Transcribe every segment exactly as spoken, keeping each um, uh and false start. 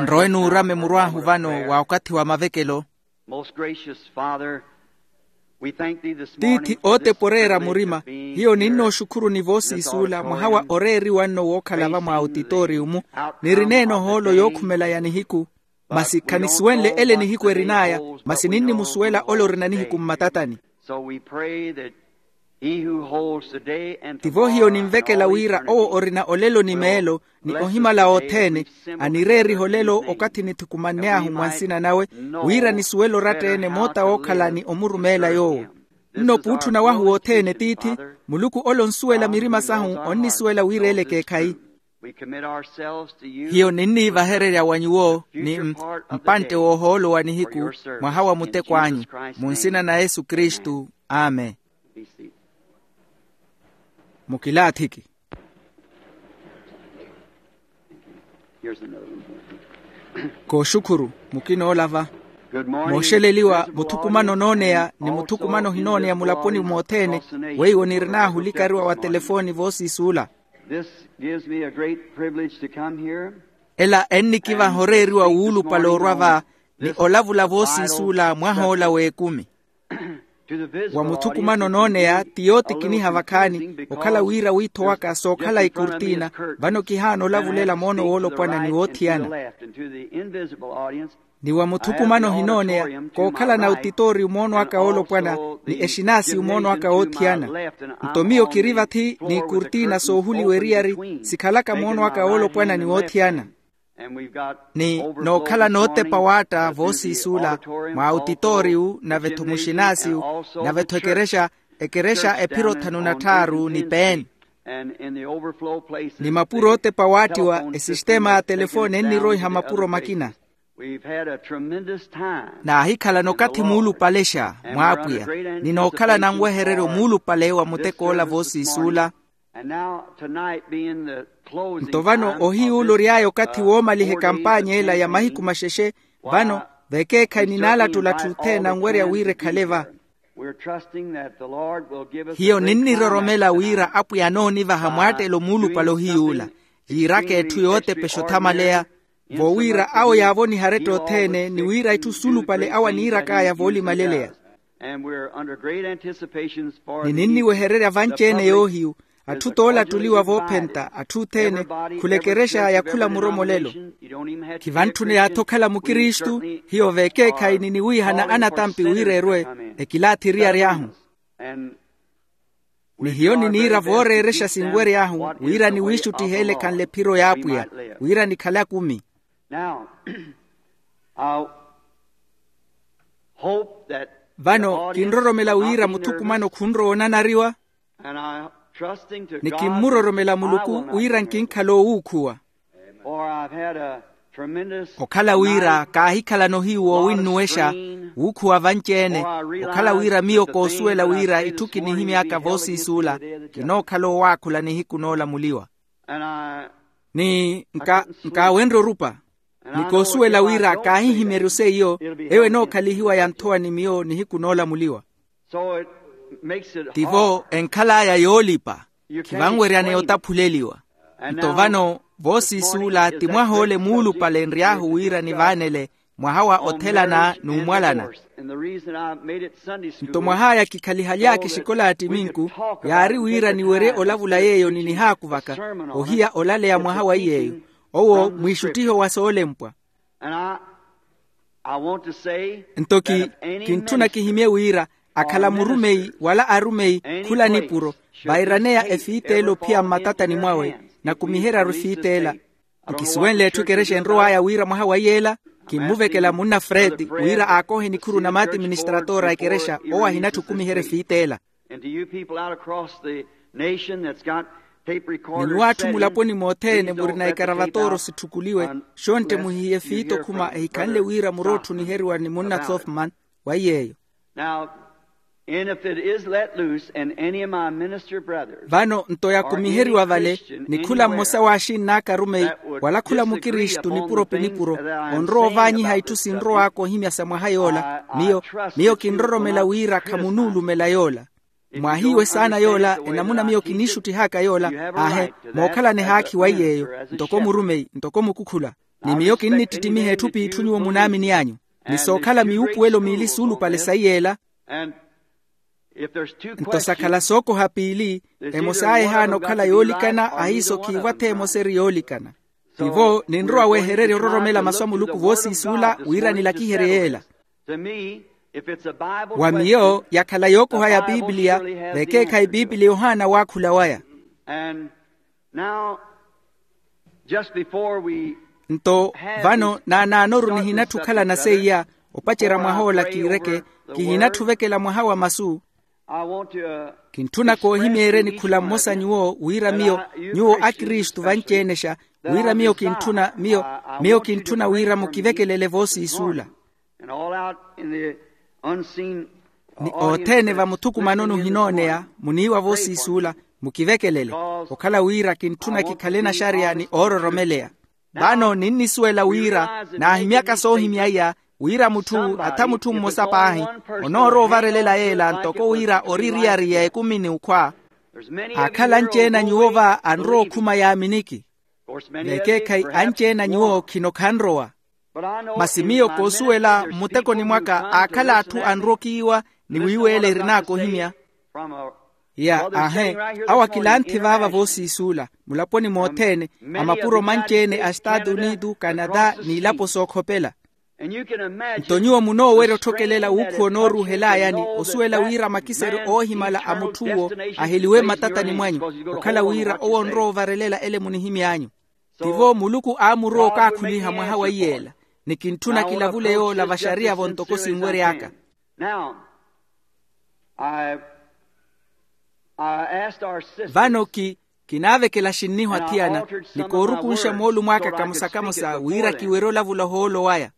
Nrowe nuurame murw'ahu vano wa okathi wa mavekelo. Most gracious Father, we thank thee this morning. Tiithi ootepa oreera murima. Hiyo ninnooxukhuruni voosiisuula mwaha wa oreeriwa nno wookhala va mwa autitooriyu-mu. Nirineene ohoolo yookhumelaya nihiku, masi khanisuwenle ele nihiku erin'aya. Masi ninnimusuwela ole orina nihiku mmatatani. Tivo hiyo ninvekela wira owo orina olelo ni meelo ni ohimala othene, anireeriha olelo okathi nithukumann'ahu mwa nsina nawe, wira nisuwele oratta-ene moota wookhala ni omurumeela yoowo. Nno puutthuna wahu wothene tiithi, muluku ole onsuwela mirima sahu, onnisuwela wira ele ekeekhayi. Hiyo ninniivahererya wa nyuwo ni mpantte w'ohoolo wa nihiku, mwaha wa muteko anyu, mu nsina na yesu kristu. Amen. Mukilaathiki. Kooxukhuru. Mukinoolava. Mooxeleliwa muthukumano onooneya ni muthukumano ohinooneya mulaponi mothene. Weiwo nirin'ahu olikariwa wa telefooni voosiisuula. Ela ennikivaha oreeriwa wuulupale orwa va ni olavula voosiisuula mwah'ola w'ekumi. Wa muthukumano onooneya ti yootikiniha vakhaani okhala wira wiitho waka sookhala ikurtiina. Vano kihaana olavulela moono woolopwana ni woothiyana. Ni wa muthukumano ohinooneya kookhalana utitooriyu moono aka woolopwana ni exinaasiyu moono aka woothiyana. Nto miyo kiri vathi n'ikurtiina soohuliwa eriyari sikhalaka moono aka woolopwana ni woothiyana. Ni nookhala nootepa waatta voosiisuula mwa autitooriyu nave-tho muxinaasiyu nave-tho ekerexa ekerexa ephiro thanu na tthaaru ni peeni. Ni mapuro ootepa waattiwa esistema ya telefooni enniroiha mapuro makina. Naahikhalana okathi muulupalexa mwaapwiya ni nookhalana nwehereryo muulupale wa mutek'ola voosiisuula. Nto vano ohiyuula ory'aya okathi woomaliha ekampaanya ela ya mahiku maxexe. Vano vekeekhayi ninaalattula atthu othene anwerya wira ekhale va. Hiyo ninniroromela wira apwiya anoonivaha mwaattelo muulupale ohiyuula yiiraka etthu yootepexa othamaleya. Vowiira awo yaavoniha aretta othene ni wira itthu suulupale awo aniirak'aya voolimaleleya. Ni ninniwehererya vanci-ene yoohiyu atthu toolattuliwa voophenta atthu othene khula ekerexa ya khula muromolelo. Khivantthuney'athi okhala mukristu. Hiyo vekeekhayi niniwiihana anatampi wira erwe ekilaathi eriyari ahu. Ni hiyo niniira vooreerexa sinwery'ahu wira niwiixuttihe ele ekhanle ephiro y'apwiya wira nikhale akumi. Vano kinroromela wira muthukumano khunrowa onanariwa. Ni kimmuroromela muluku wira nkinkhala owuukhuwa. Okhala wira kaahikhalana ohiyu woowinnuwexa wuukhuwa vanci-ene. Okhala wira miyo koosuwela wira itthu kinihimy'aka voosiisuula kinookhala owaakhula nihiku noolamuliwa. Ni nkaawenrye orupa ni koosuwela wira kaahihimyeryo seiyo eyo enookhalihiwa yanthowa ni miyo nihiku noolamuliwa. Tivo enkhal'aya yoolipa. Khivanweryaneya otaphuleliwa. Nto vano voosiisuula ti mwaha ole muulupale enry'ahu wira nivaanele mwaha wa othelana n'umwalana. Nto mwah'aya kikhalihaly'aka exikola ya ttiminku yaari wira niwerye olavula yeeyo ninihaakuvaka ohiya olaleya mwaha wa iy'eyo owo mwiixuttiho wa soolempwa. Nto ki kintthuna kihimye wira akhala murumeyi wala arumeyi khula nipuro vairaneya efiit'ela ophiya mmatatani mwawe nakumiheryaru efiit'ela. Nkisuwenle etthu ekerexa enrow'aya wira mwaha wa iy'ela kimmuvekela munna freti wira aakohe nikhuru na maatiministratora a ekerexa owo ahinatthu okumiherya efiit'ela. Ni nyuwo atthu mulaponi mothene murina ikaravatooro sitthukuliwe xontte muhihiye fiita okhuma ehikhanle wira murootthu oniheriwa ni munna softman. Wa iy'eyo. Vano nto yakumiheriwa vale ni khula mmosa w'axinn'aka arumeyi wala khula mukristu nipuro pi nipuro onrowa ovaanyiha itthu sinrow'aka ohimya sa mwaha yoola. Miyo kinroromela wira khamunuulumela yoola. Mwahiiwe saana yoola enamuna miyo kiniixuttih'aka yoola. Aahe mookhalana ehaakhi wa iy'eyo ntoko murumeyi ntoko mukukhula. Ni miyo kinnittittimiha etthu p'itthu nyuwo munaamini anyu, ni sookhala miwuupuwelo miili suulupale sayi ela. Nto sakhala sookoha piili, emos'aya ehaana okhala yoolikana ahiiso khiivo ath'emosa eri yoolikana. Tivo ninrowa wehererya ororomela masu a muluku voosiisuula wira nilakiherye yeela. Wa miyo yakhala yookoha ya piipiliya, vekeekhayi piipiliya ohaana waakhula waya. Nto vano naanaanoru nihinatthi okhalana seiya opacerya mwaha ola kiireke, kihinatthi ovekela mwaha wa masu. Kintthuna koohimeeryeni khula mmosa nyuwo wira miyo, nyuwo akristu vanci-enexa, wira miyo kintthuna miyo, miyo kintthuna wira mukivekelele voosiisuula. Ni othene vamuthukumanoni ohinooneya muniiwa voosiisuula, mukivekelele, okhala wira kintthuna kikhale naxariya ni oororomeleya. Vano ninnisuwela wira naahimyaka soohimya iya, wira mutthu atha mutthu mmosa paahi onoorowa ovarelela yeela ntoko wira ori eriyari ya ekumi n'ukhwa. Aakhala anci-ene a nyuwo va anrowa okhuma yaaminiki. Vekeekhayi anci-ene a nyuwo khino khanrowa. Masi miyo koosuwela mmutekoni mwaka aakhala atthu anrokiiwa ni wiiweela erin'aka ohimya. Ya aahe, awo akilanthi vaava voosiisuula mulaponi mothene, a mapuro manci-ene a estaatu unitu, kanata n'ilapo sookhopela. Nto nyuwo munoowerya otthokelela wuukhuwa onooruuhelayani osuwela wira makiseryo oohimala a mutth'uwo aheliwe mmatatani mwanyu, okhala wira owo onrowa ovarelela ele munihimy'anyu. Tivo muluku aamurowa okaakhuliha mwaha wa iyeela, ni kintthuna kilavule yoola vaxariya-vo ntoko sinwery'aka. Vano ki kinaavekela xinniho athiyana, ni koorukunxa moolumo aka kamosa kamosa wira kiwerye olavula ohoolo waya.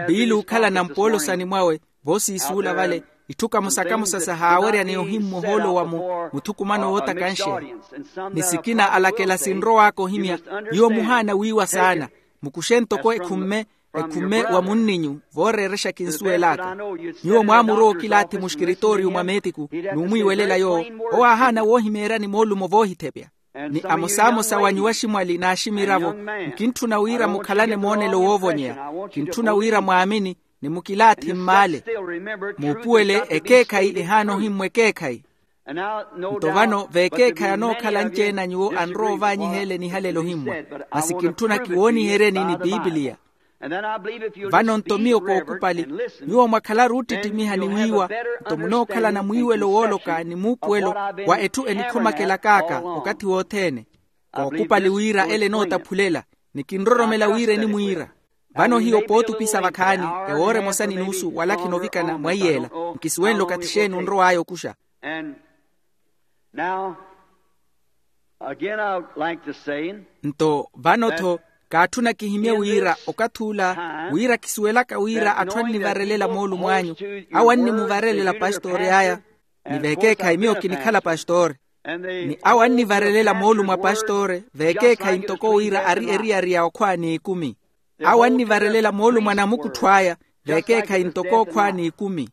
Piili ookhalana mpoolosani mwawe voosiisuula vale, itthu kamosa kamosa sahaawerya ni ohimmwa ohoolo wa muthukumano wootakanxeya. Ni sikina alakela sinrow'aka ohimya, nyuwo muhaana wiiwa saana. Mukuxe ntoko ekhumme, ekhumme wa munninyu vooreerexa kinsuwel'aka. Nyuwo mwaamurowa okilaathi muxkiritooriyu mwa meetiku, n'umwiiwelela yoowo. Owo aahaana woohimeeryani moolumo voohithepya. Ni amosamosa wa nyuwo aximwali n'aximiravo, nkintthuna wira mukhalane moonelo woovonyeya. Kintthuna wira mwaamini, ni mukilaathi mmaale. Muupuwele ekeekhayi ehaana ohimmwa ekeekhayi. Nto vano vekeekhayi anookhala anci-ene a nyuwo anrowa ovaanyiha ele nihalelo ohimmwa. Masi kintthuna kiwooniheryeni ni piipiliya. Vano nto miyo kookupali, nyuwo mwakhalaru oottittimiha ni wiiwa, nto munookhalana mwiiwelo wooloka ni muupuwelo wa etthu enikhomakelak'aka okathi wothene. Kookupali wira ele enootaphulela, ni kinroromela wira enimwiira. Vano hiyo pootupisa vakhaani, ewoora emosa ni nuusu wala khinovikana mwa iyeela. Nkisuwenle okathi xeeni onrow'aya okuxa. Nto vano-tho kaatthuna kihimye wira okathi ula, wira kisuwelaka wira atthu annivarelela moolumo anyu, awo annimuvarelela pastori aya. Ni vekeekhayi miyo kinikhala pastori. Ni awo annivarelela moolumo a pastori vekeekhayi ntoko wira ari eriyari ya okhwa n'ikumi. Awo annivarelela moolumo a namukuttho aya vekeekhayi ntoko okhwa n'ikumi.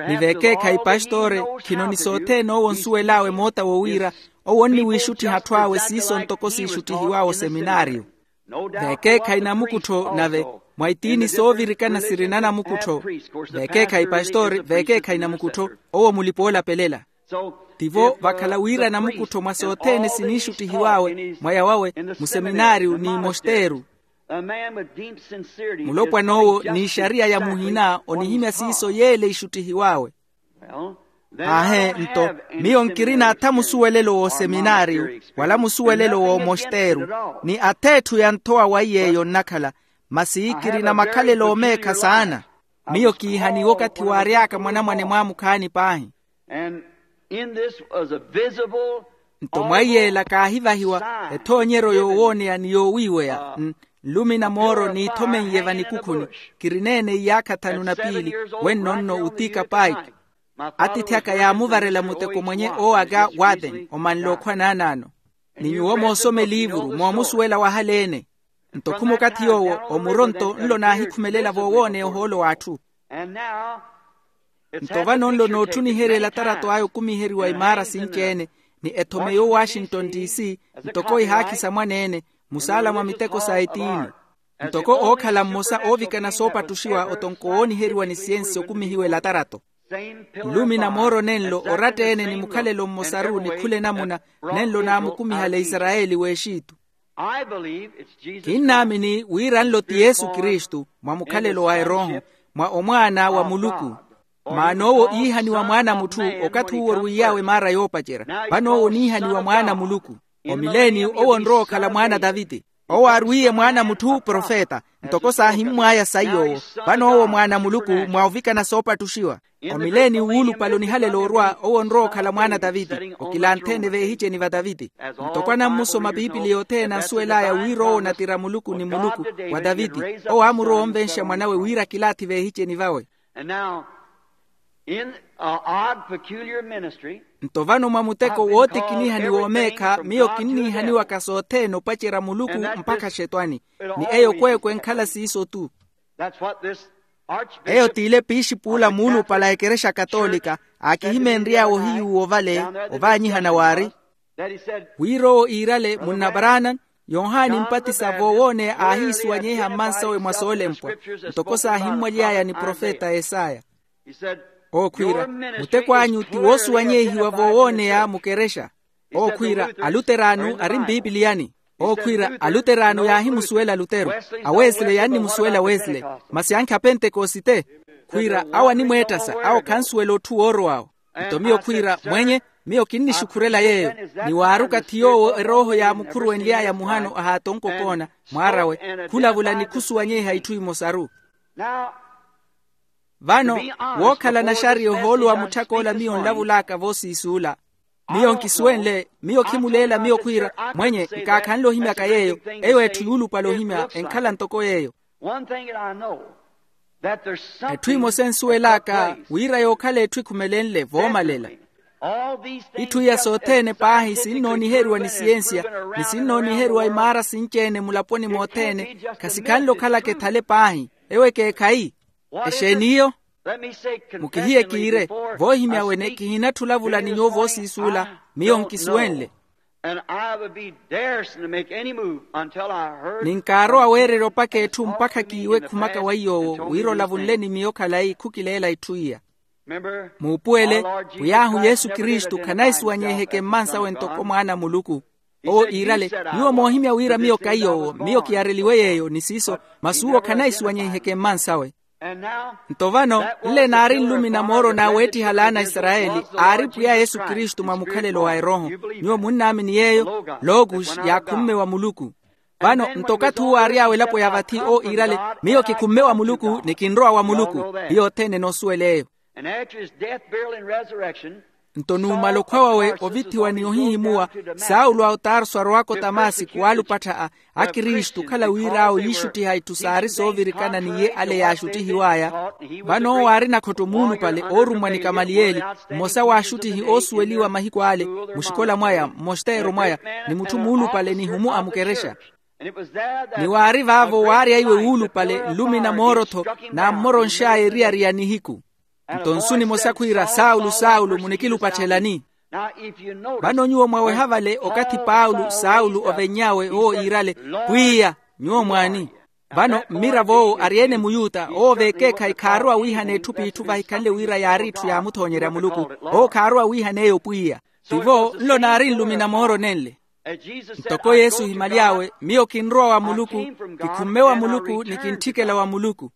Ni vekeekhayi pastori khino ni sothene owo onsuwel'awe moota wo wira owo onniwiixuttiha atthu awe siiso ntoko siixuttihiw'awe oseminaariyo. Vekeekhayi namukuttho nave mwa itiini soovirikana sirina namukuttho. Vekeekhayi pastori vekeekhayi namukuttho owo mulipa oolapelela. Tivo vakhala wira namukuttho mwa sothene siniixuttihiw'awe mwaya wawe museminaariyu ni mosteru. Mulopwan'owo n'ixariya ya muhina onihimya siiso yeele ixuttihiw'awe. Aahe nto miyo nkirina atha musuwelelo w'oseminaariyu wala musuwelelo w'omosteru, ni ath'etthu ya nthowa wa iy'eyo nnakhala. Masi kirina makhalelo omeekha saana. Miyo kiihaniwe okathi waary'aka mwanamwane mwaamukhaani paahi. Nto mwa iyeela kaahivahiwa ethoonyeryo yoowooneya ni yoowiiweya. Nlumina mooro niithomen'ye vanikukhuni. Kirineene iyaakha thanu na piili. Wenno nno utiika paiki. Atiithi aka yaamuvarela muteko mwenye oowaka waten omanle okhwa naanaano. Ni nyuwo moosoma eliivuru moomusuwela wahaleene. Nto khuma okathi yoowo omuronto nlo naahikhumelela voowooneya ohoolo w'atthu. Nto vano nlo nootthuniherya elatarato aya okumiheriwa imaara sinci-ene, ni ethome yo washington d c ntoko ihaakhisa mwaneene. musaala mwa miteko sa etiini. Ntoko ookhala mmosa oovikana soopattuxiwa otonko wooniheriwa ni siyensi okumihiwe latarato. Nlumi na mooro nenlo oratta-ene ni mukhalelo mmosaru ni khula enamuna, nenlo naamukumihale isarayeli w'exitu. Kinnaamini wira nlo ti yesu kristu mwa mukhalelo wa erooho, mwa omwaana wa muluku. Maana owo iihaniwa mwaana a mutthu okathi uwo orwiiy'awe maara yoopacerya. Vano owo oniihaniwa mwaana a muluku. Omileeni owo onrowa okhala mwaana a taviti. Owo aarwiiye mwaana a mutthu profeta, ntoko saahimmw'aya saiy'owo. Vano owo mwaana a muluku mwa ovikana soopattuxiwa. Omileeni wuulupale onihalela orwa owo onrowa okhala mwaana a taviti, okilanthe-ene veehiceni va taviti. Ntoko anammusoma piipiliya othene ansuwel'aya wira owo natira muluku ni muluku, wa taviti. Owo aamurowa onvenxa mwan'awe wira akilaathi veehiceni vawe. Nto vano mwa muteko wootikiniha ni woomeekha miyo kinniihaniwaka sothene opacerya muluku mpakha xetwani. Ni eyo kweekwe enkhala siiso-tu. Eyo t'ile piixip'ula muulupale a ekerexa katolika, aakihimeenry'awe ohiyuwa ovale ovaanyihana waari. Wira owo iirale munna branham, yohani mpatisa voowooneya aahiisuwanyeiha mmansawe mwa soolempwa, ntoko saahimmwaly'aya ni profeta esaya. Ookhwiira, muteko anyu ti woosuwanyeihiwa voowooneya mukerexa. Ookhwiira, aluteraanu ari mpiipiliyani. Ookhwiira, aluteraanu yaahimusuwela luteru. Awesile yannimusuwela wesile. Masi ankhi apentekosite. Khwiira awo animweettasa awo khansuwela otthu woorow'awo. Nto miyo khwiira mwenye, miyo kinnixukhurela yeeyo. Ni waaruka thi yoowo erooho yaamukhuruwenly'aya muhano ahaatonkokoona mwaar'awe, khulavula ni khusuwanyeiha itthu imosaru. Vano, wookhala naxariya ohoolo wa mutthak'ola miyo nlavul'aka voosiisuula. Miyo nkisuwenle, miyo khimuleela miyo khwiira mwenye, nkaakhanle ohimyaka yeeyo. Eyo etthu yuulupale ohimya enkhala ntoko yeeyo. Etthu emosa ensuwel'aka wira yookhala etthu ekhumelenle voomalela. Itthu iya sothene paahi sinnooniheriwa ni siyensiya, ni sinnooniheriwa imaara sinci-ene mulaponi mothene. Khasikhanle okhalaka ethale paahi. Ewo ekeekhayi. Exeeni iyo? Mukihiye kiire, voohimya wene kihinatthi olavula ni nyuwo voosiisuula. Miyo nkisuwenle. Ni nkaarowa weererya opaka etthu mpakha kiiwe ekhumaka wa iy'owo wira olavunle ni miyo khalayi khukileela itthu iya. Muupuwele, pwiy'ahu yesu kristu khanaisuwanyeiheke mmansawe ntoko mwaana a muluku. Owo iirale, nyuwo moohimya wira miyo kaiy'owo miyo kiyareliwe yeeyo ni siiso. Masi uwo khanaisuwanyeiheke mmansawe. Nto vano, nle naari nlumi na mooro n'aweettiha alaana a isarayeli, aari pwiya yesu kristu mwa mukhalelo wa erooho. Nyuwo munnaamini yeeyo? Logos yaakhumme wa muluku. Vano nto okathi uwo aary'awe elapo ya vathi owo iirale, miyo kikhumme wa muluku ni kinrowa wa muluku. Hiyo othene enoosuwela eyo. Nto numala okhwa wawe ovithiwa ni ohihimuwa, saulo a otarso arowaka otamasiku waalupattha a akristu okhala wir'awe yiixuttiha itthu saari soovirikana n'iye ale yaaxuttihiw'aya. Vano owo aari nakhotto muulupale oorummwa ni kamaliyeli, mmosa w'axuttihi oosuweliwa mahiku ale, muxikola mwaya mmosteero mwaya, ni mutthu muulupale nihumu a mukerexa. Ni waari vaavo waarya iwe wuulupale nlumi na mooro-tho naammoronx'aya eriyari ya nihiku. Nto nsu nimosa khwiira, saulu saulu munikilupatthelani? Vano nyuwo mwaweha vale okathi paulo saulu ovenny'awe owo iirale, pwiya, nyuwo mwaani? Vano mmirav'owo ari-ene muyuta owo v'ekeekhayi khaarowa wiihana etthu p'itthu vahikhanle wira yaari etthu yaamuthoonyerya muluku. Owo khaarowa wiihana eyo pwiya. Tivo nlo naari nlumi na mooro nenle. Ntoko yesu ohimaly'awe, miyo kinrowa wa muluku, kikhumme wa muluku ni kintthikela wa muluku.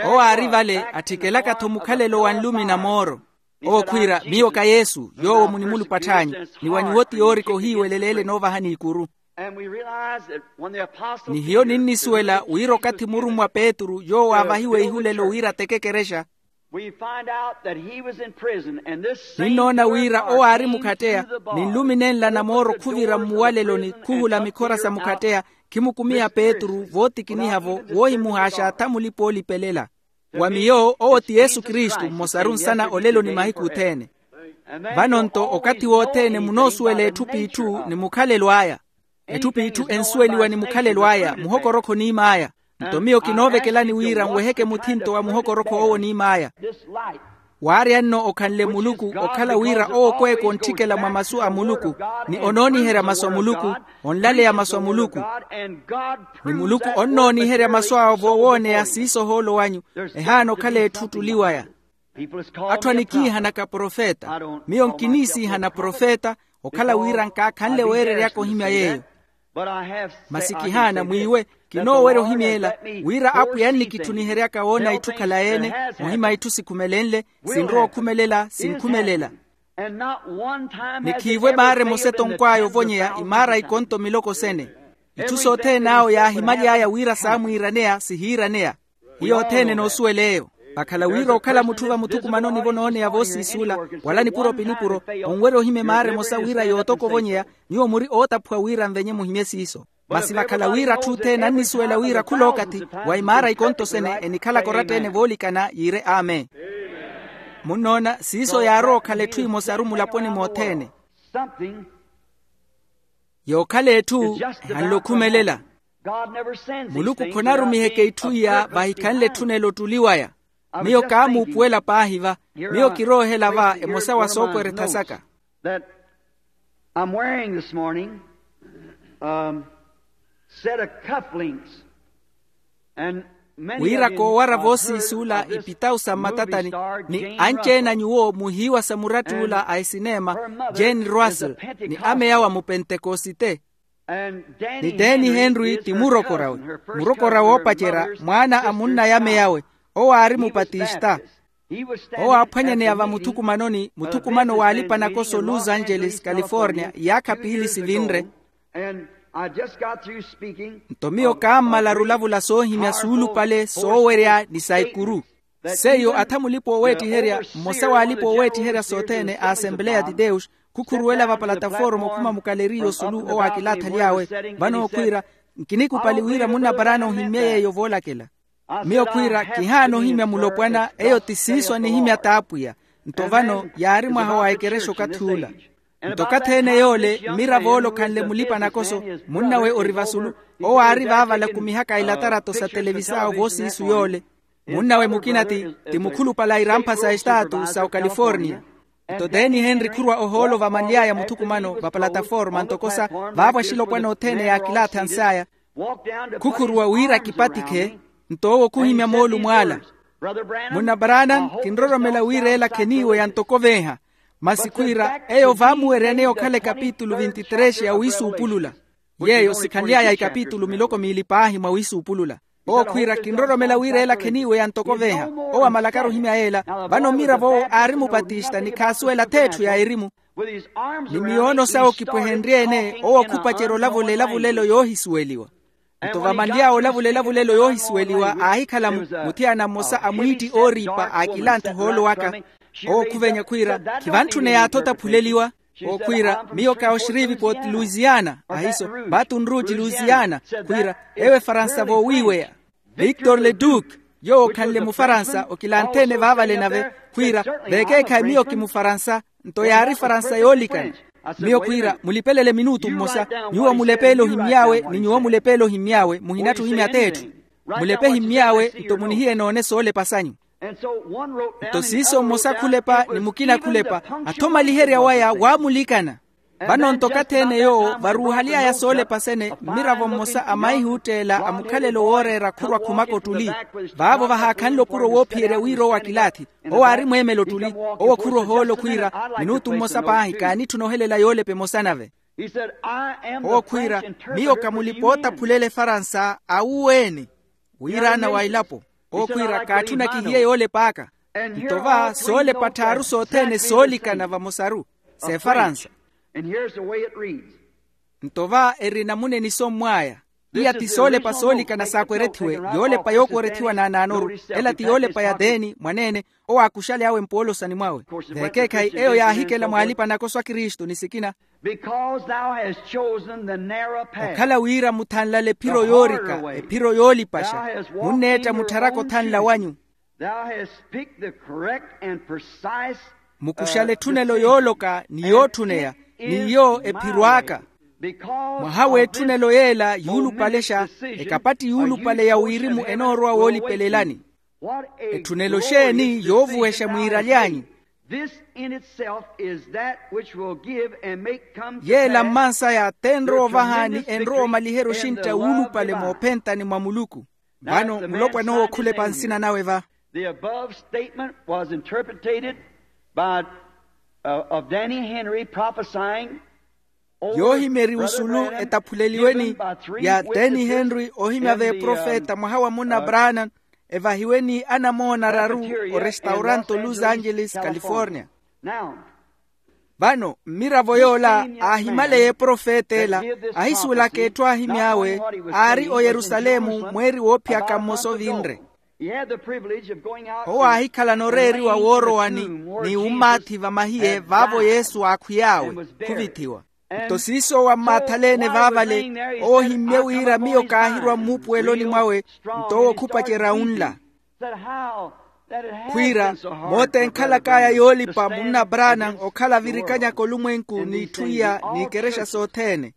Owo aari vale atthikelaka-tho mukhalelo wa nlumi na mooro. Owo khwiira, miyo ka yesu yoowo munimulupatthaanyu, ni wa nyuwo ti yoorika ohiiweleleele noovahani ikuru. Ni hiyo ninnisuwela wira okathi murummwa petru yoowo aavahiwe ihulelo wira ateke ekerexa. Ninnoona wira owo aari mukhatteya, ni nlumi nenla na mooro khuvira mmuwaleloni khuhula mikhora sa mukhatteya, khimukumiha petru vootikiniha-vo woohimuhaaxa atha mulipa-oolipelela. Wa miyo owo ti yesu kristu mmosaru nsana olelo ni mahiku othene. Vano nto okathi wothene munoosuwela etthu p'itthu ni mukhalelo aya. Etthu p'itthu ensuweliwa ni mukhalelo aya muhokorokho oniim'aya. Nto miyo kinoovekelani wira nweheke muthinto wa muhokorokho owo oniim'aya. Waarya-nno okhanle muluku okhala wira owo okweeka ontthikela mwa masu a muluku, ni onooniherya masu a muluku, onlaleya masu a muluku. Ni muluku onnooniherya masu awo voowooneya siiso ohoolo wanyu. Ehaana okhala etthu ottuli waya. Atthu anikiihanaka profeta. Miyo nkiniisiihana profeta, okhala wira nkaakhanle weereryaka ohimya yeeyo. Masi kihaana mwiiwe, kinoowerya ohimya ela, wira apwiya annikitthuniheryaka woona itthu khala-ene, ohimya itthu sikhumelenle, sinrowa okhumelela sinkhumelela. Ni khiivwe maara emosa etonkw'aya ovonyeya imaara ikonto miloko sene. Itthu sothene awo yaahimaly'aya wira saamwiiraneya sihiiraneya. Hiyo othene noosuwel'eyo. Vakhala wira okhala mutthu vamuthukumanoni vonooneya voosiisuula, wala nipuro pi nipuro, onwerya ohimya emaara emosa wira yootoka ovonyeya. Nyuwo muri ootaphuwa wira nvenye muhimye siiso. Masi vakhala wira atthu othene annisuwela wira khula okathi wa imaara ikonto sene enikhalaka oratta-ene voolikana yiire amen. Munnoona siiso yaarowa okhala etthu emosaru mulaponi mothene. Yookhala etthu ehanle okhumelela. Muluku khonarumiheke itthu iya vahikhanle etthunelo ottuli waya. Miyo kaamuupuwela paahi va. Miyo kiroohela va emosa wa sookoretha saka. That I'm wearing this morning, um, set of cufflinks. Wira koowara voosiisuula ipitawu sa mmatatani ni anci-ene a nyuwo muhiiwa sa murattuula a esineema, jane russell, ni ameyawe a mupentekosite. Ni teni henry ti murokorawe, murokorawe oopacerya, mwaana a munna y'ameyawe. Owo aari mupatista. Owo aaphwanyaneya vamuthukumanoni muthukumano w'alipa-nakoso los angeles california iyaakha piili sivinre. Nto miyo kaammalaru olavula soohimya suulupale soowerya ni sa ikuru. Seiyo atha mulipa ooweettiherya mmosa w'alipa ooweettiherya sothene a asembleya de deus, khukhuruwela vapalataforma okhuma mukaleriya osulu owo akilaathali awe. Vano okhwiira, nkinikupali wira munnaparaana ohimmye yeeyo voolakela. Miyo khwiira kihaana ohimya mulopwana eyo ti siiso anihimya t'apwiya. Nto vano yaari mwaha wa ekerexa okathi ula. Nto okathi ene yoole mmirav'ole okhanle mulipa-nakoso, munnawe ori vasulu. Owo aari vaavala akumihaka ilatarato sa televisao voosiisu yoole. Munnawe mukina ti mukhulupale a irampha sa estaatu sa ocalifornia. Nto teni henry khurwa ohoolo vamanly'aya muthukumano vapalataforma ntoko sa vaavo axilopwana othene yaakilaathi ans'aya. Khukhuruwa wira akipatikhe. Nto owo khuhimya moolumo ala. Munna branham, kinroromela wira ela kheniiweya ntoko veeha. Masi khwiira eyo vaamuweryaneya okhala ekapitulu vinti-trexi ya wiisuupulula. Yeeyo sikhanly'aya ikapitulu miloko miili paahi mwa wiisuupulula. Owo khwiira kinroromela wira ela kheniiweya ntoko veeha. Owo amalakaru ohimya yeela. Vano mmirav'owo aari mupatista ni khaasuwela ath'etthu ya erimu. Ni miyoono sawe okipwehenrye-ene owo khupacerya olavula elavulelo yoohisuweliwa. Nto vamanly'awe olavula elavulelo yoohisuweliwa aahikhala muthiyana mmosa a mwiitti ooriipa aakilanthi ohoolo waka. Owo khuvenya khwiira, khivantthuneya athotaphuleliwa. Owo khwiira, miyo ka oxriviport louisiana ahiso, baton rouge louisiana. Khwiira, ewo efaransa voowiiweya. Victor le duc, yoowo okhanle mufaransa okilanthi-ene vaavale nave. Khwiira, veekeekhayi miyo kimufaransa. Nto yaari faransa yoolikana. Miyo khwiira mulipelele minutu mmosa. Nyuwo mulepeele ohimmy'awe ni nyuwo mulepeele ohimmy'awe muhinattha ohimya ath'etthu. Mulepe ehimmy'awe nto munihiye noone soolepa sanyu. Nto siiso mmosa khulepa ni mukina khulepa, athomaliherya waya waamulikana. Vano nto okathi-ene yoowo varuuhaly'aya soolepa sene mmiravo mmosa a maihi ootteela a mukhalelo wooreera khurwa khumaka ottuli. Vaavo vahaakhanle opuro woophiyerya wira owo akilaathi. Owo aari mweemela ottuli. Owo khurwa ohoolo khwiira, minutu mmosa paahi kaanitthuna ohelela yoolepa emosa nave. Owo khwiira, miyo ka mulipa ootaphulela efaransa awuweene. Wiiraana wa elapo. Owo khwiira kaatthuna kihiye yoolep'aka. Nto va soolepa tthaaru sothene soolikana vamosaru, s'efaransa. Nto va eri namuna enisommw'aya. Iya ti soolepa soolikana saakwerethiwe. Yoolepa yookwerethiwa naanaanoru. Ela ti yoolepa ya teeni mwaneene, owo aakuxale awe mpoolosani mwawe. Veekeekhayi eyo yaahikela mwa alipa-nakoso a kristu ni sikina. Because thou hast chosen the narrow path, okhala wira muthanlale ephiro yoorika, ephiro yoolipaxa. Munneetta muttharaka othanla wanyu. Thou hast picked the correct and precise. Mukuxale etthunelo yooloka ni yootthuneya, n'iyo ephiro aka. Mwaha w'etthunelo yeela yuulupalexa, ekapatti yuulupale ya wirimu enoorowa woolipelelani. Etthunelo xeeni yoovuwexa mwiiraly'anyu? Yeela mmansaya t'enrowa ovaha ni enrowa omaliherya oxintta wuulupale moophentani mwa muluku. Vano mulopwana owo khulepa nsina nawe va. The above statement was interpreted by uh, of Danny Henry prophesying over yoohimya eri usulu etaphuleliweni ya Danny Henry ohimya v'eprofeta mwaha wa munna Branham evahiwe ni anamoona araru orestauranto Los Angeles California. Vano mmiravo yoola aahimaleya eprofeta ela ahisuwelaka etthu aahimy'awe aari oyerusalemu mweeri woophiyaka mmosa ovinre. Owo aahikhalana oreeriwa woorowani ni ummaathi vamahiye vaavo yesu aakhwiy'awe khuvithiwa. Nto siiso owo ammaathaleene vaavale owo ohimmye wira miyo kaahirwa mmuupuweloni mwawe. Nto owo khupacerya unla khwiira moota enkhalak'aya yoolipa munna branham okhala avirikanyaka olumwenku n'itthu iya n'ikerexa sothene.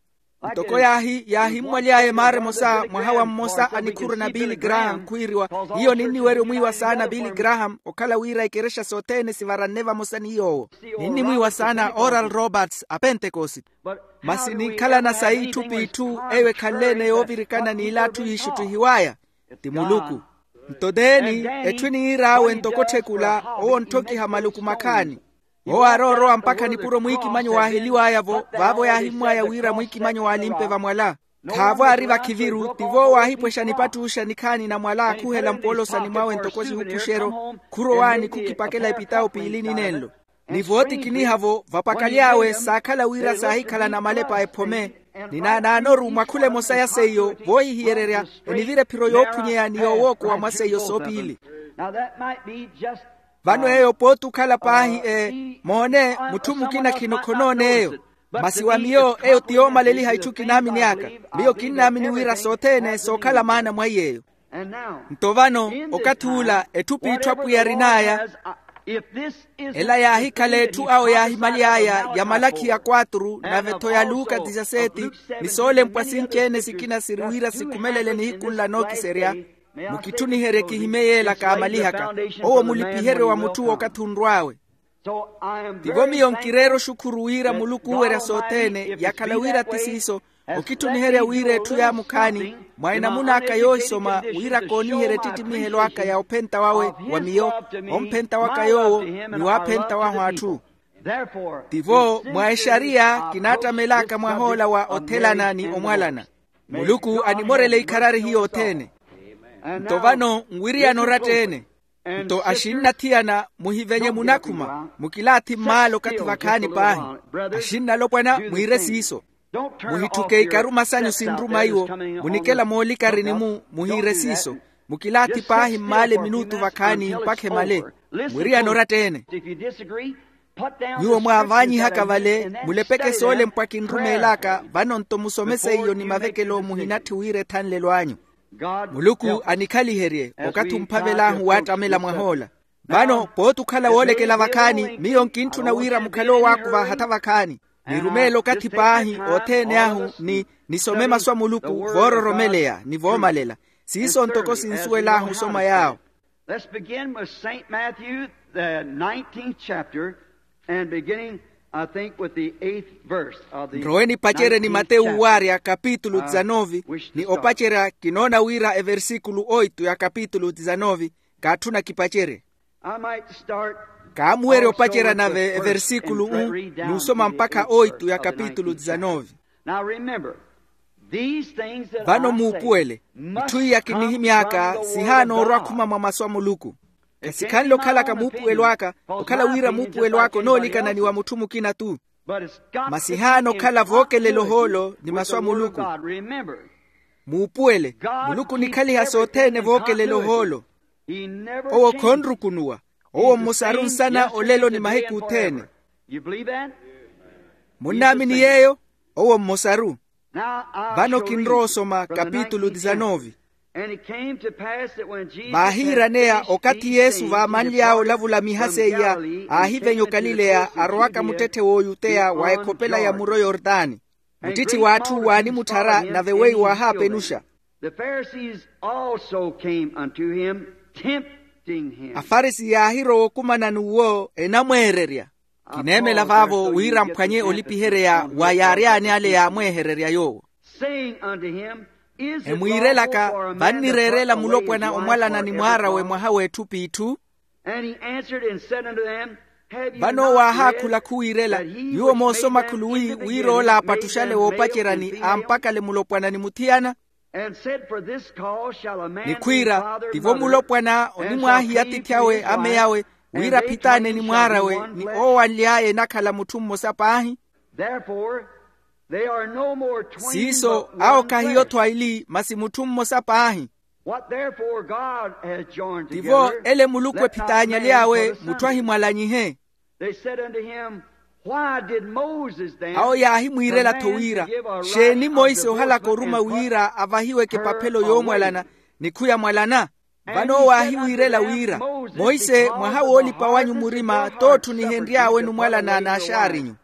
Ntoko yaahi yaahimmwaly'aya emaara emosa mwaha wa mmosa a nikhuru na billy graham khwiiriwa hiyo ninniwerya omwiiwa saana billy graham okhala wira ikerexa sothene sivaranne vamosa ni yoowo. Ninnimwiiwa saana oral roberts a pentekosite. Masi ninkhalana sayi itthu p'itthu eyo ekhanle-ene yoovirikana n'ila atthu yiixuttihiw'aya ti muluku. Nto teeni etthu eniir'awe ntoko otthekula owo ontthokiha maluku makhaani. Owo aaroorowa mpakha nipuro mwiikimanyo waaheliw'aya-vo vaavo yaahimmw'aya wira mwiikimanyo waalimpe vamwala. Khaavo aari vakhiviru tivo owo aahipwexa nipattuxa nikhaani na mwala aakhuhela mpoolosani mwawe ntoko sihupuxeryo. Khurowaani khukipakela epitawo piili ninenlo ni vootikiniha-vo vapakaly'awe saakhala wira saahikhalana malepa ephome. Ni naanaanoru mwa khula emosa ya seiyo voohihiyererya enivira ephiro yoophunyeya ni yoowookowa mwa seiyo soopiili. Vano eyo pooti okhala paahi e moone mutthu mukina khino khonooneeyo. Masi wa miyo eyo ti yoomaleliha itthu kinaamini aka. Miyo kinnaamini wira sothene sookhala maana mwa iy'eyo. Nto vano okathi ula etthu p'itthu apwiya arin'aya ela yaahikhala etthu awo yaahimaly'aya ya malakhiya kwatru nave-tho ya luka disaseti ni soolempwa sinci-ene sikina siri wira sikhumelele nihiku nla nookiserya. Mukitthuniherye kihimye yeela kaamalihaka owo mulipiheryo wa mutthu w'okathi onrw'awe. Tivo miyo nkireera oxukhuru wira muluku oowerya sothene yakhala wira ti siiso. Okitthuniherya wira etthu yaamukhaani mwa enamun'aka yoohisoma wira kooniherya ettittimihelw'aka ya ophenta wawe wa miyo omphenta waka yoowo ni waaphenta wahu atthu. Tivo mwa exariya kinaattamel'aka mwah'ola wa othelana ni omwalana. Muluku animorele ikharari hiyo othene. Nto vano nwiriyana oratta-ene. Nto axinnathiyana muhivenye munakhuma mukilaathi mmaala okathi vakhaani paahi. Axinnalopwana mwiire siiso. Muhitthuke ikaru masanyu sinruma iwo munikela moolikarini-mu muhiire siiso. Mukilaathi paahi mmaala eminutu vakhaani mpakha emale. Mwiriyana oratta-ene. Nyuwo mwaavaanyihaka vale mulepeke soolempwa kinrumeel'aka vano nto musome seiyo ni mavekelo muhinatthi wira ethanlelo anyu. Muluku anikhaliherye okathi omphavel'ahu waattamela mwah'ola. Vano pooti okhala woolekela vakhaani miyo nkintthuna wira mukhale owaakuva hatha vakhaani. Nirumeele okathi paahi othene ahu ni nisome masu a muluku voororomeleya ni voomalela. Siiso ntoko sinsuwel'ahu osoma yaawo. Let's begin with Saint Matthew, the nineteenth chapter, and beginning, I think, with the eighth verse of the nroweni pacereni mateyu waarya kapitulu dizanovi ni opacerya kinoona wira eversikulu oitu ya kapitulu dizanovi. Kaatthuna kipacerye. I might start kaamuwerya opacerya nave eversikulu u n'usoma mpakha oitu ya kapitulu dizanovi. Now remember, vano muupuwele itthu iya kinihimy'aka sihaana orwa khuma mwa masu a muluku. Khasikhanle okhalaka muupuwelo aka okhala wira muupuwelo aka onoolikana ni wa mutthu mukina-tu. Masi haana okhala vookelela ohoolo ni masu a muluku. Muupuwele muluku onikhaliha sothene vookelela ohoolo. Owo khonrukunuwa. Owo mmosaru nsana olelo ni mahiku othene. Munnaamini yeeyo? Owo mmosaru. Vano kinrowa osoma kapitulu dizanovi. Vaahiiraneya okathi yesu vaamanly'awe olavula miha seiya aahivenya okalileya arowaka muttetthe w'oyuteya wa ekhopela ya muro yordani. Muttitthi w'atthu waanimutthara nave weiwo aahaapenuxa. The Pharisees also came unto him, tempt Afarisi yaahirowa okumanani uwo enamweererya. Kineemela vaavo wira mphwanye olipiherya wa yaaryaani ale yaamweehererya yoowo. Emwiirelaka, vannireerela mulopwana omwalana ni mwaar'awe mwaha w'etthupi itthu. Vano owo waahaakhula khuwiirela, nyuwo moosoma khuluwi wira ola apattuxale woopaceryani ampakale mulopwana ni muthiyana. Nikhwiira, tivo mulopwana onimwaahiya atiithi awe ameyawe, wira aphitaane ni mwaar'awe ni oowanly'aya enakhala mutthu mmosa paahi. Siiso awo khahiyo-tho aili masi mutthu mmosa paahi. Tivo ele muluku ephitaanyaly'awe mutthu ahimwalanyihe. Awo yaahimwiirela-tho wira, xeeni monse ohalaka oruma wira avahiweke epaphelo yoomwalana nikhu yamwalana? Vano owo aahiwiirela wira, monse mwaha woolipa wanyu murima t'otthu nihenry'awe numwalana n'axaarinyu.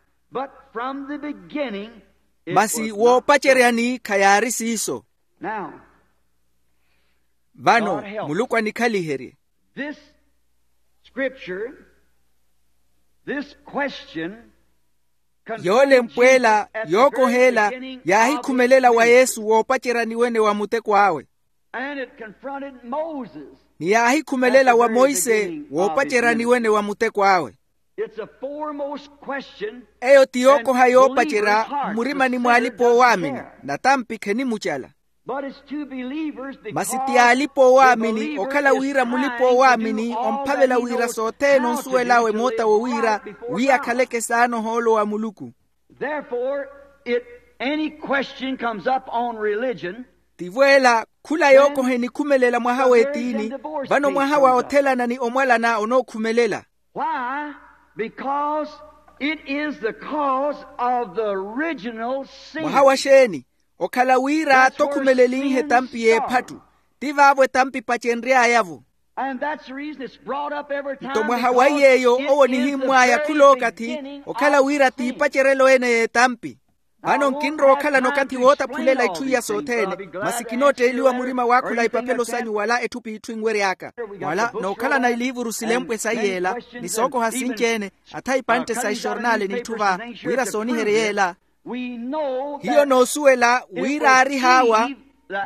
Masi woopaceryani khayaari siiso. Vano muluku anikhaliherye. Yoolempw'ela yookoh'ela yaahikhumelela wa yesu woopaceryani wene wa muteko awe. Ni yaahikhumelela wa monse woopaceryani wene wa muteko awe. Eyo ti yookoha yoopacerya mmurimani mw'alipa-oowaamini. Natampi khenimucala. Masi ti alipa-oowaamini okhala wira mulipa-oowaamini omphavela wira sothene onsuwel'awe moota wo wira wi akhaleke esaana ohoolo wa muluku. Tivo ela khula yookoha enikhumelela mwaha w'etiini, vano mwaha wa othelana ni omwalana onookhumelela. Mwaha wa xeeni? Okhala wira t'okhumelen'ehe etampi y'ephattu. Ti vaavo etampi epacenry'aya-vo. Nto mwaha wa iy'eyo owo onihimmw'aya khul'okathi okhala wira t'ipaceryelo ene y'etampi. Vano nkinrowa okhalana okathi wootaphulela itthu iya sothene, masi kinootteeliwa murima waakhula ipaphelo sanyu wala etthu p'itthu enwery'aka. Wala nookhalana iliivuru silempwe sa iy'ela ni sookoha sinci-ene, atha ipantte sa ixornale n'itthu va, wira sooniherye y'ela. Hiyo noosuwela wira aari haawa,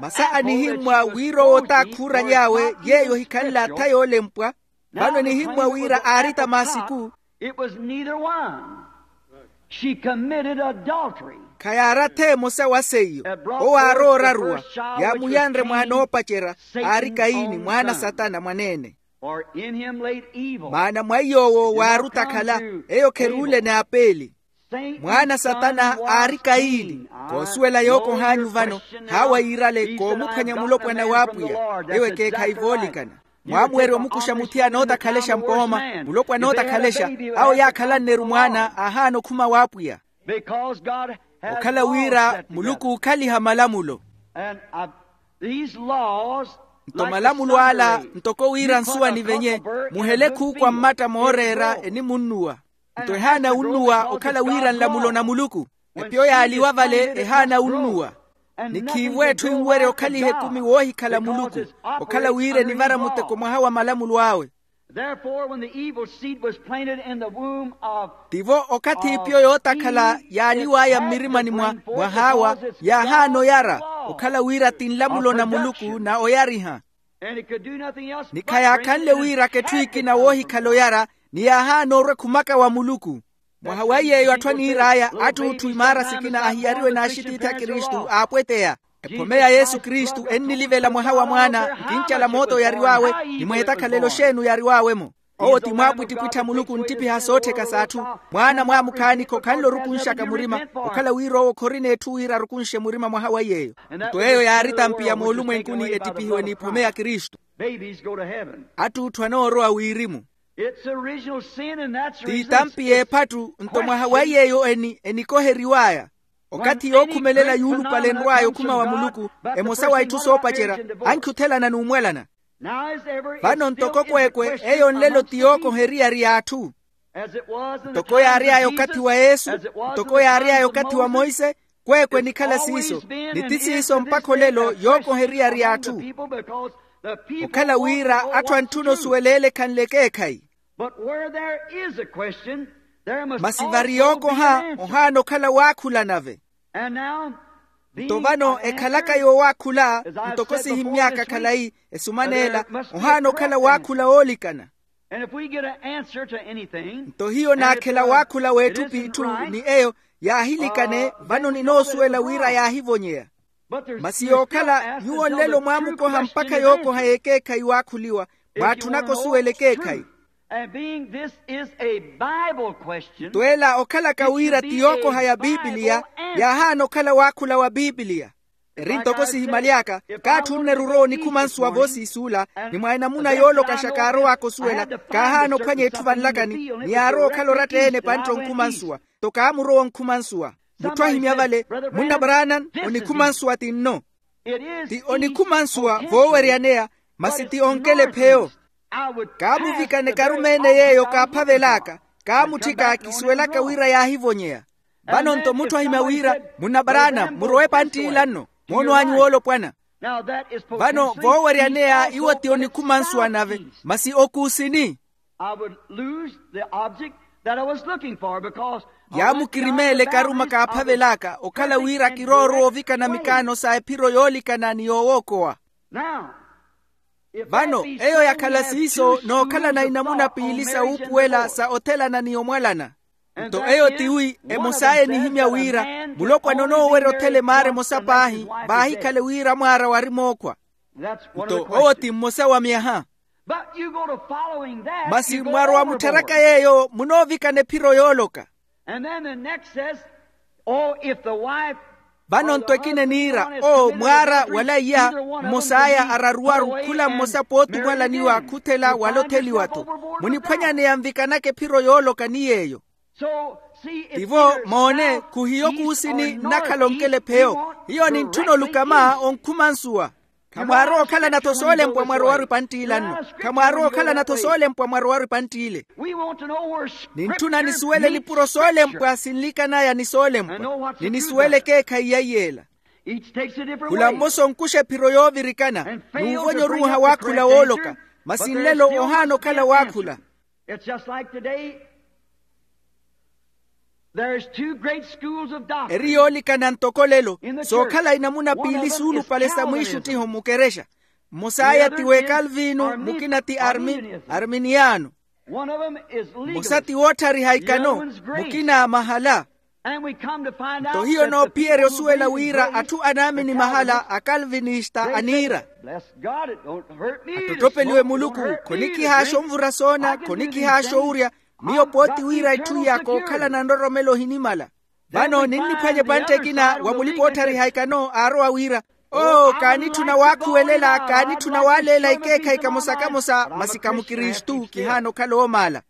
masi anihimmwa wira owo t'akhuuraly'awe yeeyo ohikhanle atha yoolempwa. Vano enihimmwa wira aari tamasiku. Khayaari atha emosa wa seiyo. Owo aarowa oraruwa, yaamuyanre mwaana oopacerya, aari kayini mwaana a satana mwaneene. Maana mwa iy'owo waari otakhala, eyo kheruule n'apeeli. Mwaana a satana aari kayini. Koosuwela yookoh'anyu vano, haawa yiirale koomuphwanya mulopwana w'apwiya. Ewo ekeekhayi voolikana. Mwaamuwerya omukuxa muthiyana ootakhalexa mpooma, mulopwana ootakhalexa. Awo yaakhalanne-ru mwaana aahaana okhuma w'apwiya. Okhala wira muluku ookhaliha malamulo. Nto malamulo ala ntoko wira nsuwa nivenye, muhele khuukwa mmatta mooreera enimunnuwa. Nto ehaana wunnuwa okhala wira nlamulo na muluku. Epyo yaaliwa vale ehaana wunnuwa. Ni khiivo etthu enwerya okhaliha ekumi woohikhala muluku, okhala wira enivara muteko mwaha wa malamulo awe. Tivo okathi ipyo yootakhala yaaliw'aya mmirimani mwa mwaha awa, yaahaana oyara, okhala wira ti nlamulo na muluku na oyariha. Ni khayaakhanle wiiraka etthu ekina woohikhala oyara, ni yaahaana orwa ekhumaka wa muluku. Mwaha wa iy'eyo atthu aniir'aya attuutthu imaara sikina ahiyariwe n'axitiithi a kristu aapweteya. Ephome ya yesu kristu ennilivela mwaha wa mwaana nkincala moota oyariw'awe. Ni mweetakhalelo xeeni oyariw'awe-mo? Owo ti mwaapwittipwittha muluku nttipiha soottheka s'atthu. Mwaana mwaamukhaani khokhanle orukunxaka murima, okhala wira owo khorina etthu wira arukunxe murima mwaha wa iy'eyo. Nto eyo yaari tampiya moolumwenkuni ettipihiwe n'iphome ya kristu. Attuutthu anoorowa wirimu. T'itampi y'ephattu nto mwaha wa iy'eyo eni enikoheriw'aya. Okathi yookhumelela yuulupale enrw'aya okhuma wa muluku, emosa wa itthu soopacerya, ankhi othelana n'umwalana. Vano ntoko kweekwe eyo nlelo ti yookoha eriyari y'atthu. Ntoko yaary'aya okathi wa yesu, ntoko yaary'aya okathi wa monse, kweekwe enikhala siiso. Ni ti siiso mpakha olelo yookoha eriyari y'atthu. Okhala wira atthu antthuna osuwela ele ekhanle ekeekhayi. But where there is a question, there must also be an answer. Masi vari yookoha ohaana okhala waakhula nave. And now, being an answer, nto vano ekhalaka yoowaakhula, as I've said before this week, ntoko sihimmy'aka khalayi esumana ela, ohaana okhala waakhula woolikana. And if we get an answer to anything, nto hiyo naakhela waakhula w'etthu p'itthu ni eyo yaahilikane, vano ninoosuwela wira yaahivonyeya. Masi yookhala nyuwo nlelo mwaamukoha mpakha yookoha y'ekeekhayi waakhuliwa, mwaatthunaka osuwela ekeekhayi. Nto ela okhalaka wira ti yookoha ya pipiliya, yaahaana okhala waakhula wa pipiliya. Eri ntoko sihimaly'aka, kaatthu onneru orowa onikhuma nsuwa voosiisuula, ni mwa enamuna yoolokaxa kaarow'aka osuwela, kaahaana ophwanya etthu vanlakani, ni yaarowa okhala oratta-ene epantte onkhuma nsuwa. Nto kaamurowa onkhuma nsuwa. Mutthu ahimya vale, munna brana, onikhuma nsuwa ti nno. Ti onikhuma nsuwa vooweryaneya, masi ti onkelepheyo. Kaamuvikana ekarumeene y'eyo kaaphavel'aka, kaamutthika kisuwelaka wira yaahivonyeya. Vano nto mutthu ahimya wira, munna brana, murowe epantt'ila nno, moono anyu woolopwana. Vano vooweryaneya iwo ti onikhuma nsuwa nave, masi okuusini? I would lose the object that I was looking for because I went beyond the boundaries of the perfect and good way. Yaamukirimeela ekaruma kaaphavel'aka okhala wira kiroorowa ovikana mikaano sa ephiro yoolikana ni yoowookowa. Now, if that be so, we have two schools of thought on marriage and divorce. Vano eyo yakhala siiso nookhalana inamuna piili sa wuupuwela sa othelana ni omwalana. Nto eyo tiwi emos'aya enihimya wira mulopwana onoowerya othela emaara emosa paahi vaahikhale wira mwaara wari mookhwa. Nto owo ti mmosa wa myaha. Masi mwarowa muttharaka yeeyo munoovikana ephiro yooloka. Vano nto ekina eniira oo mwaara wala iya, mmos'aya araruwaru khula mmosa pooti omwalaniwa khuthela wala otheliwa-tho. Muniphwanyaneya nvikanaka ephiro yooloka ni yeeyo. Tivo moone, khuhiyo kuusini nnakhala onkelepheyo. Hiyo nintthuna olukama onkhuma nsuwa. Khamwaarowa okhalana-tho soolempwa mwarowaru epantt'ila nno. Khamwaarowa okhalana-tho soolempwa mwarowaru epantt'ile. Nintthuna nisuwele nipuro soolempwa sinlikan'aya ni soolempwa, ni nisuwele ekeekhayi ya iy'ela. Khula mmosa onkuxa ephiro yoovirikana n'uvonya oruuha waakhula wooloka. Masi nlelo ohaana okhala waakhula. It's just like today. There's two great schools of doctrine. Eri yoolikana ntoko lelo sookhala inamuna piili suulupale sa mwiixuttiho mukerexa. Mmos'aya ti w'ekalvinu, mukina ti arminiano. Mmosa ti wootthariha ikano, mukina mahala. Nto hiyo noophiyerya osuwela wira atthu anaamini mahala akalvinista aniira. Attotopeliwe muluku, khonikihaaxa onvura soona, khonikihaaxa owurya. Miyo pooti wira itthu iya kookhalana nroromelo ohinimala. Vano ninniphwanya epantte ekina wa mulipa-ootthariha ikano aarowa wira, oo kaanitthuna waakhuwelela, kaanitthuna waaleela ekeekhayi kamosa-kamosa masi ka mukristu kihaana okhala oomaala.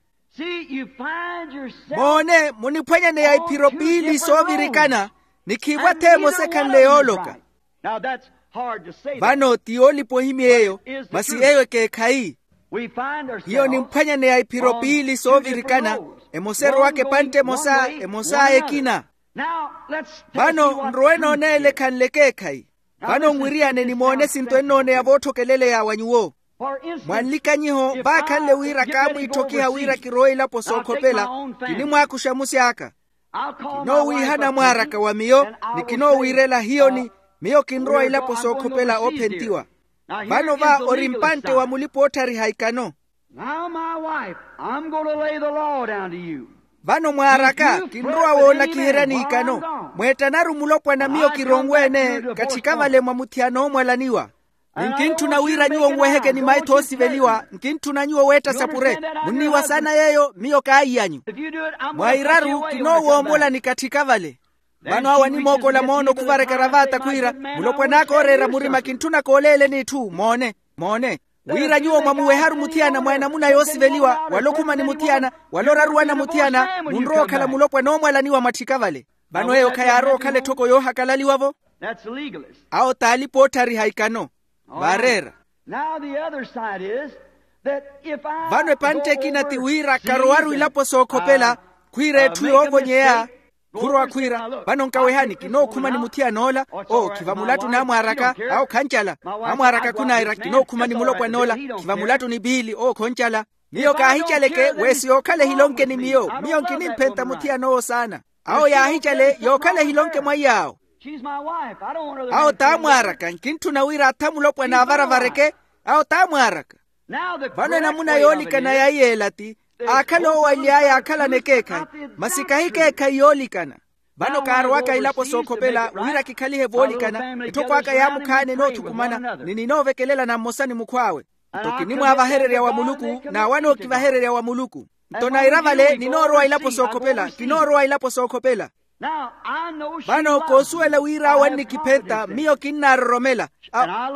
Moone muniphwanyaneya iphiro piili soovirikana, ni khiivo ath'emosa ekhanle yooloka. Vano ti yoolipa ohimya eyo, masi eyo ekeekhayi. Hiyo nimphwanyaneya iphiro piili soovirikana, emosa erowaka epantte emosa, emos'aya ekina. Vano nrowe nooneela ekhanle ekeekhayi. Vano nwiriyane nimoone esinto ennooneya vootthokeleleya wa nyuwo. Mwanlikanyiho vaakhanle wira kaamwiitthokiha wira kirowe ilapo sookhopela. Kinimwaakuxa musi aka. Kinoowiihana mwaaraka wa miyo, ni kinoowiirela hiyoni. Miyo kinrowa ilapo sookhopela oophentiwa. Vano va ori mpantte wa mulipa-ootthariha ikano. Now my wife, I'm going to lay the law down to you. Vano mwaaraka kinrowa woolakiheryani ikano. Mweettanaru mulopwana miyo kironwe-ene katthika vale mwa muthiyana oomwalaniwa. Ni nkintthuna wira nyuwo nweheke ni maitho oosiveliwa. Nkintthuna nyuwo weetta sapure. Munniiwa saana yeeyo miyo kaayiyanyu. Mwairaru kinoowoomola ni katthika vale. Vano awo animookola moono khuvareka eravata khwiira, mulopwan'aka ooreera murima kintthuna kooleeleni itthu moone. Moone, wira nyuwo mwamuweharu muthiyana mwa enamuna yoosiveliwa wala okhuma ni muthiyana, wala oraruwana muthiyana, munrowa okhala mulopwana oomwalaniwa mwatthika vale. Vano eyo khayaarowa okhala etthoko yoohakalaliwa-vo. Awo t'alipa-ootthariha ikano. Vaareera. Vano epantte ekina ti wira karowaru ilapo sookhopela, khwiira etthu yoovonyeya. Khurowa khwiira, vano nkawehani kinookhuma ni muthiyan'ola. Oo khiva mulattuni amwaaraka. Awo khancala. Amwaaraka khunaira kinookhuma ni mulopwan'ola. Khiva mulattuni piili oo khoncala. Miyo kaahicaleke. Weesi yookhala ehilonke ni miyo miyo nkinimphenta muthiyan'owo saana. Awo yaahicale yookhala ehilonke mwa iy'awo. Awo t'amwaaraka nkintthuna wira atha mulopwana avaravareke. Awo t'amwaaraka. Vano enamuna yoolikana ya iy'ela ti, aakhala oowally'aya aakhalana ekeekhayi. Masi kahi ekeekhayi yoolikana. Vano kaarowaka ilapo sookhopela wira kikhalihe voolikana. Etthoko aka yaamukhaana enoothukumana ni ninoovekelelana mmosa ni mukhw'awe. Nto kinimwaavahererya wa muluku. N'awo anookivahererya wa muluku. Nto naira vale ninoorowa ilapo sookhopela kinoorowa ilapo sookhopela. Vano koosuwela wira awo annikiphenta miyo kinnaaroromela.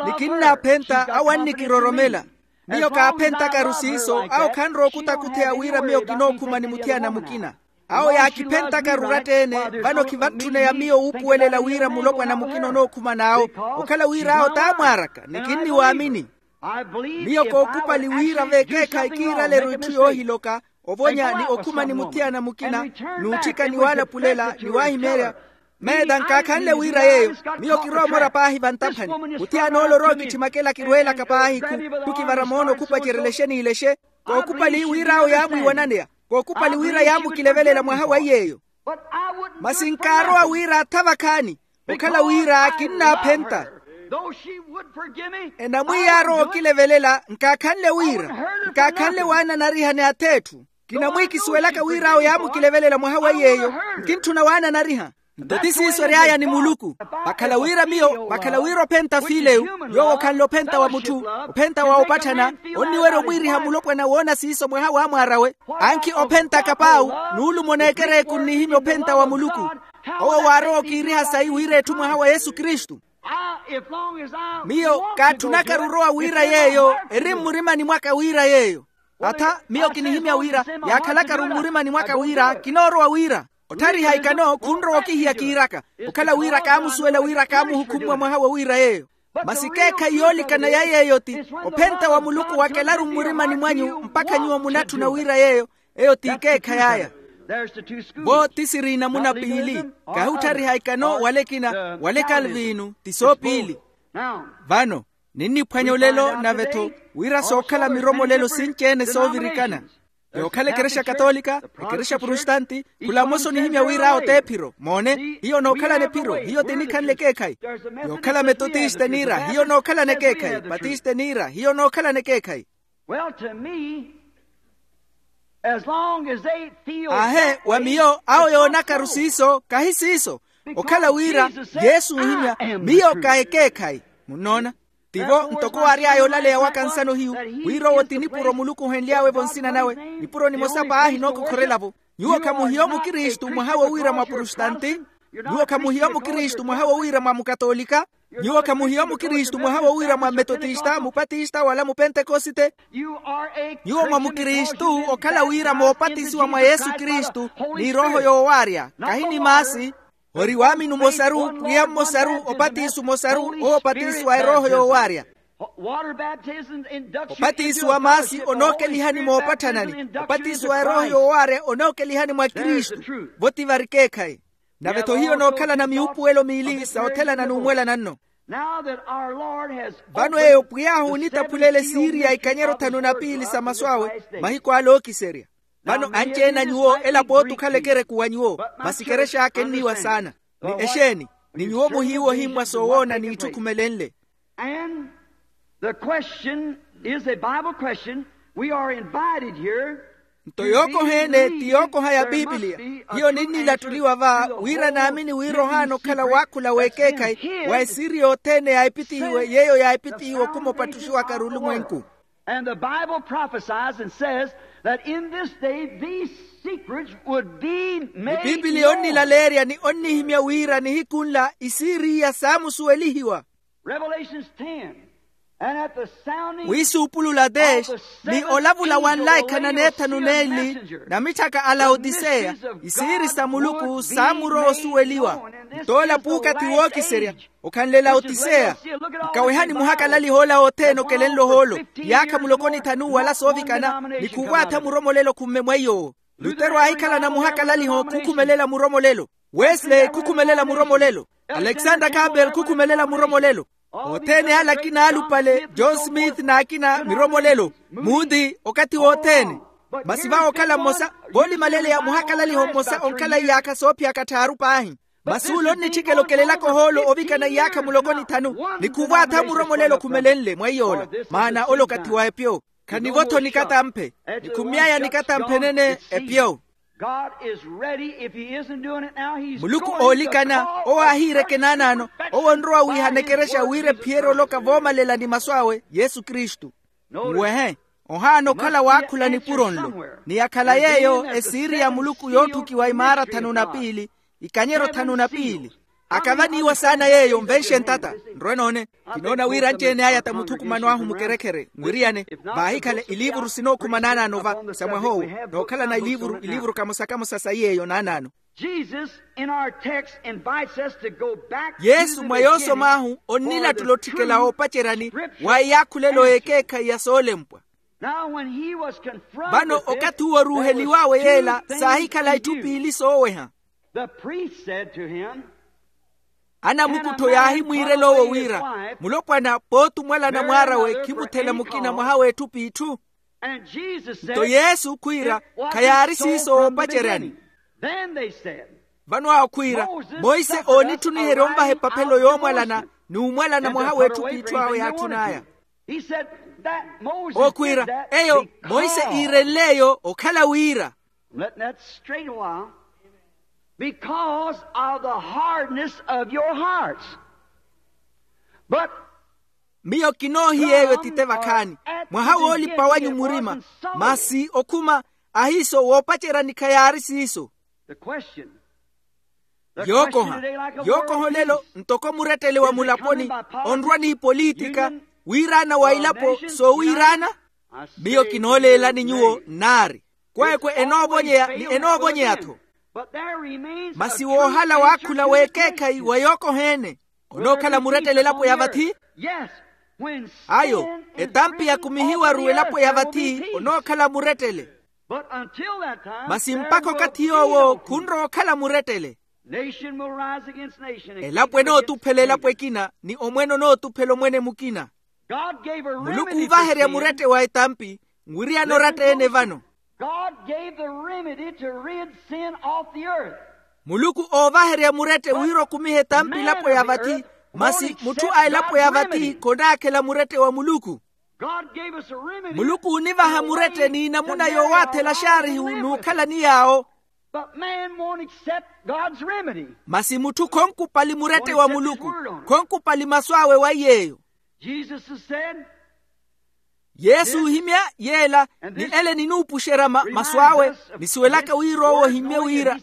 Ni kinnaaphenta awo annikiroromela. Miyo kaaphentakaru siiso awo khanrowa okutakutheya wira miyo kinookhuma ni muthiyana mukina. Awo yaakiphentakari oratta-ene. Vano khivatthuneya miyo wuupuwelela wira mulopwana mukina onookhuma n'awo. Okhala wira awo t'amwaaraka ni kinniwaamini. Miyo kookupali wira v'ekeekhayi kiiraleru itthu yoohiloka, ovonya ni okhuma ni muthiyana mukina, n'utthika ni waalapulela ni waahimeerya. Meeta nkaakhanle wira yeeyo. Miyo kirowa omora paahi vantaphani. Muthiyan'ola orowa okitthimaka ela kirweelaka paahi khu khukivara moono khupacerela exe n'ile exe. Kookupali wira awo yaamwiiwananeya. Kookupali wira yaamukilevelela mwaha wa iy'eyo. Masi nkaarowa wira atha vakhaani. Okhala wira kinnaaphenta. Enamwiiya arowa okilevelela nkaakhanle wira nkaakhanle waananariha ni ath'etthu. Kinamwiikisuwelaka wira awo yaamukilevelela mwaha wa iy'eyo. Nkintthuna waananariha. Nto ti siiso ery'aya ni muluku. Vakhala wira miyo vakhala wira ophenta fiileyu. Yoowo okhanle ophenta wa mutthu ophenta wa opatthana. Onniwerya omwiiriha mulopwana woona siiso mwaha w'amwaar'awe. Ankhi ophentaka paawu nuulumo n'ekereku nnihimya ophenta wa muluku. Owo waarowa okiiriha sayi wira etthu mwaha wa yesu kristu. Miyo kaatthunakaru orowa wira yeeyo eri mmurimani mwaka wira yeeyo. Atha miyo kinihimya wira yaakhalakaru mmurimani mwaka wira kinoorowa wira otthariha ikano khunrowa okihiya kiiraka. Okhala wira kaamusuwela wira kaamuhukhumwa mwaha wa wira yeeyo. Masi ekeekhayi yoolikana ya yeeyo ti ophenta wa muluku wakelaru mmurimani mwanyu mpakha nyuwo munatthuna wira yeeyo. Eyo t'ikeekhayi aya. Vo ti siri inamuna piili. Kahi otthariha ikano wala ekina wala ekalviinu ti soopiili. Vano ninniphwanya olelo nave-tho wira sookhala miromolelo sinci-ene soovirikana. Yookhala ekerexa katoolika ekerexa protestanti khula mmosa onihimya wira awo t'ephiro moone hiyo nookhalana ephiro hiyo tinikhanle ekeekhayi. Yookhala metotista eniira hiyo nookhalana ekeekhayi batista eniira hiyo nookhalana ekeekhayi. Well to me, as long as they feel aahe that wa way, miyo awo yoonakaru siiso kahi siiso. Okhala wira yesu nhimya miyo ka ekeekhayi. Munnoona? Tivo ntoko waary'aya olaleya waka nsano hiyu wira owo ti nipuro muluku ohenly'awe-vo nsina nawe. Nipuro nimosa paahi nookokhorela-vo. Nyuwo khamuhiya omukristu mwaha wowiira mwa protestanti. Nyuwo khamuhiya omukristu mwaha wowiira mwa mukatolika. Nyuwo khamuhiya omukristu mwaha wowiira mwa metotista mupatista wala mupentekosite. Nyuwo mwa mukristu okhala wira moopatisiwa mwa yesu kristu ni erooho yoowaarya kahi ni maasi. Ori waamini omosaru pwiya mmosaru opatisi omosaru oopatisiwa erooho yoowaarya. Opatisiwa maasi onookelihani moopatthanani opatisiwa erooho yoowaarya onookelihani mwa kristu. Vo ti vari ekeekhayi. Nave-tho hiyo nookhalana miupuwelo miili sa othelana n'umwelana nno. Vano eyo pwiy'ahu onitaphulele siiri ya ikanyero thanu na piili sa masu awe mahiku ale ookiserya. Vano anci-ene a nyuwo elapo otukhala ekereku wa nyuwo masi ekerex'aka enniiwa saana. Ni exeeni? Ni nyuwo muhiiwa ohimmwa soowoona n'itthu khumelenle. And the question is a bible question. We are invited here. Nto yookoha-ene ti yookoha ya piipiliya. Hiyo ninnilattuliwa va wira naamini wira ohaana okhala waakhula w'ekeekhayi wa esiiri yothene yaahipitihiwe yeeyo yaahipitihiwe okhuma opattuxiwaka arulumwenku. And the bible prophesies and says that in this day these secrets would be made. Ni piipiliya onnilaleerya ni onnihimya wira nihiku nla isiiri iya saamusuwelihiwa. Revelations ten. And at the sounding wiisuupulula tex ni olavula wanlaikana n'ethanu n'eli na mitthaka a laotiseya. Isiiri sa muluku saamurowa osuweliwa. Nto ola puukathi wookiserya okhanle laotiseya. Nkawehani muhakalaliha ola othene okelenle ohoolo iyaakha muloko ni thanu wala soovikana ni khuwaatha muromolelo khumme mweiy'owo. Lutero aahikhalana muhakalaliho khukhumelela muromolelo. Wesley khukhumelela muromolelo. Alexander campbell khukhumelela muromolelo. Othene ale akina alupale john smith n'akina miromolelo. Muti okathi wothene. Masi vawo okhala mmosa voolimaleleya muhakalaliho mmosa onkhala iyaakha soophiyaka tthaaru paahi. Masi ule onnitthikela okelelaka ohoolo ovikana iyaakha muloko ni thanu. Ni khuvwaatha muromolelo okhumelenle mwa iy'ola. Maana ole okathi wa epyo. Khanivo-tho nikatamphe. Nikhummy'aya nikatamphe nene epyo. God is ready. If he isn't doing it now, he's muluku oolikana owo aahiireke naanaano. Owo onrowa wiihana ekerexa wira ephiyerye oloka voomalela ni masu awe yesu kristu. Nwehe. Ohaana okhala waakhula nipuro nlo. Ni yakhala yeeyo esiiri ya muluku yootthukiwa imaara thanu na piili. Ikanyeryo thanu na piili. Akavaniiwa saana yeeyo nvenxe ntata. Nrwe noone. Kinoona wira anci-ene aya ta muthukumano ahu mukerekhere mwiriyane. Vaahikhale iliivuru sinookhuma naanaano va sa mwah'owo. Nookhalana iliivuru iliivuru kamosa kamosa sa iy'eyo naanaano. Jesus in our text invites us to go back to the beginning. Yesu mwa yoosom'ahu onnilattula otthikela oopaceryani wa iyaakhulelo y'ekeekhayi ya soolempwa. Now when he was confronted with this, vano okathi uwo oruuheliw'awe yeela saahikhala itthu piili sooweha. The priest said to him, anamukuttho yaahimwiirela owo wira, mulopwana pooti omwalana mwaar'awe khimuthela mukina mwaha w'etthu p'itthu. Nto yesu khwiira, khayaari siiso woopaceryani. Vano awo khwiira, monse oonitthuniherya onvaha epaphelo yoomwalana ni omwalana mwaha w'etthu p'itthu awo yaatthun'aya. Owo khwiira, eyo monse iirenle eyo okhala wira. Let that straight a while. Because of the hardness of your hearts. But miyo kinoohiya eyo etite vakhaani, mwaha woolipa wanyu murima. Masi okhuma ahiiso woopaceryani khayaari siiso. The question. Yookoha. Yookoha olelo ntoko murettele wa mulaponi onrwa n'ipolitika, wiiraana wa ilapo soowiiraana. Miyo kinooleelani nyuwo nnaari, kweekwe enoovonyeya ni enoovonyeya-tho. Masi woohala waakhula w'ekeekhayi wa yookoha-ene, onookhala murettele elapo ya vathi. Ayo, etampi yakumihiwaru elapo ya vathi onookhala murettele. Masi mpakha okathi yoowo khunrowa okhala murettele. Elapo enootuphela elapo ekina ni omwene onootuphela omwene mukina. Muluku uuvaherya murette wa etampi, nwiriyana oratta-ene vano. Muluku oovaherya murette wira okumihe etampi elapo ya vathi. Masi mutthu a elapo ya vathi khonaakhela murette wa muluku. Muluku oonivaha murette n'inamuna yoowaathela axaarihu n'ukhalani yaawo. Masi mutthu khonkupali murette wa muluku. Khonkupali masu awe wa iy'eyo. Yesu oohimya yeela ni ele ninuupuxerya masu awe, nisuwelaka wira owo ohimmye wira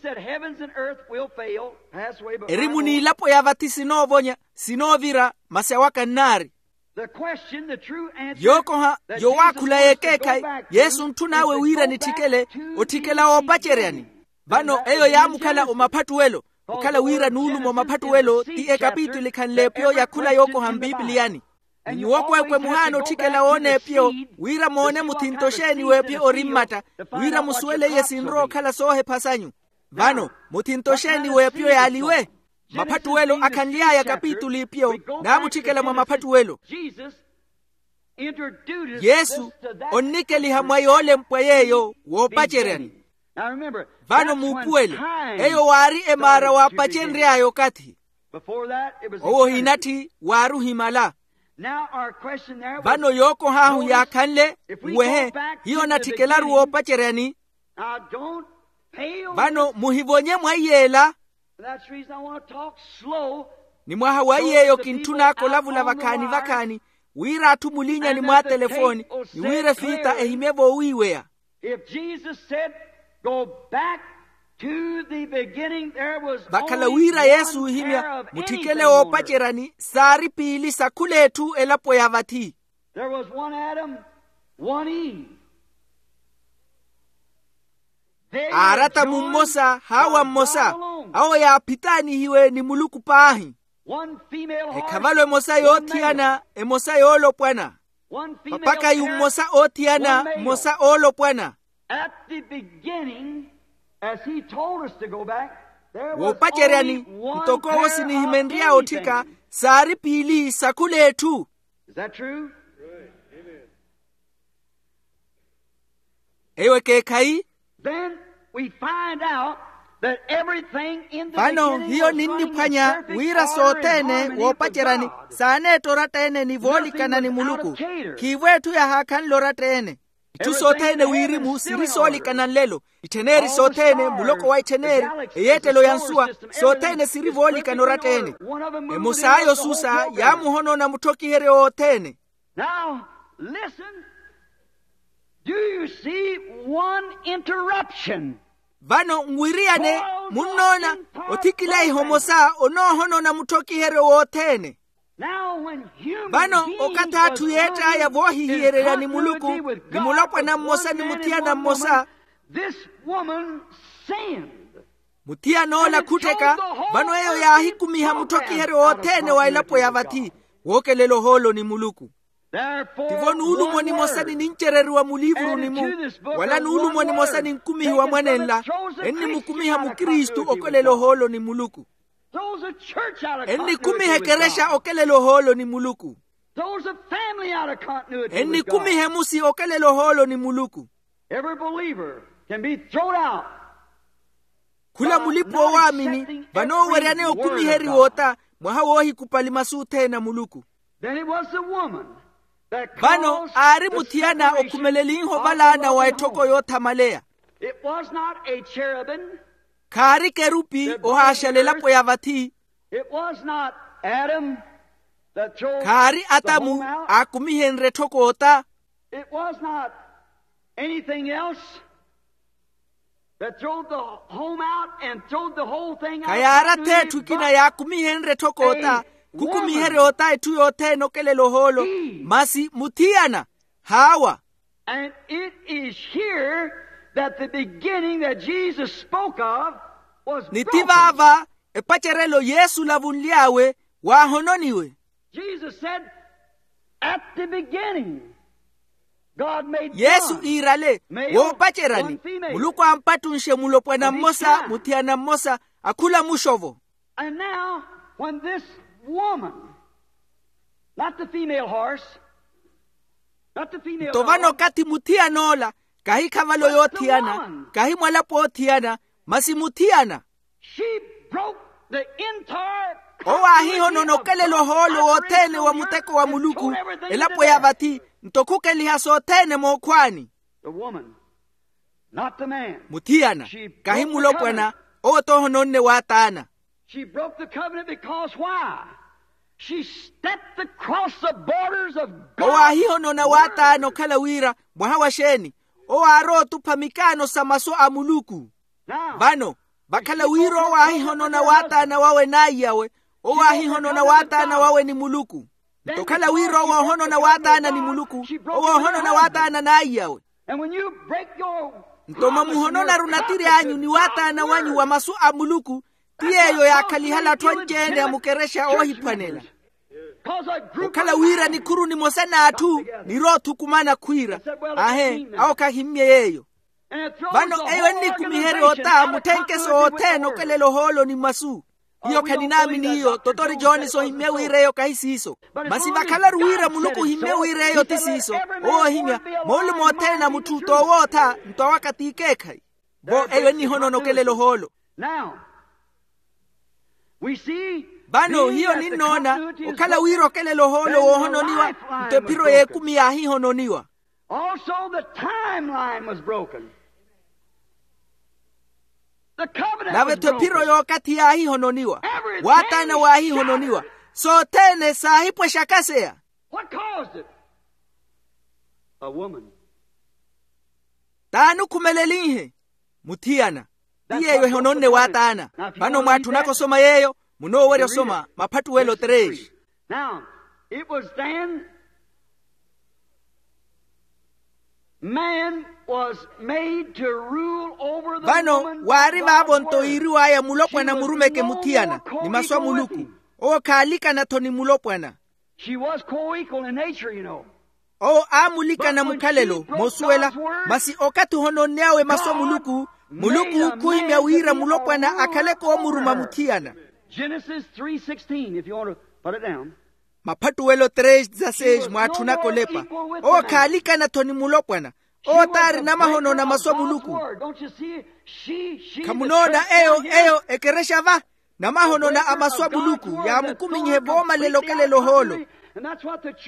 erimu n'ilapo ya vathi sinoovonya sinoovira masi awaka nnaari. Yookoha yowaakhula y'ekeekhayi yesu ontthun'awe wira nitthikele otthikela woopaceryani. Vano eyo yaamukhala omaphattuwelo. Okhala wira nuuluma omaphattuwelo ti ekapituli khanle epyo ya khula yookoha mpipiliyani. Ni nyuwo kweekwe muhaana otthikela woona epyo wira moone muthinto xeeni w'epyo ori mmatta, wira musuwele iye sinrowa okhala soohepha sanyu. Vano muthinto xeeni w'epyo yaaliwe? Maphattuwelo akhanly'aya kapituli ipyo naamutthikela mwa maphattuwelo. Yesu onnikeliha mwa yoolempwa yeeyo woopaceryani. Vano muupuwele, eyo waari emaara waapacenry'aya okathi. Owo ohinatthi waari ohimala. Vano yookoh'ahu yaakhanle, nwehe, hiyo onatthikelaru woopaceryani. Vano muhivonye mwa iyeela. Ni mwaha wa iy'eyo kintthun'aka olavula vakhaani-vakhaani, wira atthu mulinyani mwa atelefooni ni wira efiita ehimye voowiiweya. Vakhala wira yesu oohimya mutthikele woopaceryani saari piili sa khula etthu elapo ya vathi. Aaratamu mmosa haawa mmosa, awo yaaphitaanihiwe ni muluku paahi. Ekhavalo emosa yoothiyana, emosa yoolopwana. Papakayu mmosa oothiyana, mmosa oolopwana. At the beginning, as he told us to go back, Woopaceryani, ntoko owo sinihimenry'awe otthika, saari piili sa khul'etthu. Is that true? Eyo ekeekhayi. Then we find out that everything in the beginning was running in perfect order in harmony with God. Vano hiyo ninniphwanya wira sothene woopaceryani saaneetta oratta-ene ni voolikana ni muluku. Khiivo etthu yahaakhanle oratta-ene. Itthu sothene wirimu siri soolikana nlelo. Ittheneri sothene, muloko wa ittheneri, eyeettelo ya nsuwa, sothene siri voolikana oratta-ene. Emosa ayo susa yaamuhonona mutthokiheryo wothene. Now listen. Do you see one interruption? Vano nwiriyane, munnoona othikilaiha omosa onoohonona mutthokiheryo wothene. Vano okathi atthu yeett'aya voohihiyererya ni muluku ni mulopwana mmosa ni muthiyana mmosa. This woman sinned. Muthiyan'ola khuttheka. Vano eyo yaahikumiha mutthokiheryo wothene wa elapo ya vathi, wookelela ohoolo ni muluku. Tivo nuulumo nimosa ninincereriwa muliivuruni-mu, wala nuulumo nimosa ninkumihiwa mwanenla, ennimukumiha mukristu okelela ohoolo ni muluku. Ennikumiha ekerexa okelela ohoolo ni muluku. Ennikumiha emusi okelela ohoolo ni muluku. Khula mulipa owaamini vanooweryane okumiheriwa ota, mwaha woohikupali masu othene a muluku. Vano aari muthiyana okhumelenlinhe ovalaana wa etthoko yoothamaleya. Khaari kerupi ohaaxala elapo ya vathi. Khaari atamu aakumihenrye etthoko ota. It was not anything else that throwed the home out and throwed the whole thing out. Khayaari ath'etthu ekina yaakumihenrye etthoko ota, khukumiherya ota etthu yothene okelela ohoolo, masi muthiyana. Haawa. And it is here that the beginning that Jesus spoke of was broken. Ni ti vaava epacerelo yesu olavunly'awe waahononiwe. Jesus said, at the beginning, God made one male, one female. Yesu iirale, woopaceryani, muluku aampattunxe mulopwana mmosa muthiyana mmosa, akhula muxovo. And now, when this woman, not the female horse, not the female dog. Nto vano okathi muthiyan'ola, kahi khavalo yoothiyana, kahi mwalapo othiyana, masi muthiyana. She broke the entire. Owo aahihonona okelela ohoolo wothene wa muteko wa muluku, elapo ya vathi, nto khukeliha sothene mookhwaani. The woman, not the man. Muthiyana, kahi mulopwana, owo toohononne waataana. She broke the covenant because why? She stepped across the borders of God. Owo aahihonona waataana okhala wira mwaha wa xeeni? Owo aarowa otupha mikaano sa masu a muluku. Vano, vakhala wira owo aahihonona waataana wawe n'aiyawe, owo aahihonona waataana wawe ni muluku. Nto okhala wira owo oohonona waataana ni muluku, owo oohonona waataana n'aiyawe. Nto mwamuhononaru natiri anyu ni waataana wanyu wa masu a muluku, ti yeeyo yaakhalihala atthu anci-ene a mukerexa oohiphwanela. Okhala wira nikhuru nimosa n'atthu niroothukumana khwiira, ahe, awo khahimmye yeeyo. Vano eyo ennikumiherya ota mutthenkeso othene okelela ohoolo ni masu. Hiyo khaninaamini iyo, totori jones ohimmye wira eyo kahi siiso. Masi vakhalaru wira muluku ohimmye wira eyo ti siiso. Owo ohimya, moolumo othene a mutthu t'owootha nto awaka t'ikeekhayi. Vo eyo ennihonona okelela ohoolo. Vano hiyo ninnoona okhala wira okelela ohoolo woohononiwa, nto ephiro y'ekumi yaahihononiwa. Also the timeline was broken. Nave-tho ephiro y'okathi yaahihononiwa. Waataana waahihononiwa. Sothene saahipwexa kaseya. What caused it? A woman. T'ani okhumelelinhe? Muthiyana. Ti yeeyo ehononne waataana. Vano mwaatthunaka osoma yeeyo, munoowerya osoma maphattuwelo tres. Now, it was then man was made to rule over the woman. Vano waari vaavo nto yiiriw'aya mulopwana murumeke muthiyana ni masu a muluku. Owo khaalikana-tho ni mulopwana. She was co-equal in nature, you know. Owo aamulikana mukhalelo moosuwela. Masi okathi ohononne awe masu a muluku, Muluku khuhimya wira mulopwana akhale koomuruma muthiyana. Genesis three sixteen, if you want to put it down. Maphattuwelo três dezasseis mwaatthunaka olepa. Owo khaalikana-tho ni mulopwana. Owo taari namahono na masu a muluku. Khamunoona eyo eyo ekerexa va? Namahono na a masu a muluku yaamukuminyihe voomalela okelela ohoolo.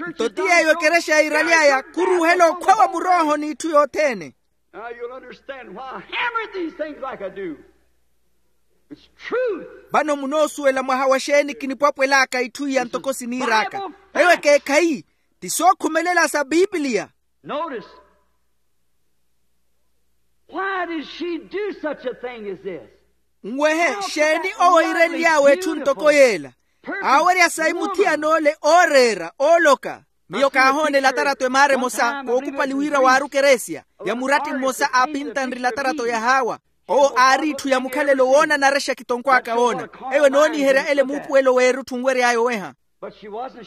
Nto ti yeeyo ekerexa yiiraly'aya khuruuhela okhwa wa murooho n'itthu yothene. Now you'll understand why I hammered these things like I do. It's truth. Vano munoosuwela mwaha wa xeeni kinipwapwel'aka itthu iya ntoko siniir'aka. Eyo ekeekhayi ti sookhumelela sa pipiliya. Notice. Why did she do such a thing as this? Nwehe xeeni owo iirenly'awe etthu ntoko yeela? Aawerya sayi muthiyan'ole ooreera ooloka. Miyo kaahoona elatarato emaara emosa kookupali wira waari okeresia ya muratti mmosa aapintanre elatarato ya haawa. Owo aari itthu ya mukhalelo woonanarexa kitonkwaaka woona. Eyo enooniherya ele muupuwelo w'erutthu nwery'aya oweha.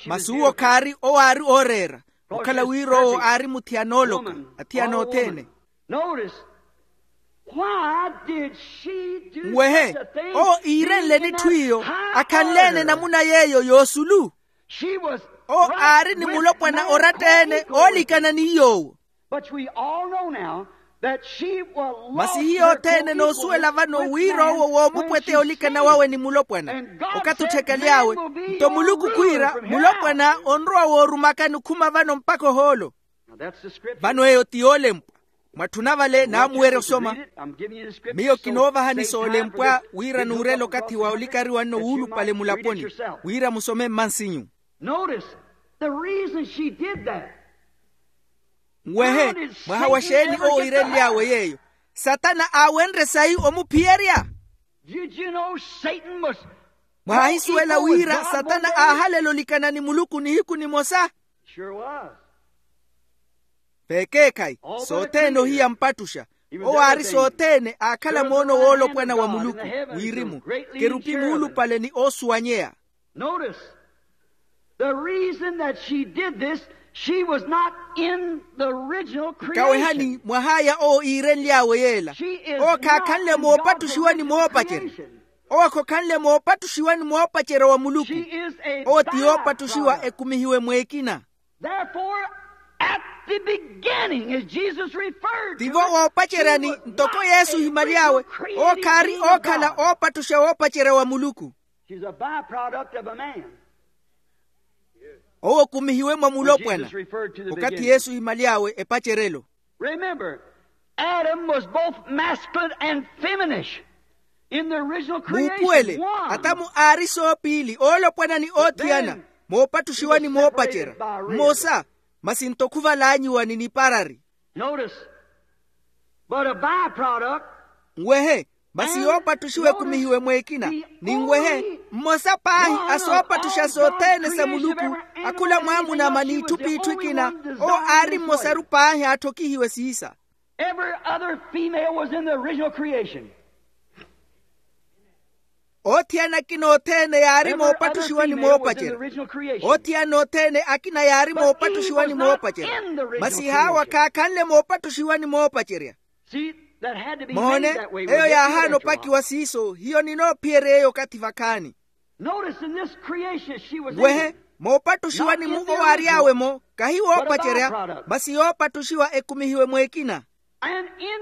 Masi uwo khaari owo aari ooreera okhala wira owo aari muthiyana ooloka athiyana othene. Nwehe owo iirenleni etthu iyo akhanle-ene namuna yeeyo yoosulu. Owo aari ni mulopwana oratta-ene oolikana ni yoowo. Masi hiyo othene enoosuwela vano wira owo woomupweteya olikana wawe ni mulopwana okathi otthekaly'awe. Nto muluku khwiira mulopwana onrowa woorumakani okhuma vano mpakha ohoolo. Vano eyo ti yoolempwa. Mwatthuna vale naamuwerya osoma. Miyo kinoovahani soolempwa wira nuurela okathi wa olikariwa nno wuulupale mulaponi wira musome mmansinyu. Nwehe mwaha wa xeeni owo iirenly'awe yeeyo? Satana aawenrye sayi omuphiyerya. Mwaahisuwela wira satana aahalela olikana ni muluku nihiku nimosa? Vekeekhayi sothene ohiya mpattuxa. Owo aari sothene aakhala moono woolopwana wa muluku wirimu kerupi muulupale ni oosuwanyeya. Notice the reason that she did this. She was not in the original creation. Kawehani mwahaya owo iirenly'awe yeela. Owo khaakhanle moopattuxiwa ni moopacerya. Owo khokhanle moopattuxiwa ni moopacerya wa muluku. Owo ti yoopattuxiwa ekumihiwe mweekina. Therefore, at the beginning, as Jesus referred to it, tivo woopaceryani ntoko yesu ohimaly'awe. Owo khaari ookhala oopattuxa woopacerya wa muluku. She's a byproduct of a man. Owo okumihiwe mwa mulopwana. Okathi yesu ohimaly'awe epaceryelo. Remember, Adam was both masculine and feminish in the original creation. Muupuwele, atamu aari soopiili oolopwana ni oothiyana moopattuxiwa ni moopacerya. Mmosa. Masi nto khuvalaanyiwa ni niparari. Notice. But a byproduct. Nwehe. Masi yoopattuxiwa ekumihiwe mweekina. Ni nwehe. Mmosa paahi a soopattuxa sothene sa muluku akhula mwaamunama n'itthu p'itthu ekina. Owo aari mmosaru paahi aatthokihiwe siisa. Every other female was in the original creation. Oothiyana akina othene yaari moopattuxiwa ni moopacerya. Oothiyana othene akina yaari moopattuxiwa ni moopacerya. Masi haawa khaakhanle moopattuxiwa ni moopacerya. Mohone. Eyo yaahaana opakiwa siiso hiyo ninoophiyerya eyo okathi vakhaani. Nwehe. Moopattuxiwa ni mu owaary'awe-mo kahi woopacerya. Masi yoopattuxiwa ekumihiwe mweekina.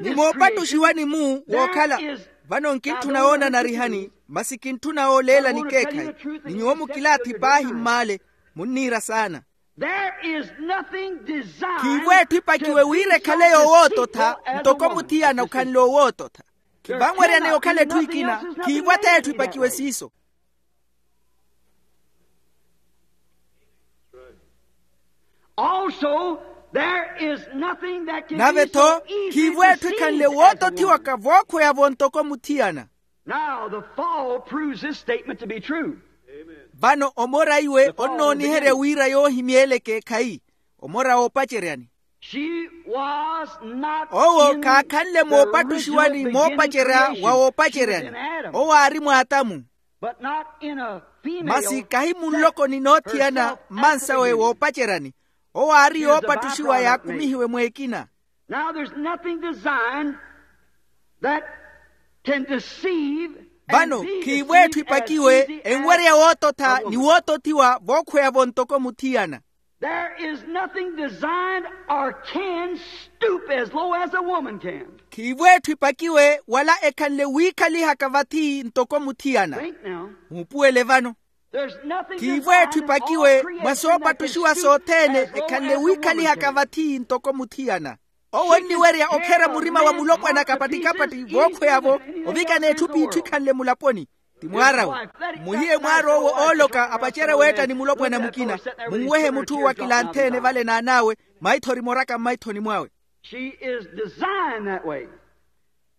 Ni moopattuxiwa ni mu wookhala. Vano nkintthuna woonanarihani masi kintthuna wooleelani ekeekhayi. Ni nyuwo mukilaathi paahi mmaale. Munniira saana. Khiivo etthu ipakiwe wira ekhale yoowoototha. Ntoko muthiyana okhanle owoototha. Khivanweryaneya okhala etthu ekina. Khiivo ath'etthu ipakiwe siiso. Nave-tho khiivo etthu ekhanle wootothiwaka vookhweya-vo ntoko muthiyana. Now the fall proves this statement to be true. Vano omora iwe onnooniherya wira yoohimya ele ekeekhayi. Omora woopaceryani. Owo khaakhanle moopattuxiwa ni moopacerya wa woopaceryani. Owo aari mwaatamu. Masi kahi munlokoni n'othiyana mmansawe woopaceryani. Owo aari yoopattuxiwa yaakumihiwe mweekina. Now there's nothing designed that Can deceive. Vano khiivo etthu ipakiwe enwerya woototha ni wootothiwa vookhweya-vo ntoko muthiyana. There is nothing designed or can stoop as low as a woman can. Khiivo etthu ipakiwe wala ekhanle wiikhalihaka vathi ntoko muthiyana. Muupuwele vano. Khiivo etthu ipakiwe mwa soopattuxiwa sothene ekhanle wiikhalihaka vathi ntoko muthiyana. Owo onniwerya okherya murima wa mulopwana kapattikapatti vookhweya-vo ovikana etthu p'itthu ikhanle mulaponi. Ti mwaar'awe. Mmuhiye mwaar'owo ooloka apacerye weetta ni mulopwana mukina. Munwehe mutth'uwo akilantheene vale n'an'awe. Maithori moraka mmaithoni mwawe.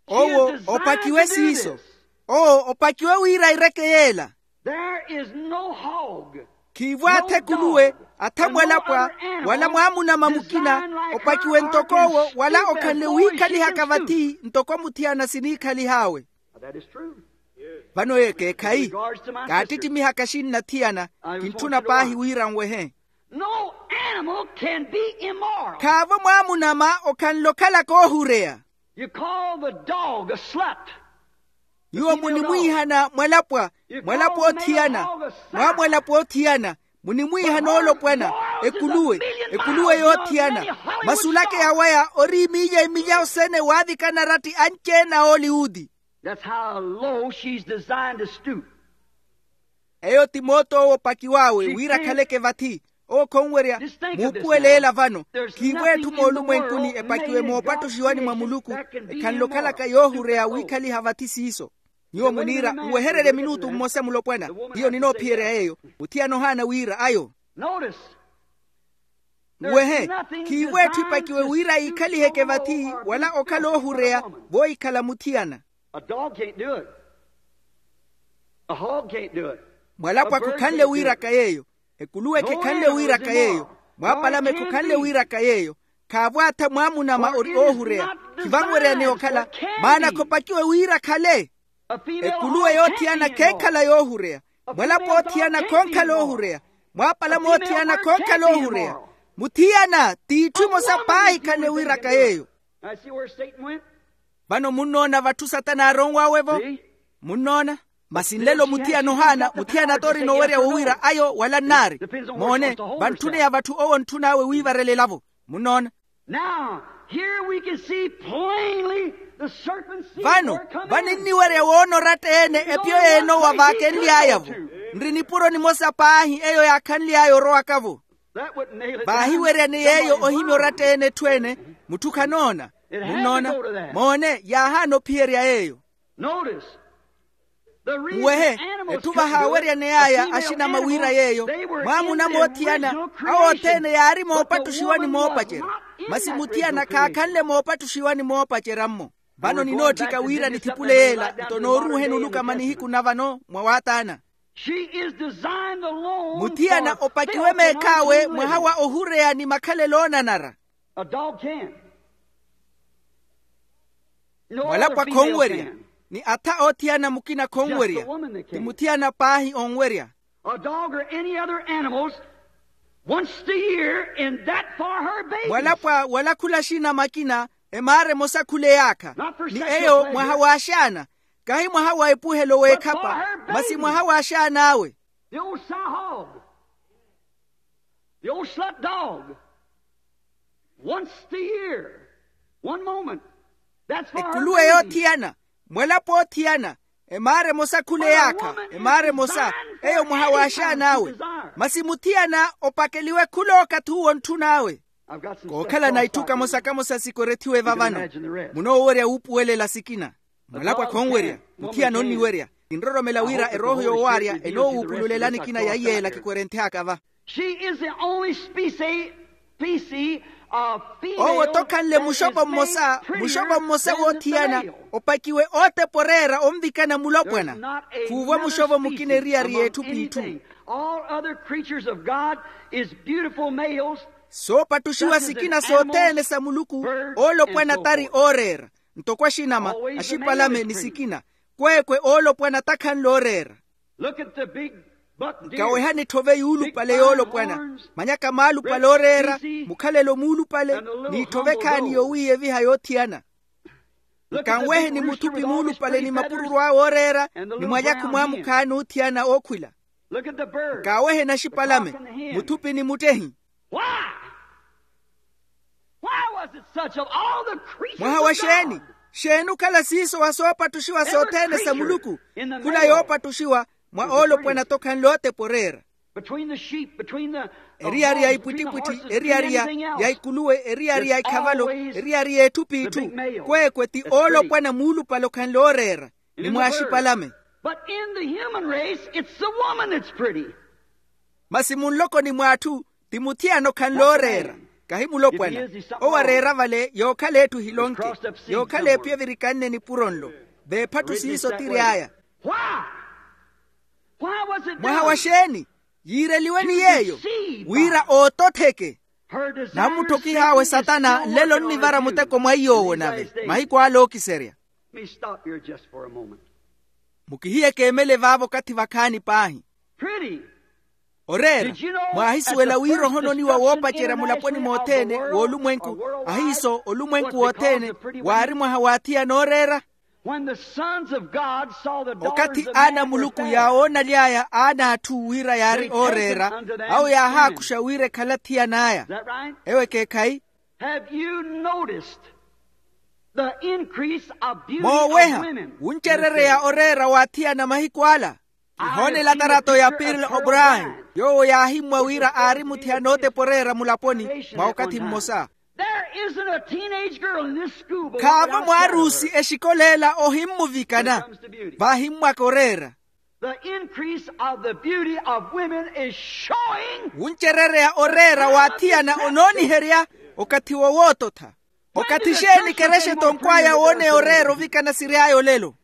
Owo opakiwe siiso. Owo opakiwe wira aireke yeela. There is no hog. Khiivo atha ekuluwe, atha mwalapwa, wala mwaamunama mukina opakiwe ntok'owo wala okhanle wiikhalihaka vathi ntoko muthiyana siniikhalih'awe. Vano eyo ekeekhayi. Kaattittimiha kaxinna thiyana. Kintthuna paahi wira nwehe. No animal can be immoral. Khaavo mwaamunama okhanle okhalaka oohureya. You call the dog a slut. Nyuwo munimwiihana mwalapwa, mwalapwa othiyana. Mwaamwalapwa othiyana munimwiihana oolopwana. Ekuluwe, ekuluwe yoothiyana. Masulake yawaya ori imilya imilya osene waavikana aratti anci-ene a oliwuti. That's how low she's designed to stoop. Eyo ti moot'owo opakiw'awe wira akhaleke vathi. Owo khonwerya. Muupuwele ela vano. Khiivo etthu moolumwenkuni epakiwe moopattuxiwani mwa muluku ekhanle okhalaka yoohureya wiikhaliha vathi siiso. Nyuwo muniira nwehererye minutu mmosa mulopwana. Hiyo ninoophiyerya yeeyo. Muthiyana ohaana wira ayo. Nwehe. Khiivo etthu ipakiwe wira yiikhaliheke vathi wala okhala oohureya voohikhala muthiyana. Mwalapwa khukhanle wiiraka yeeyo. Ekuluwe khekhanle wiiraka yeeyo. Mwaapalame khukhanle wiiraka yeeyo. Khaavo atha mwaamunama ori oohureya. Khivanweryaneya okhala. Maana khopakiwe wira akhale. Ekuluwe yoothiyana kheekhala yoohureya. Mwalapwa othiyana khoonkhala oohureya. Mwaapalame othiyana khoonkhala oohureya. Muthiyana t'itthu emosa paahi khale wiiraka yeeyo. Vano munnoona vatthu satana aaronw'awe-vo. Munnoona. Masi nlelo muthiyana ohaana muthiyana t'orina owerya wowiira ayo wala nnaari. Moone. Vantthuneya vatthu owo ontthun'awe wiivarelela-vo. Munnoona. Now here we can see plainly the serpent seed. Vano vaninniwerya woona oratta-ene epyo y'enowa vaakenly'aya-vo. Nri nipuro nimosa paahi eyo yaakhanly'aya orowaka-vo. Vaahiweryane yeeyo ohimya oratta-ene etthu ene. Mutthu khanoona. Munnoona. Moone yaahaana ophiyerya yeeyo. Nwehe. Etthu vahaaweryaney'aya axinama wira yeeyo. Mwaamuna moothiyana awo othene yaari moopattuxiwa ni moopacerya. Masi muthiyana khaakhanle moopattuxiwa ni moopacerya-mmo. Vano ninootthika wira nithipule yeela nto nooruuheni oluka mwa nihiku na vano mwa waataana. Muthiyana opakiwe meekh'awe mwaha wa ohureya ni makhalelo oonanara. Mwalapwa khonwerya. Ni atha oothiyana mukina khonwerya. Ti muthiyana paahi onwerya. A dog or any other animals once a year in that for her babies. Mwalapwa wala khula axina makina emaara emosa khula eyaakha. Ni eyo mwaha w'axaana. Kahi mwaha wa epuhelo w'ekhapa masi mwaha w'axaan'awe. The old sow hog, the old slut dog, once a year, one moment. That's for her babies. Ekuluwe yoothiyana. Mwalapwa othiyana. Emaara emosa khula eyaakha emaara emosa. Eyo mwaha w'axaan'awe. Masi muthiyana opakeliwe khula okathi uwo ontthun'awe. Kookhala na itthu kamosa kamosa sikorethiwe vavano. Munoowerya wuupuwelela sikina. Mwalapwa khonwerya. Muthiyana onniwerya. Kinroromela wira erooho yoowaarya enoowuupululela nikina ya iyeela kikwerenthyaaka va. She is the only species, species of female. Owo tokhanle muxopo mmosa muxopo mmosa woothiyana opakiwe ootepa oreera onvikana mulopwana. Khuuvo muxopo mukina eriyari y'etthu p'itthu. All other creatures of God is beautiful males. Soopattuxiwa sikina sothene sa muluku oolopwana tari ooreera. Ntoko axinama axipalame ni sikina. Kweekwe oolopwana takhanle ooreera. Nkawehani etthove yuulupale yoolopwana. Manyaka maalupale ooreera. Mukhalelo muulupale n'itthove ekhaani yowiiyeviha yoothiyana. Nkanwehe ni muthupi muulupale ni mapururu awe ooreera, ni mwalyakhu mwamukhaani oothiyana ookhwila. Nkaawehe naxipalame, muthupi ni muttehi. Mwaha wa xeeni? Xeeni okhala siiso wa soopattuxiwa sothene sa muluku, khula yoopattuxiwa mwa oolopwana-tho khanle ootepa oreera. Eriyari ya ipwittipwitthi, eriyari ya ikuluwe, eriyari ya ikhavalo, eriyari ya etthu p'itthu, kweekwe ti oolopwana muulupale okhanle ooreera, ni mwaaxipalame. Masi munlokoni mw'atthu, ti muthiyana okhanle ooreera, kahi mulopwana. Owo areera vale yookhala etthu ehilonke, yookhala epiya evirikanne nipuro nlo. Veephatthu siiso tiry'aya. Mwaha wa xeeni? Yiireliwe ni yeeyo wira oototheke. Namutthokih'awe satana nlelo onnivara muteko mwa iy'owo nave mahiku ale ookiserya. Mukihiye keemele vaavo okathi vakhaani paahi. Oreera. Mwaahisuwela wira ohononiwa woopacerya mulaponi mothene w'olumwenku, ahiiso olumwenku wothene, waari mwaha w'athiyana ooreera? Okathi aana a muluku yaawoonaly'aya aana a atthu wira yaari ooreera, awo yaahaakuxa wira ekhale athiyan'aya. Ewo ekeekhayi? Mooweha wuncerereya oreera w'athiyana mahiku ala. Kihoonela tarato ya pirla obrahi, yoowo yaahimmwa wira aari muthiyana ootepa oreera mulaponi mwa okathi mmosa. Khaavo mwaarusi exikoleela ohimmuvikana. Vaahimmwaka oreera. Wuncerereya oreera w'athiyana onooniherya okathi wo woototha. Okathi xeeni kerexetonkw'aya wooneya oreera ovikana siry'aya olelo?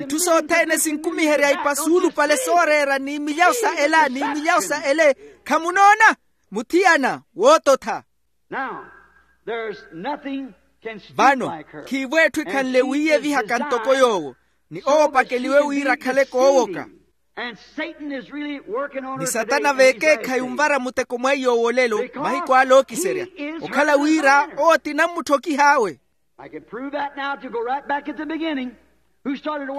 Itthu sothene sinkumiherya ipa suulupale sooreera ni milyawu sa ela ni milyawu sa ele. Khamunoona? Muthiyana woototha. Vano khiivo etthu ekhanle wiiyevihaka ntoko yoowo, ni owo opakeliwe wira akhale koowoka. Ni satana veekeekhayi onvara muteko mwa iy'owo olelo mahiku ale ookiserya, okhala wira owo ti namutthokih'awe.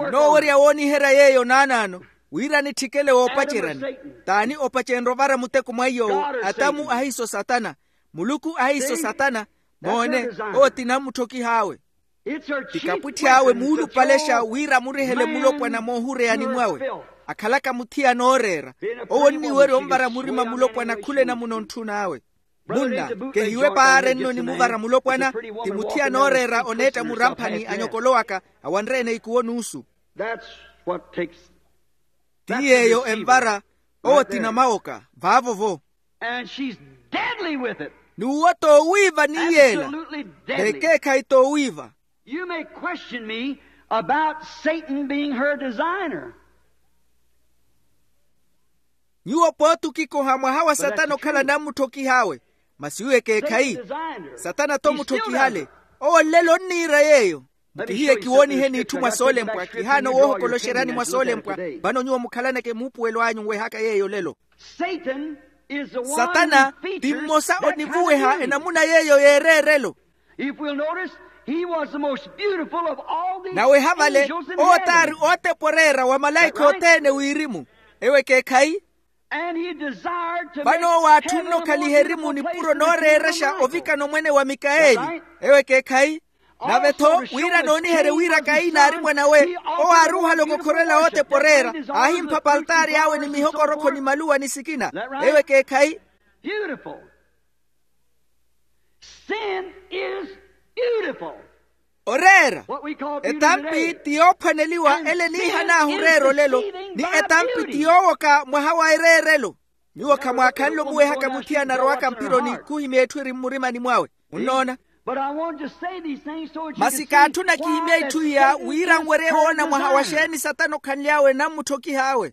Kinoowerya wooniherya yeeyo naanaano wira nitthikele woopaceryani. T'ani opacenrya ovara muteko mwa iy'owo? Atamu ahiiso satana. Muluku ahiiso satana. Moone, owo ti namutthokih'awe. Ti kapwitthi awe muulupalexa wira amurihele mulopwana moohureyani mwawe. Akhalaka muthiyana ooreera. Owo onniwerya onvara murima mulopwana khula enamuna ontthun'awe. Munna, kehiwe paari enno onimuvara mulopwana. Ti muthiyana ooreera oneetta muramphani anyokolowaka awanre-ene ikuwo n'usu. Ti yeeyo envara. Owo ti namawoka vaavo-vo. N'uwo t'owiiva ni yeela. Veekeekhayi t'owiiva. You may question me about Satan being her designer. Nyuwo pooti okikoha mwaha wa satana okhala namutthokih'awe. Masi iwo ekeekhayi. Satana-tho mutthokihale. Owo nlelo onniira yeeyo. Mukihiye kiwooniheni itthu mwa soolempwa kihaana owoohokoloxeryani mwa soolempwa. Vano nyuwo mukhalaneke muupuwelo anyu onwehaka yeeyo olelo. Satana ti mmosa onivuweha enamuna yeeyo y'ereerelo. Naweha vale, owo t'ari ootepa oreera wa malaikha othene wirimu. Ewo ekeekhayi. Vano owo aatthunne okhaliha erimu nipuro nooreerexa ovikana omwene wa mikaeli. Ewo ekeekhayi. Nave-tho wira nooniherye wira kaini aari mwan'awe, owo aari ohaloka okhorela ootepa oreera, aahimpha paltaari awe ni mihokorokho ni maluwa ni sikina. Ewo ekeekhayi. Oreera. Etampi ti yoophwaneliwa ele eniihan'ahu oreera olelo, ni etampi ti yoowoka mwaha wa ereerelo. Nyuwo khamwaakhanle omuwehaka muthiyana arowaka mpironi khuhimya etthu eri mmurimani mwawe. Munnoona? Masi kaatthuna kihimye itthu iya wira nwerye woona mwaha wa xeeni satana okhanly'awe namutthokih'awe.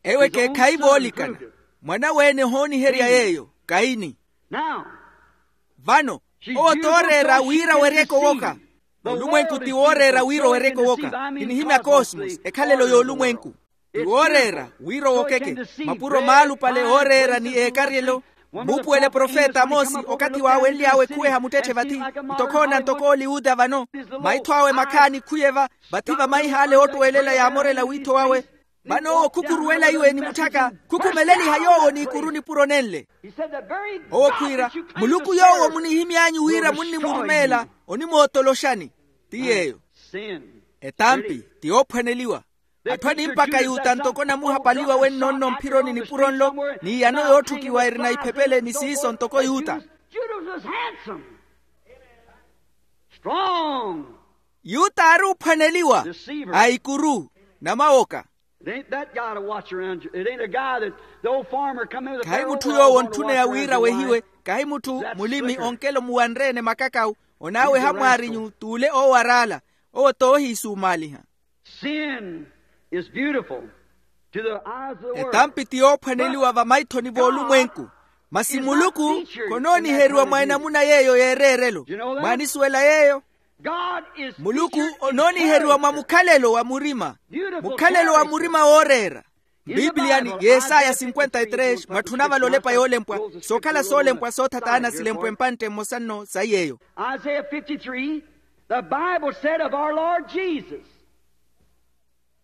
Ewo ekeekhayi voolikana. Mwan'awe-ene ohooniherya yeeyo kaini. Vano, owo t'oreera wira weryeke owoka. Olumwenku ti wooreera wira oweryeke owoka. Kinihimya kosmos ekhalelo y'olumwenku. Ti wooreera wira owokeke. Mapuro maalupale ooreera ni eekaryelo. Muupuwele profeta amoosi okathi waawenly'awe khuweha muttetthe vathi, ntokhoona ntoko ooliyuta vano. Maitho awe makhaani khuye-va. Vathi vamaih'ale oottuwelela yaamorela wiitho wawe. Vano owo khukhuruwela iwe ni mutthaka, khukhumeleliha yoowo n'ikuru nipuro nenle. Owo khwiira, muluku yoowo munihimy'anyu wira munnimurumeela, onimootoloxani. Ti yeeyo. Etampi ti yoophwaneliwa. Atthu animpaka yuta ntoko namuhapaliwa wenno nno mphironi nipuro nlo, n'iyano yootthukiwa erina iphepele ni siiso ntoko yuta. Yuta aari ophwaneliwa, a ikuru, namawoka. Khahi mutthu yoowo ontthuneya wira wehiwe. Khahi mutthu mulimi onkelo muwanre-ene makakawu, onaaweha mwaarinyu t'ule oowaraala. Owo t'ohiisumaaliha. Etampi ti yoophwaneliwa vamaithoni v'olumwenku. Masi muluku khonooniheriwa mwa enamuna yeeyo y'ereerelo. Mwaanisuwela yeeyo? Muluku onooniheriwa mwa mukhalelo wa murima. Mukhalelo wa murima wooreera. Mbiipliyani yesaya cinquenta y tres mwatthuna vale olepa yoolempwa. Sookhala soolempwa sootha taana silempwa empantte mmosa nno sayi eyo. Isaiah fifty-three, the Bible said of our Lord Jesus.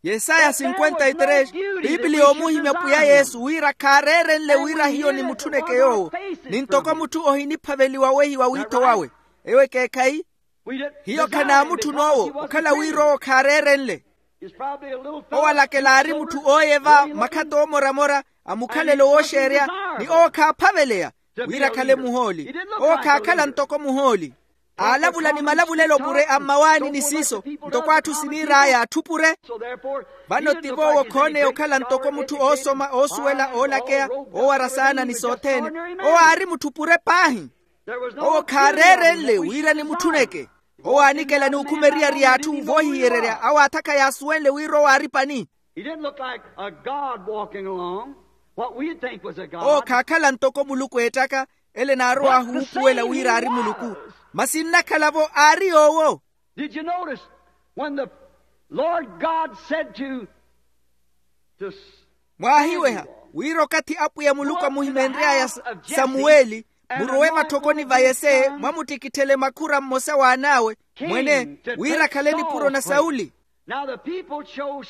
Yesaya cinquenta y tres, piipiliya omuhimya pwiya yesu wira khaareerenle wira hiyo nimutthunneke yoowo. Ni ntoko mutthu ohiniphaveliwa wehiwa wiitho wawe. Eyo ekeekhayi. Hiyo khanaamutthuna owo okhala wira owo khaareerenle. Owo alakela aari mutthu ooyeva makhatta oomoramora a mukhalelo wooxeerya. Ni owo khaaphaveleya wira akhale muhooli. Owo khaakhala ntoko muhooli. Aalavula ni malavulelo pure a mmawaani ni siiso ntoko atthu siniir'aya atthu pure. Vano tivo owo khooneya okhala ntoko mutthu oosoma oosuwela oolakeya oowara saana ni sothene. Owo aari mutthu pure paahi. Owo khaareerenle wira nimutthunneke. Owo aanikela ni okhuma eriyari y'atthu voohihiyererya awo aathakha yaasuwenle wira owo aari pani. He didn't look like a god walking along what we'd think was a god. Owo khaakhala ntoko muluku eettaka ele naarow'ahu wuupuwela wira aari muluku. Masi nnakhala-vo aari yoowo. Did you notice when the Lord God said to, to mwaahiweha wira okathi apwiya muluku amuhimeenry'aya samuweli murowe vatthokoni va yese mwamuttikitthele makhura mmosa w'an'awe mwene wira akhale nipuro na sauli.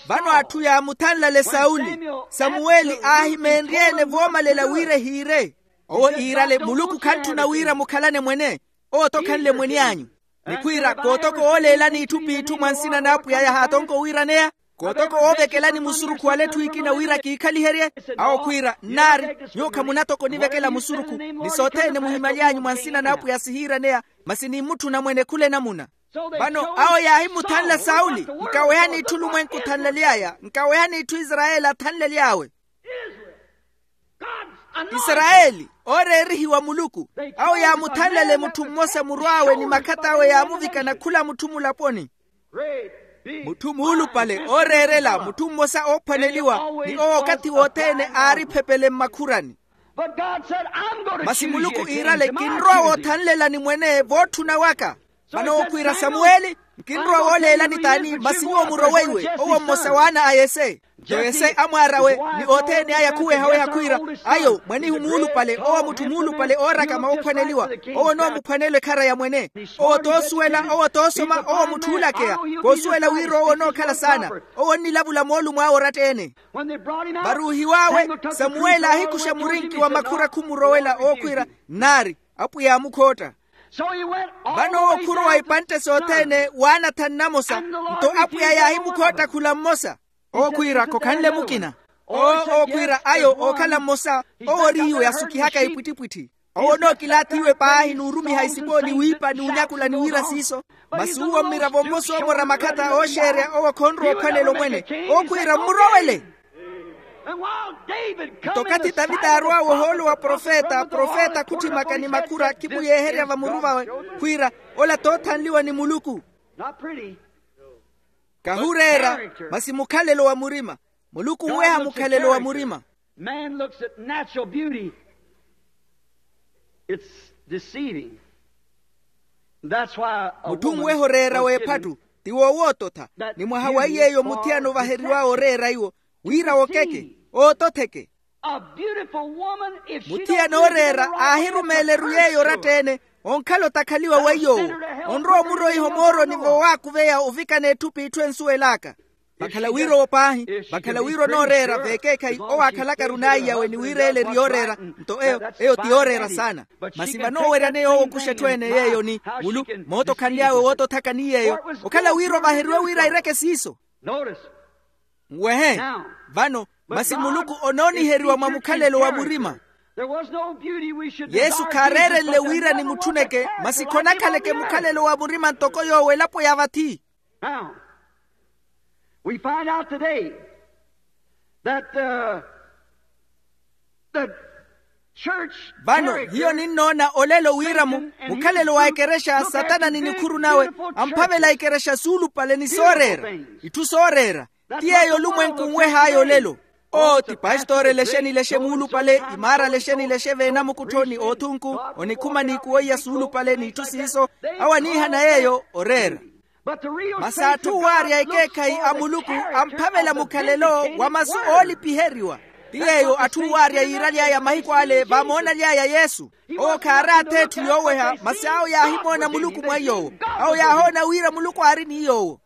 Vano atthu yaamuthanlale sauli. Samuweli aahimeenrye-ene voomalela wira ehiire. Owo iirale muluku khantthuna wira mukhalane mwene. Owo-tho khanle mwene anyu. Ni khwiira kootoko ooleelani itthu p'itthu mwa nsina n'apwiya yahaatonka owiiraneya. Kootoko oovekelani musurukhu wala etthu ekina wira kiikhaliherye. Awo khwiira nnaari nyuwo khamunatoko onivekela musurukhu. Ni sothene muhimaly'anyu mwa nsina n'apwiya sihiiraneya. Masi nimmutthuna mwene khula enamuna. Vano awo yaahimuthanla sauli nkawehani itthu olumwenku othanlaly'aya nkawehani itthu isarayeli athanlaly'awe. Isarayeli ooreerihiwa muluku. Awo yaamuthanlale mutthu mmosa murw'awe ni makhatt'awe yaamuvikana khula mutthu mulaponi. Mutthu muulupale ooreerela mutthu mmosa oophwaneliwa ni owo okathi wothene aari phepele mmakhurani. Masi muluku iirale kinrowa woothanlelani mwene vootthuna waka. Vano owo khwiira samuweli nkinrowa wooleelani t'ani masi nyuwo murowe iwe owo mmosa w'ana a yese. Nto yese amwaar'awe ni othene aya khuweha-weha khwiira ayo mwanihu muulupale owo mutthu muulupale oorakama oophwaneliwa. Owo onoomuphwanelwa ekhara ya mwene. Owo toosuwela owo toosoma owo mutthu oolakeya. Koosuwela wira owo onookhala saana. Owo onnilavula moolumo awe oratta-ene. Varuuhiw'awe samuweli aahikuxa murinki wa makhura khumurowela owo khwiira nnaari apwiya aamukhootta. Vano owo khurowa ipantte sothene waana thanu namosa. Nto apwiya yaahimukhootta khula mmosa. Owo khwiira khokhanle mukina. Owo owo khwiira ayo ookhala mmosa. Owo ori iwe asukihaka ipwittipwitthi. Owo onookilaathi iwe paahi n'urumiha isipo ni wiipa ni unyakula ni wira siiso. Masi uwo mmiravo mmosa oomora makhattha ooxeerya owo khonrowa ophwanela omwene. Owo khwiira mmurowele. Nto okathi tavita aarw'awe ohoolo wa profeta profeta khutthimaka ni makhura khimuyeeherya vamuru vawe khwiira ola t'othanliwa ni muluku. Kahureera masi mukhalelo wa murima. Muluku onweha mukhalelo wa murima. Man looks at natural beauty. It's deceiving. That's why a mutthu onweha oreera w'ephatu ti woowoototha. Ni mwaha wa iy'eyo muthiyana ovaheriw'awe oreera iwo wira wokeke oototheke. Muthiyana ooreera aahirumeeleru yeeyo oratta-ene, onkhala otakhaliwa weiy'owo, onrowa omuroiha omooroni vowaakuveya ovikana etthu p'itthu ensuwel'aka. Vakhala wira owo paahi, vakhala wira onooreera veekeekhayi owo aakhalaka-ru n'aiyawe ni wira ele eri yooreera. Nto eyo, eyo ti yooreera saana. Masi vanooweryaneya owo okuxa etthu ene yeeyo ni mulu, moota okhanly'awe woota othaka ni yeeyo. Okhala wira ovaheriwe wira aireke siiso. Nwehe. Vano, masi muluku onooniheriwa mwa mukhalelo wa murima. Yesu khaareerenle wira ni mutthuneke, masi khonakhaleke mukhalelo wa murima ntoko yoowo elapo ya vathi. Now, we find out today that the, the church. Vano hiyo ninnoona olelo wira mu mukhalelo wa ekerexa satana ni nikhuru nawe amphavela ekerexa suulupale ni sooreera, itthu sooreera. Ti yeeyo olumwenku nweh'aya olelo. Oo ti pastori lexeni lexe muulupale, imaara lexeni lexe veenamukutthoni oothunku, onikhuma n'ikuwo iya suulupale n'itthu siiso. Awo aniihana yeeyo oreera. Masi atthu waarya ekeekhayi a muluku amphavela mukhalelo wa masu oolipiheriwa. Ti yeeyo atthu waarya yiiraly'aya mahiku ale vaamoonaly'aya yesu. Owo khaari ath'etthu yooweha masi awo yaahimoona muluku mwa iy'owo. Awo yaahoona wira muluku aari ni iy'owo.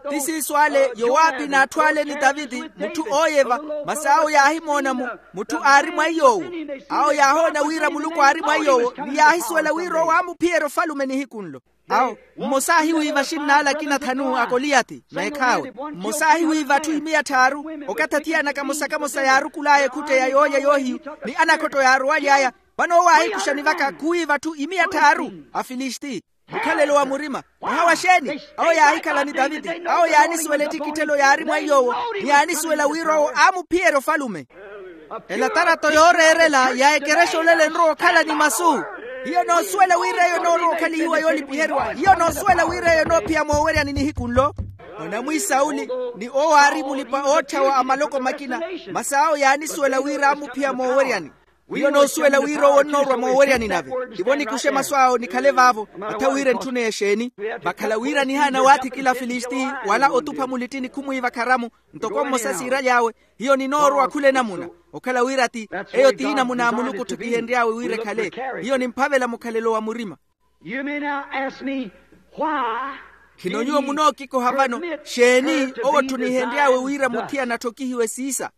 Ti siiso ale yowaapi n'atthu ale ni taviti, mutthu ooyeva. Masi awo yaahimoona mu mutthu aari mwa iy'owo. Awo yaahoona wira muluku aari mwa iy'owo ni yaahisuwela wira owo aamuphiyerya ofalume nihiku nlo. Awo mmosa aahiwiiva axinnaale akina thanu a koliyathi meekhaawe. Mmosa aahiwiiva atthu imiya tthaaru. Okathi athiyana kamosa kamosa yaarukul'aya ekhutteya yoolya yoohiyu ni anakhotto yaarowaly'aya. Vano owo aahikuxa ni vaka khuwiiva atthu imiya tthaaru. Afilisti. Mukhalelo wa murima. Mwaha wa xeeni? Awo yaahikhala ni taviti. Awo yaanisuwela ettikitthelo yaari mwa iy'owo. Ni yaanisuwela wira owo aamuphiyerya ofalume. Elatarato yooreerela ya ekerexa olelo enrowa okhala ni masu. Hiyo noosuwela wira eyo enoorowa okhalihiwa yoolipiheriwa hiyo noosuwela wira eyo enoophiya mooweryani nihiku nlo. Onamwi sauli ni owo aari mulipa-ootthawa a maloko makina. Masi awo yaanisuwela wira aamuphiya mooweryani. Wiyo noosuwela wira owo onnoorwa mooweryani nave. Tivo nikuxe masu awo nikhale vaavo. Atha wira entthuna exeeni? Vakhala wira nihaana waathikila afilisti wala otupha mulittini khumwiiva kharamu. Ntoko mmosa siiraly'awe. Hiyo ninoorowa khula enamuna. Okhala wira ti eyo ti enamuna a muluku otthukihenry'awe wira ekhale. Hiyo nimphavela mukhalelo wa murima. Khino nyuwo munookikoha vano? Xeeni owo otthunihenry'awe wira muthiyana atthokihiwe siisa?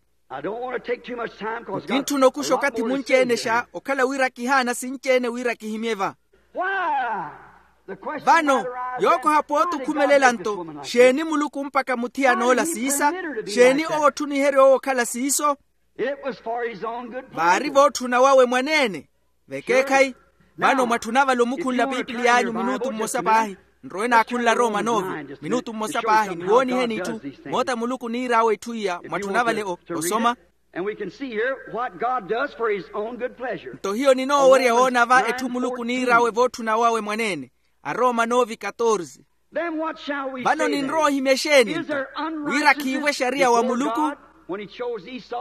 Kintthuna okuxa okathi munci-ene xa okhala wira kihaana sinci-ene wira kihimye va. Vano yookoha pooti okhumelela nto, xeeni muluku mpakha muthiyana ola siisa? Xeeni owo otthuniherya owo okhala siiso? Vaari vootthuna wawe mwaneene. Vekeekhayi. Vano mwatthuna vale omukhunla pipiliy'anyu minutu mmosa paahi. Nrowe naakhunla roma novi minutu mmosa paahi ni wooniheni itthu. Moota muluku niir'awe itthu iya mwatthuna vale osoma. Nto hiyo ninoowerya woona va etthu muluku niir'awe vootthuna wawe mwaneene. Aroma novi katorse. Vano ninrowa ohimya exeeni nto? Wira khiivo exariya wa muluku.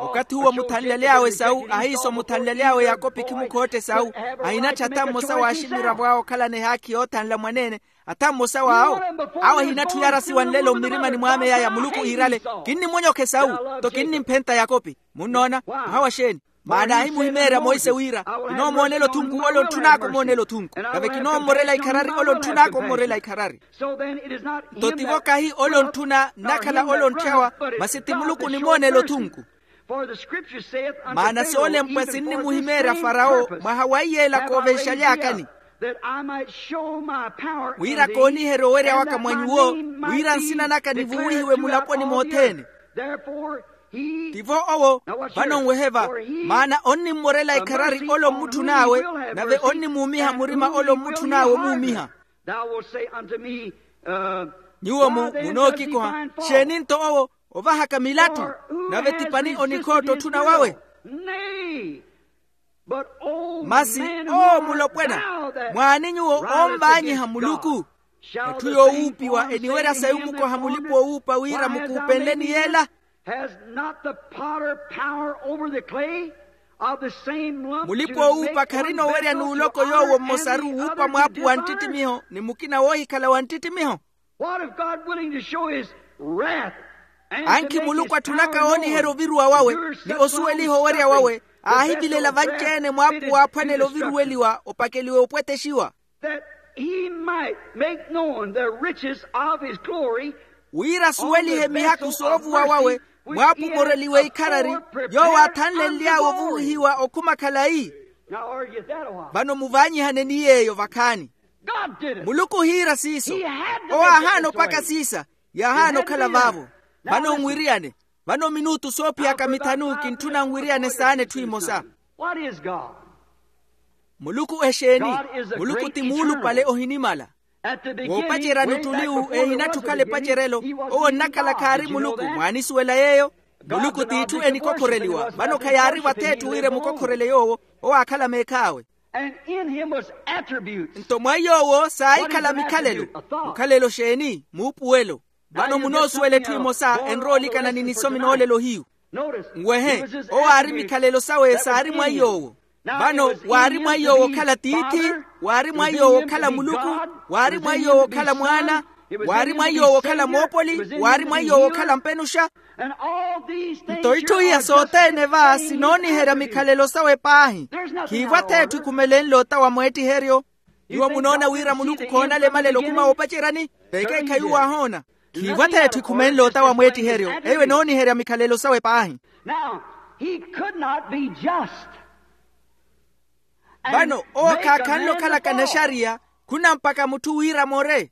Okathi uwo muthanlaly'awe esawu ahiiso muthanlaly'awe yakopi khimukhotta esawu. Ahinatthu atha mmosa w'aximiravo awo okhalana ehaakhi yoothanla mwaneene. Atha mmosa w'awo awo ahinatthu yarasiwa nlelo mmirimani mw'ame yaya muluku iirale. Kinnimunyokha esawu. Nto kinnimphenta yakopi. Munnoona? Mwaha wa xeeni? Maana aahimuhimeerya monse wira kinoomoonela othunku ole ontthun'aka omoonela othunku. Nave kinoommorela ikharari ole ontthun'aka ommorela ikharari. Nto tivo kahi ole ontthuna nnakhala ole ontthyawa. Masi ti muluku onimoonela othunku. Maana soolempwa sinnimuhimeerya farawo mwaha wa iyeela koovenxaly'akani. Wira kooniherya owerya waka mwa nyuwo wira nsina naka nivuwihiwe mulaponi mothene. Tivo owo. Vano nwehe va. Maana onnimmorela ikharari ole ommutthun'awe nave onnimuumiha murima ole ommutthun'awe omuumiha. Nyuwo munookikoha. Xeeni nto owo ovahaka milattu? Nave ti pani onikhootta otthuna wawe? Masi oo mulopwana, mwaani nyuwo oonvaanyiha muluku? Etthu yoowuupiwa eniwerya sayi omukoha mulipa-oowuupa wira mukuupenleni yeela? Has not the potter power over the clay of the same lump to make one vessel as it was out of the other? Mulipa-oowuupa kharina owerya n'uloko yoowo mmosaru wuupa mwaapu wa nttittimiho ni mukina woohikhala wa nttittimiho? What if God willing to show his wrath? Ankhi muluku atthunaka wooniherya oviruwa wawe ni osuweliha owerya wawe, aahivilela vanci-ene mwaapuwa aaphwanela oviruweliwa opakeliwe opwetexiwa. That he might make known the riches of his glory. Wira asuwelihe mihaku soovuwa wawe, mwaapu moreliwe ikharari, yoowo aathanlenly'awe ovuwihiwa okhuma khalayi. Vano muvaanyihane ni yeeyo vakhaani. Muluku ohiira siiso. Owo aahaana opaka siisa. Yaahaana okhala vaavo. Vano nwiriyane. Vano minutu soophiyaka mithanu kintthuna nwiriyane saana etthu emosa. Muluku exeeni? Muluku ti muulupale ohinimala. Woopacerya nuttuliwu ehinatthi okhala epacerelo. Owo onnakhala khaari muluku mwaanisuwela yeeyo. Muluku t'itthu enikokhoreliwa vano khayaari vatheetthu wira emukokhorele yoowo. Owo aakhala meekhaawe. Nto mwa yoowo saahikhala mikhalelo. Mukhalelo xeeni? Muupuwelo. Vano munoosuwela etthu emosa enrowa olikana ni nisomi noolelo hiyu. Nwehe, owo aari mikhalelo sawe saari mwa iy'owo. Vano waari mwa iy'owo okhala tiithi, waari mwa iy'owo okhala muluku, waari mwa iy'owo okhala mwaana, waari mwa iy'owo okhala moopoli, waari mwa iy'owo okhala mpenuxa. Nto itthu iya sothene va sinooniherya mikhalelo sawe paahi. Khiivo atheetthu ekhumelenle ota wa mweettiheryo. Nyuwo munoona wira muluku khoonala emalelo okhuma woopaceryani? Vekeekhayi uwo aahoona. Khiivo atheetthu ekhumenle ota wa mweettiheryo. Eyo enooniherya mikhalelo sawe paahi. Now, he could not be just. Vano owo khaakhanle okhalaka naxariya. Khuna mpakha mutthu wira amore.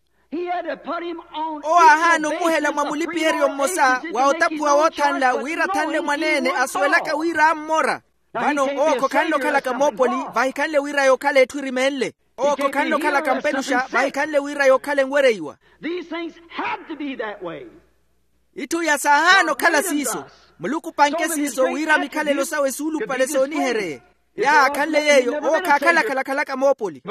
Owo aahaana omuhela mwa mulipiheryo mmosa wa otaphuwa woothanla wira athanle mwaneene asuwelaka wira ammora. Vano owo khokhanle okhalaka moopoli vahikhanle wira yookhala etthu erimenle. Owo khokhanle okhalaka mpenuxa vahikhanle wira yookhala enwereiwa. Itthu iya saahaana okhala siiso. Muluku opanke siiso wira mikhalelo sawe suulupale soonihereye. Yaakhanle yeeyo owo khaakhala khalakhalaka moopoli.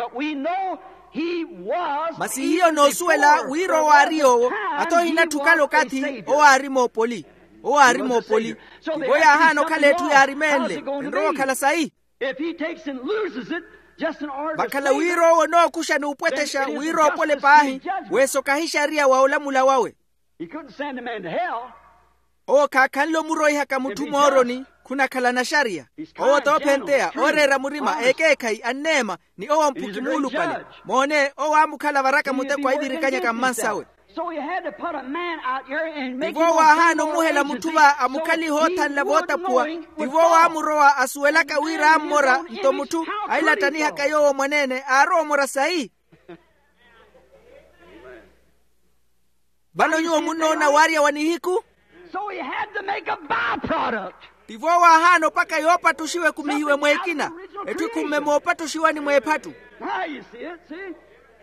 Masi hiyo noosuwela wira owo aari yoowo. Ata ohinatthu okhala okathi owo aari moopoli. Owo aari moopoli. Tivo yaahaana okhala etthu yaarimenle. Enrowa okhala sayi? Vakhala wira owo onookuxa n'upwetexa wira oopole paahi. Weesokahi xariya wa olamula wawe. Owo khaakhanle omuroihaka mutthu mooroni. Khunakhala naxariya. Owo t'ophenteya ooreera murima ekeekhayi anneema. Ni owo mphuki muulupale. Moone owo aamukhala varaka muteko aivirikanyaka mmansawe. Tivo waahaana omuhela mutthu va amukhalihe oothanla vootaphuwa. Tivo waamurowa asuwelaka wira ammora nto mutthu ailattanihaka yoowo mwaneene aarowa omora sayi? Vano nyuwo munnoona waarya wa nihiku. Tivo waahaana opaka yoopattuxiwa ekumihiwe mweekina. Etthu ekhumme moopattuxiwani mweephattu.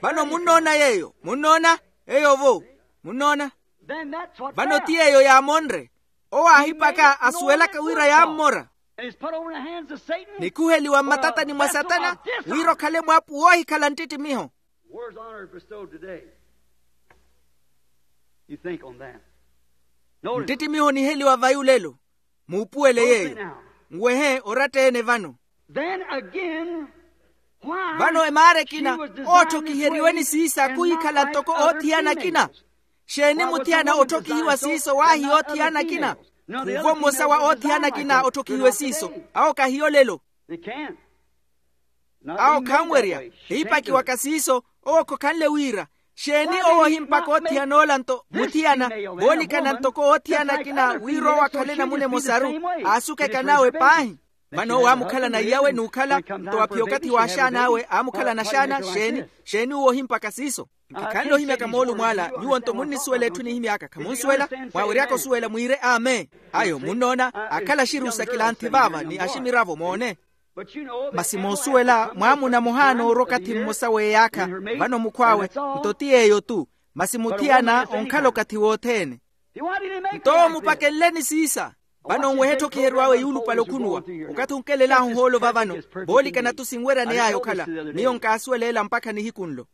Vano munnoona yeeyo munnoona? Eyo vo. Munnoona? Vano ti yeeyo yaamonre. Owo aahipaka asuwelaka wira yaammora. Nikhuheliwa mmatatani mwa satana wira okhale mwaapu woohikhala nttittimiho. Nttittimiho oniheliwa vayi olelo. Muupuwele yeeyo. Nwehe oratta-ene vano. Vano emaara ekina ootthokiheriweni siiso akhuhikhala ntoko oothiyana akina. Xeeni muthiyana otthokihiwa siiso waahiya oothiyana akina? Khuuvo mmosa wa oothiyana akina otthokihiwe siiso. Awo kahiyo olelo. Awo khanwerya. Hiipakiwaka siiso. Owo khokhanle wira. Xeeni owo ohimpaka oothiyan'ola nto muthiyana voolikana ntoko oothiyana akina wira owo akhale namuna emosaru. Aasuka ekan'awe paahi. Vano owo aamukhalana iyawe n'ukhala. Nto waphiya okathi w'axaan'awe aamukhalana axaana xeeni? Xeeni owo ohimpaka siiso? Nkikhanle ohimyaka moolumo ala nyuwo nto munnisuwela etthu enihimyaka khamunsuwela. Mwaaweryaka osuwela mwiire amen. Ayo munnoona akhala axirusa kilanthi vaava ni aximiravo moone. Masi moosuwela mwaamuna muhaana oorwa okathi mmosa w'eyaakha. Vano mukhw'awe nto ti yeeyo-tu. Masi muthiyana onkhala okathi wothene. Nto mupakenleni siisa. Vano nwehe etthokiheriw'awe yuulupale okhunuwa. Okathi onkelel'ahu ohoolo va vano. Voolikana-tu sinweraney'aya okhala. Miyo nkaasuwela ela mpakha nihiku nlo.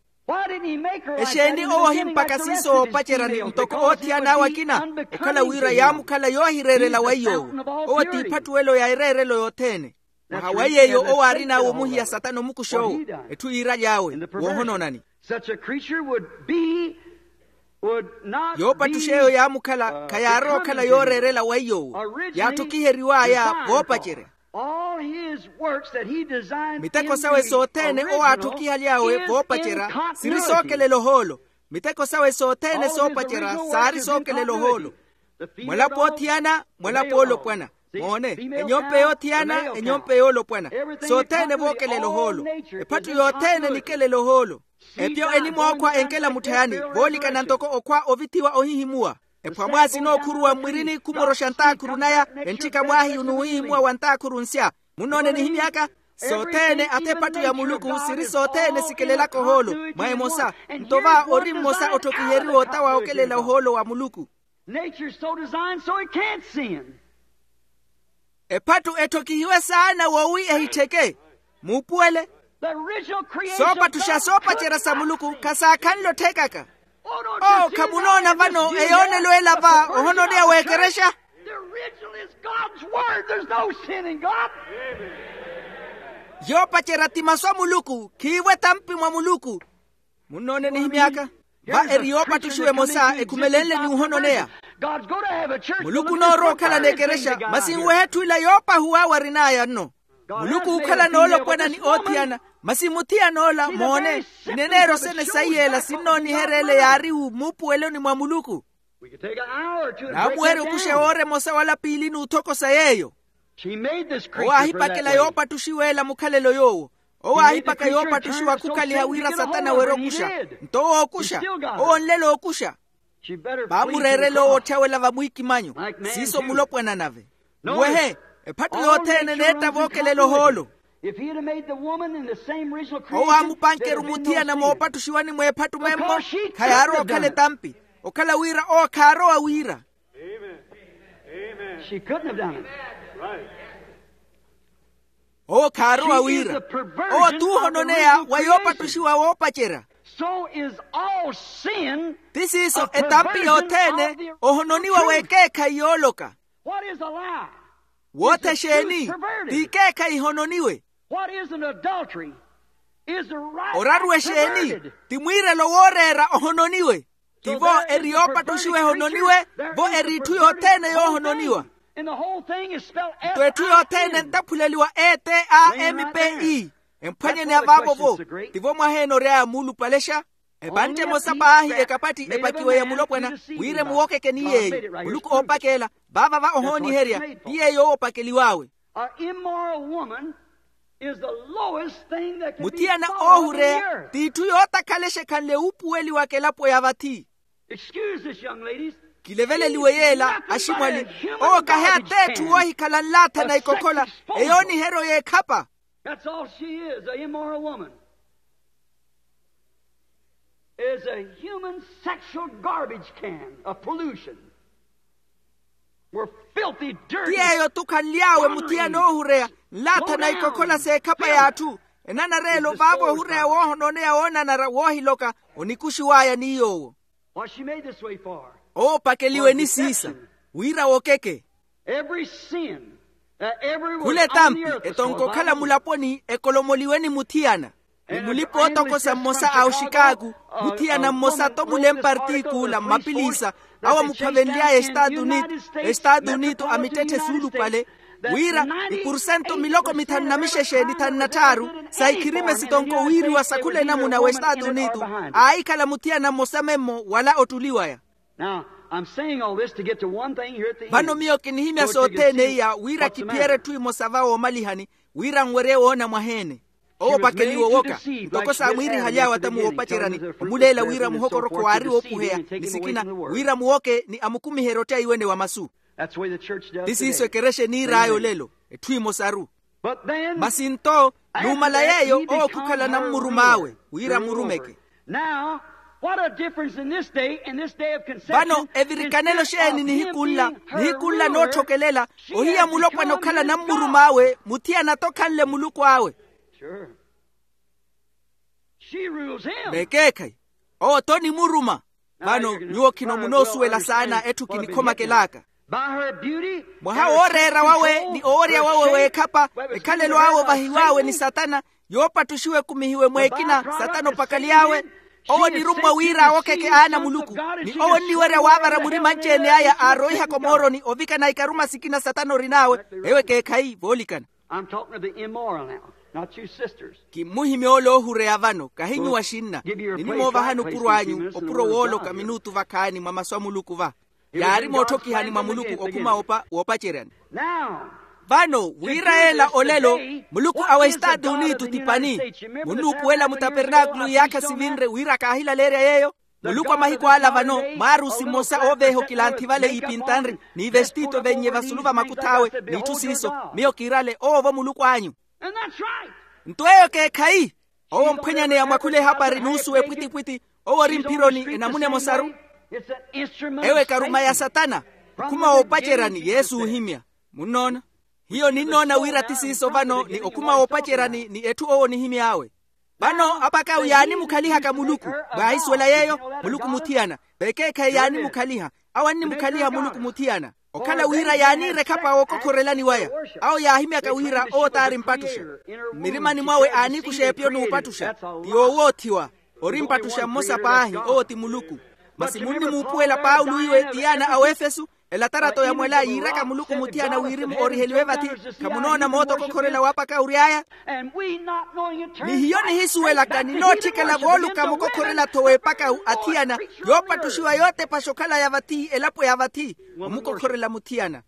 Exeeni owo ohimpaka siiso woopacerya ntoko oothiyan'awe akina? Okhala wira yaamukhala yoohireerela wa iy'owo. Owo t'iphattuwelo ya ereerelo yothene. Mwaha wa yeeyo owo aarin'awe omuhiya satana omukuxa owo. Etthu yiiraly'awe woohonoonani. Such a creature would be Yoopattuxa eyo yaamukhala khayaarowa okhala yooreerela weiy'owo. Yaatthokiheriw'aya voopacerya. Miteko sawe sothene owo aatthokihaly'awe voopacerya siri sookelela ohoolo. Miteko sawe sothene soopacerya saari sookelela ohoolo. Mwalapo othiyana, mwalapo oolopwana. Moone, enyompe yoothiyana, enyompe yoolopwana. Sothene vookelela ohoolo. Ephattu yothene enikelela ohoolo. Epyo enimwookhwa enkela mutthayani voolikana ntoko okhwa ovithiwa ohihimuwa. Ephwamwa sinookhuruwa mmwirini khumoroxa ntaakhuru naya. Entthika mwaahiyu n'uhihimuwa wa ntaakhuru nsya. Munnoone nihimy'aka? Sothene ata ephattu ya muluku siri sothene sikelelaka ohoolo. Mwa emosa. Nto va ori mmosa otthokiheriwa ota wa okelela ohoolo wa muluku. Nature is so designed so it can't sin. Ephattu etthokihiwe saana wowi ehittheke. Muupuwele. Soopattuxa soopacerya sa muluku khasaakhanle otthekaka. Oo khamunoona vano eyoonelo ela va ohononeya w'ekerexa. Yoopacerya ti masu a muluku khiivo etampi mwa muluku. Munnoone nihimy'aka? Va eri yoopattuxiwa emosa ekhumelenle ni ohononeya. Muluku onoorowa okhala n'ekerexa masi nwehe etthu ila yoopahuw'awe arin'aya nno. Muluku ookhala noolopwana ni oothiyana. Masi muthiyan'ola moone, ineneero sene saiy'ela sinnooniherya ele yaari muupuweloni mwa muluku. Naamuherya okuxa woora emosa wala piili n'uthokosa yeeyo. Owo aahipakela yoopattuxiwa ela mukhalelo yoowo. Owo aahipaka yoopattuxiwa khukhaliha wira satana weere okuxa. Nto owo ookuxa. Owo onlela ookuxa. Vaamureerela owo otthawela vamwiikimanyo. Siiso mulopwana nave. Nwehe. Ephattu yothene eneetta vookelela ohoolo. Owo aamupanke-ru muthiyana moopattuxiwani mw'ephattu memmo. Khayaarowa okhala etampi. Okhala wira owo khaarowa wira. Owo khaarowa wira. Owo t'uhononeya wa yoopattuxiwa woopacerya. Ti siiso etampi yothene. Ohononiwa w'ekeekhayi yooloka. Wootha exeeni? T'ikeekhayi ihononiwe. Oraru exeeni? Ti mwiirelo wooreera ohononiwe. Tivo eri yoopattuxiwa ehononiwe. Vo eri itthu yothene yoohononiwa. Nto etthu yothene entaphuleliwa e t a m p e. Emphwanyeni avaavo-vo. Tivo mwaheene ory'aya muulupalexa. Epantte emosa paahi ekapatti epakiwe ya mulopwana. Wira emuwokeke ni yeeyo muluku oopakela. Vaava va ohooniherya ti yeeyo oopakeliw'awe. Muthiyana oohureya t'itthu yootakhalexa ekhanle wuupuweliwa kelapo ya vathi. Kileveleliwe yeela aximwali. Owo kahi ateetthu woohikhala nlaathana ikokhola. Eyooniheryo y'ekhapa. That's all she is, a immoral woman. Is a human sexual garbage can of pollution. We're filthy, dirty. Ti yeeyo tukhanly'awe muthiyana oohureya nlaathana ikokhola s'ekhapa y'atthu. Enanareelo vaavo ohureya woohononeya woonanara woohiloka. Onikuxiw'aya ni yoowo. Oopakeliwe ni siisa wira wokeke. Khula etampi etonko okhala mulaponi ekolomoliwe ni muthiyana. Ni mulipa ootokosa mmosa a oxikaaku muthiyana mmosa to mule mpartikuula mmapiliisa awo amuphavenly'aya estaatu unitu. Estaatu unitu amittetthe suulupale wira ipursentu miloko mithanu na mixexe ni thanu na tthaaru sa ikhirime sitonko wiiriwa sa khula enamuna w'estaatu unitu. Aahikhala muthiyana mmosa memmo wala ottuliwaya. Vano miyo kinihimya sothene iya wira kiphiyere etthu emosa va woomalihani wira nwerye woona mwaheene. Owo opakeliwe owoka ntoko saamwiirihaly'awe atamu woopaceryani omuleela wira muhokorokho waari woopuheya ni sikina wira muwoke ni amukumiherye ottaiwene wa masu. Ti siiso ekerexa eniir'aya olelo etthu emosaru. Masi nto numala yeeyo owo khukhala nammurum'awe wira mmurumeke. Vano evirikanelo xeeni nihiku nla nihiku nla nootthokelela ohiya mulopwana okhala nammurum'awe muthiyana-tho okhanle muluku awe. Vekeekhayi owo-tho onimuruma. Vano nyuwo khino munoosuwela saana etthu kinikhomakel'aka. Mwaha wooreera wawe ni oworya wawe w'ekhapa ekhalelo awe ovahiw'awe ni satana yoopattuxiwa ekumihiwe mw'ekina satana opakaly'awe. Owo onirummwa wira awokeke aana a muluku. Ni owo onniwerya waavara murima anci-ene aya aaroihaka omooroni ovikana ikaruma sikina satana orin'awe. Eyo ekeekhayi voolikana. Kimmuhimya ole oohureya vano kahi nyuwo axinna. Ninimoovahani opuro anyu opuro wooloka minutu vakhaani mwa masu a muluku va. Yaari mootthokhihani mwa muluku okhuma woopaceryani. Vano wira yeela olelo muluku awe estaati unitu ti pani. Munnuupuwela mutapernaakulu iyaakha sivinre wira kaahilaleerya yeeyo. Muluku a mahiku ala vano mwaarusi mmosa ooveeha okilanthi vale iipintanri n'ivestiito vennye vasulu va makuth'awe n'itthu siiso. Miyo kiirale owo vo muluku anyu. Nto eyo ekeekhayi. Owo omphwenyaneya mwakhula ehapari n'usuwa epwitipwiti. Owo ori mphironi enamuna emosaru. Eyo ekaruma ya satana. Okhuma woopaceryani yesu oohimya. Munnoona? Hiyo ninnoona wira ti siiso vano ni okhuma woopaceryani ni etthu owo onihimy'awe. Vano apakau yaanimukhalihaka muluku. Mwaahisuwela yeeyo. Muluku muthiyana. Vekeekhayi yaanimukhaliha. Awo annimukhaliha muluku muthiyana. Okhala wira yaaniira ekhapa wookokhorelani waya. Awo yaahimyaka wira owo t'ari mpattuxa. Mmirimani mwawe aanikuxa epiyo n'upattuxa. Ti yoowoothiwa. Ori mpattuxa mmosa paahi owo ti muluku. Masi munnimuupuwela paulo iwe ti yaana a wefesu. Elatarato ya mwela yiiraka muluku muthiyana wirimu oriheliwe vathi. Khamunoona moota okokhorela waapaka ury'aya. Ni hiyo nihisuwelaka ninootthikela vooluka mukokhorela-tho w'epaka athiyana. Yoopattuxiwa yootepaxa okhalaya vathi elapo ya vathi. Omukokhorela muthiyana.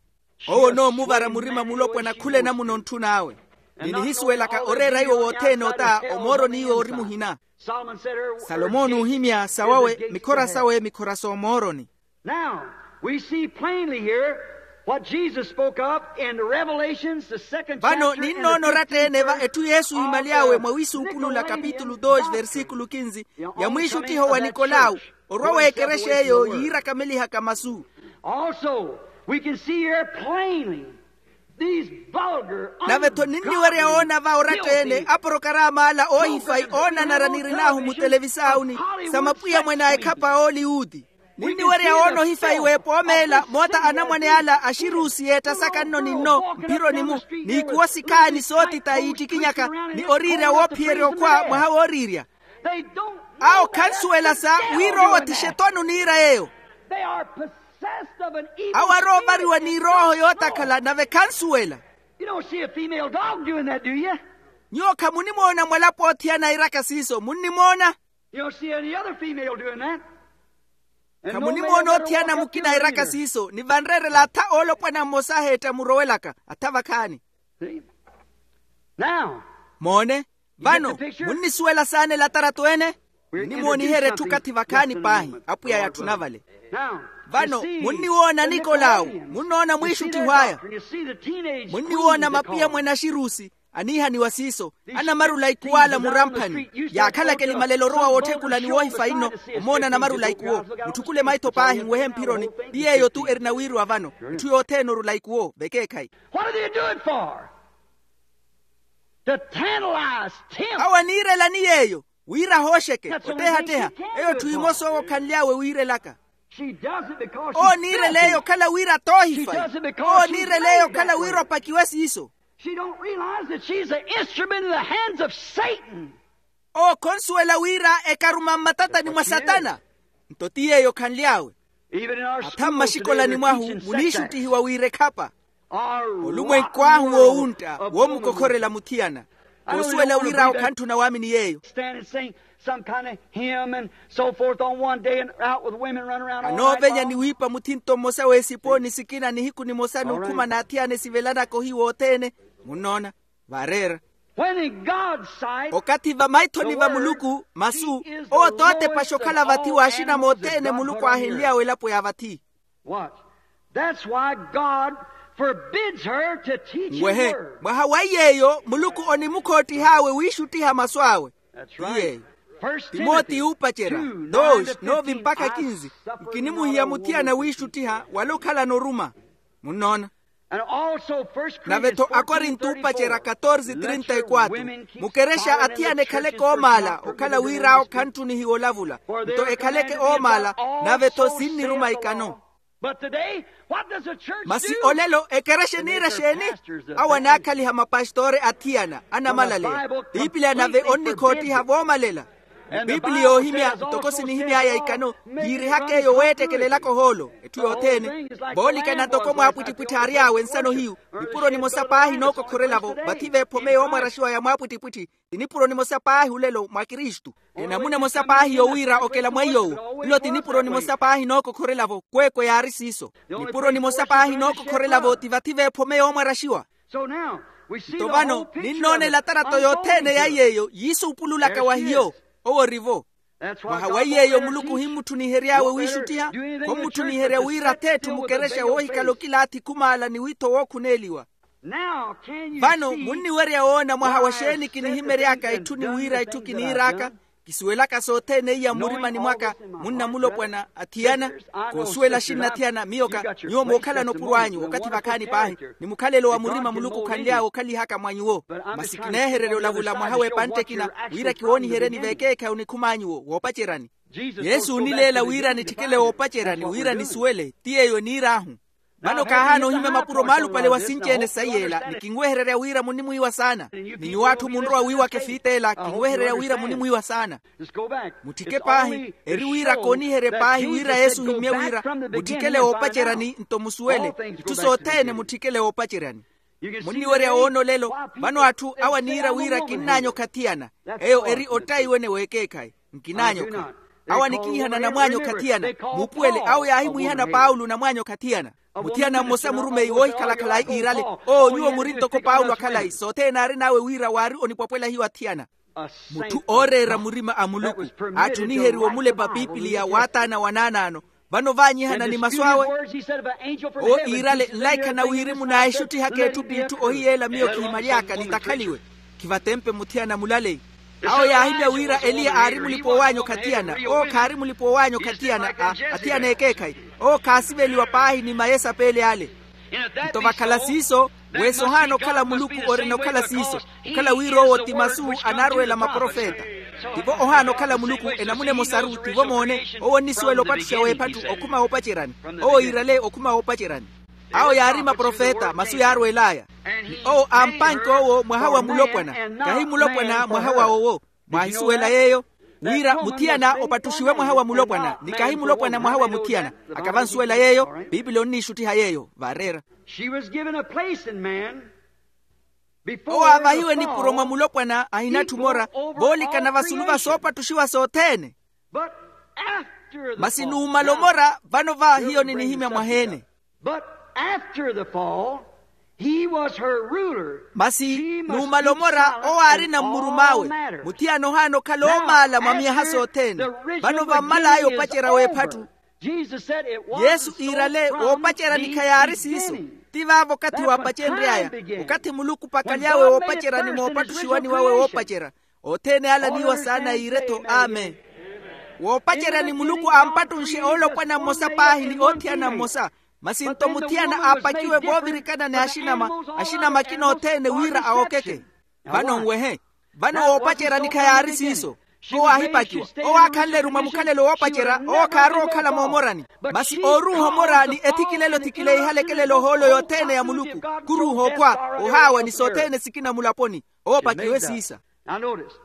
Owo onoomuvara murima mulopwana khula enamuna ontthun'awe. Ni nihisuwelaka oreera iwo wothene ota omooroni iwo ori muhina. Salomoni oohimya sawawe mikhora sawe mikhora s'omooroni. Now we see plainly here what Jesus spoke of in Revelations, the second chapter. Vano ninnoona oratta-ene va etthu yesu iimaly'awe mwa wisuukulula kapitulu dos versikulu kinzi. Ya mwiixuttiho wa nikolawu orwa w'ekerexa eyo yiirakamelihaka masu. Also we can see here plainly. Nave-tho ninniwerya woona va oratta-ene aporokarama ala oohifayi oonanara nirin'ahu mutelevisaawu ni sa mapwiya mwene a ekhapa a oliwuti. Ninniwerya woona ohifayi w'epoomeela moota anamwane ala axirusi yeettasaka nno ni nno mphironi-mu. N'ikuwo sikhaani sootita yiittikinyaka ni oriirya woophiyerya okhwa mwaha wooriirya. Awo khansuwela sa wira owo ti xetwani oniira yeeyo. Awo aroovariwa ni erooho yootakhala nave khansuwela. Nyuwo khamunimoona mwalapo othiyana airaka siiso munnimoona? Khamunimoona othiyana mukina airaka siiso ni vanreerela atha oolopwana mmosa aheetta murowelaka atha vakhaani. Moone. Vano munnisuwela saana elatarato ene? Ninnimooniherya etthu okathi vakhaani paahi apwiya yatthuna vale. Vano munniwoona nikolawu munnoona mwiixuttiho aya. Munniwoona mapwiya mwene axirusi aniihaniwa siiso anamarula ikuwo ala muramphani. Yaakhalaka elimalelo orowa wootthekula ni woohifayi nno. Omoona anamarula ikuwo mutthukule maitho paahi nwehe mphironi. Ti yeeyo-tu erina wiiriwa vano. Etthu yothene orula ikuwo vekeekhayi. Awo aniirelani yeeyo wira ahooxeke otteehatteha. Eyo etthu emosa owo okhanly'awe wiirelaka. Owo oniirela eyo okhala wira t'ohifayi. Owo oniirela eyo okhala wira opakiwe siiso. Owo khonsuwela wira ekaruma mmatatani mwa satana. Nto ti yeeyo okhanly'awe. Atha mmaxikolani mwahu muniixuttihiwa wira ekhapa. Olumwenku ahu woowuntta woomukokhorela muthiyana. Koosuwela wira okhantthu na waamini yeeyo. Anoovenya ni wiipa muthinto mmosa w'esipooni sikina nihiku nimosa n'ukhuma n'athiyana esivelanaka ohiiwa othene. Munnoona? Vaareera. Okathi vamaithoni va muluku masu owo t'otepaxa okhala vathi w'axina mothene muluku aahenly'awe elapo ya vathi. Ngwehe mwaha wa iy'eyo muluku onimukhoottiha awe wiixuttiha masu awe. Ti yeeyo. Timotiyo uupacerya dos nove mpakha kinzi. Nkinimuhiya muthiyana wiixuttiha wala okhalana oruma. Munnoona? Nave-tho akorinto uupacerya katorze trinta e quatro. Mukerexa athiyana ekhaleke oomaala okhala wira awo khantthunihiwa olavula. Nto ekhaleke oomaala. Nave-tho sinniruma ikano. Masi olelo ekerexa eniira exeeni? Awo anaakhaliha mapastoore athiyana anamalaleya. Piipiliya nave onnikhoottiha voomalela. Ni pipili yoohimya ntoko sinihimy'aya ikano, yiirihaka eyo weettekelelaka ohoolo. Etthu yothene voolikana ntoko mwaapwittipwitthi aary'awe nsano hiyu, nipuro nimosa paahi nookokhorela-vo vathi veephome yoomwaraxiwa ya mwaapwittipwitthi. Ti nipuro nimosa paahi olelo mwa kristu. Enamuna emosa paahi yowiira okela mwa iy'owo, nlo ti nipuro nimosa paahi nookokhorela-vo kweekwe yaari siiso. Nipuro nimosa paahi nookokhorela-vo ti vathi veephome yoomwaraxiwa. Nto vano ninnoona elatarato yothene ya iy'eyo yiisuupululaka wa hiyo. Owo ori-vo. Mwaha wa iy'eyo muluku ohimmutthunihery'awe wiixuttiha, khomutthuniherya wira ath'etthu mukerexa woohikala okilaathi khumaala ni wiitho wookhuneeliwa. Vano munniwerya woona mwaha wa xeeni kinihimery'aka itthu ni wira itthu kiniir'aka? Kisuwelaka sothene iya mmurimani mwaka, munna mulopwana athiyana. Koosuwela axinna athiyana miyoka nyuwo mookhalana opuro anyu okathi vakhaani paahi, ni mukhalelo wa murima muluku khanly'awe okhalihaka mwa nyuwo. Masi kineehererya olavula mwaha w'epantte ekina, wira kiwooniheryeni veekeekhayi onikhum'anyu woopaceryani. Yesu oonileela wira nitthikele woopaceryani wira nisuwele ti yeeyo eniir'ahu. Vano khaahaana ohimya mapuro maalupale wa sinci-ene sayi ela ni kinwehererya wira munnimwiiwa saana. Ni nyuwo atthu munrowa wiiwaka efiita ela kinwehererya wira munnimwiiwa saana. Mutthike paahi eri wira kooniherye paahi wira yesu ohimmye wira mutthikele woopaceryani nto musuwele itthu sothene mutthikele woopaceryani. Munniwerya woona olelo. Vano atthu awo aniira wira kinnaanyokha athiyana. Eyo eri ottayi wene w'ekeekhayi. Nkinaanyokha. Awo anikiihana namwaanyokha athiyana. Muupuwele awo yaahimwiihana paulo namwaanyokha athiyana. Muthiyana mmosa murumeyi woohikhala khalayi iirale, owo nyuwo muri ntoko paulo akhalayi sothene aarin'awe wira waari onipwapwela hiyo athiyana. Mutthu ooreera murima a muluku aatthuniheriwe omulepa pipiliya waataana wa naanaano. Vano vaanyihana ni masu awe. Owo iirale nlaikha na wirimu naahixutthihaka etthu p'itthu ohiyeela miyo kihimyaly'aka nitakhaliwe. Khivatempe muthiyana mulaleyi. Awo yaahimya wira eliya aari mulipa owaanyokha athiyana. Owo khaari mulipa owaanyokha athiyana. Athiyana ekeekhayi. Owo khaasiveliwa paahi ni mayesapeele ale. Nto vakhala siiso, weesi ohaana okhala muluku orina okhala siiso. Okhala wira owo ti masu anaarweela maprofeta. Tivo ohaana okhala muluku enamuna emosaru tivo moone. Owo onnisuwela opattuxa w'ephattu okhuma woopaceryani. Owo yiirale okhuma woopaceryani. Awo yaari maprofeta masu yaarweel'aya. Ni owo ampanke owo mwaha wa mulopwana. Kahi mulopwana mwaha wa owo. Mwaahisuwela yeeyo wira muthiyana opattuxiwe mwaha wa mulopwana ni kahi mulopwana mwaha wa muthiyana. Akavansuwela yeeyo. Piipili onniixuttiha yeeyo vaareera. She was given a place in man. Owo aavahiwe nipuro mwa mulopwana ahina atthu mora. Voolikana vasulu va soopattuxiwa sothene. Masi numala omora vano va hiyo ninihimya mwaheene. But after the fall, he was her ruler. Masi numala omora owo aarina mmurum'awe. Muthiyana ohaana okhala oomaala mwa myaha sothene. Vano vammal'aya opacerya w'ephattu. Yesu iirale woopaceryani khayaari siiso. Ti vaavo okathi waapacenry'aya. Okathi muluku pakaly'awe woopaceryani moopattuxiwani wawe woopacerya. Othene ale aniiwa saana yiire-tho amen. Woopaceryani muluku ampattunxe oolopwana mmosa paahi ni oothiyana mmosa. Masi nto muthiyana aapakiwe voovirikana ni axinama. Axinama akina othene wira awokeke. Vano nwehe. Vano woopaceryani khayaari siiso. Owo aahipakiwa. Owo aakhanle-ru mwa mukhalelo woopacerya owo khaarowa okhala moomorani. Masi ooruuha omora ni ethikilelo thikileihale ekelelo ohoolo yothene ya muluku. Khuruuha okhwa ohaawa ni sothene sikina mulaponi. Owo opakiwe siisa. Now notice.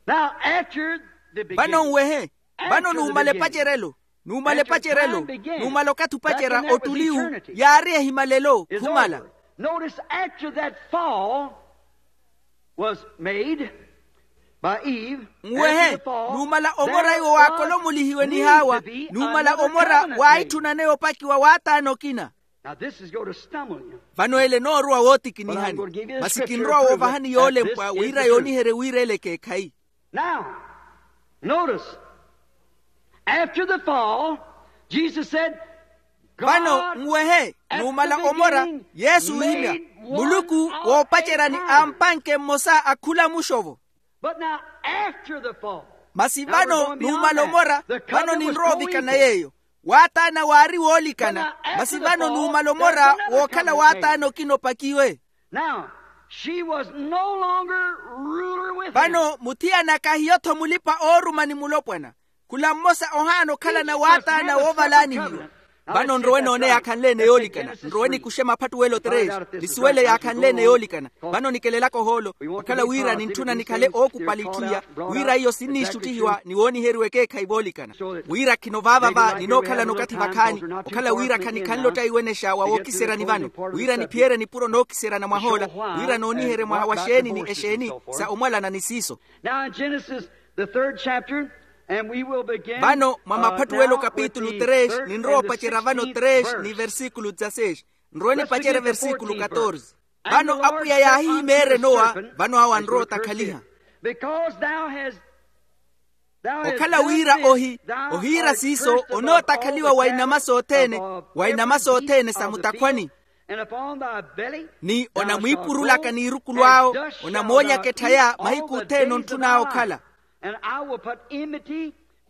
Now after the beginning, vano nwehe. Vano numala epacerelo. Numala epacerelo. Numala okathi opacerya ottuliwu. Yaari ehimalelo khumala. Notice after that fall was made by Eve. Nwehe. Numala omora iwo waakolomulihiwe ni haawa. Numala omora waahitthunane opakiwa waataana okina. Now this is going to stumble you. Vano ele enoorowa wootikinihani. Masi kinrowa woovahani yoolempwa wira yooniherye wira ele ekeekhayi. Now notice. After the fall, Jesus said, vano nwehe. Numala omora yesu oohimya muluku woopaceryani ampanke mmosa akhula muxovo. But now after the fall. Masi vano numala omora. Vano ninrowa ovikana yeeyo. Waataana waari woolikana. Masi vano numala omora wookhala waataana okina opakiwe. Now she was no longer ruler with him. Vano muthiyana kahiyo-tho mulipa ooruma ni mulopwana. Khula mmosa ohaana okhalana waataana woovalaanihiwa. Vano nrowe noone yaakhanle-ene yoolikana. Nrowe nikuxe maphattuwelo tres. Nisuwele yaakhanle-ene yoolikana. Vano nikelelaka ohoolo okhala wira nintthuna nikhale ookupali itthu iya, wira iyo sinniixuttihiwa ni wooniheriwa ekeekhayi voolikana. Wira khino vaava va ninookhalana okathi vakhaani, okhala wira khanikhanle ottaiwenexa wa wookiseryani vano, wira niphiyerye nipuro nookiseryana mwahoola, wira nooniherye mwaha wa xeeni ni exeeni sa omwalana ni siiso. Now in Genesis, the third chapter, and we will begin. Vano mwa maphattuwelo kapitulu tres ninrowa opacerya vano tres ni versikulu dzaseis. Nrowe nipacerye versikulu katorze. Vano apwiya yaahihimeerya enowa, vano awo anrowa otakhaliha. Because thou hast okhala wira ohi ohiira siiso onootakhaliwa wa inama sothene, wa inama sothene sa mutakhwani. Ni onamwiipurulaka n'irukulu awo, onamoonyaka etthaya mahiku othene ontthun'awe okhala.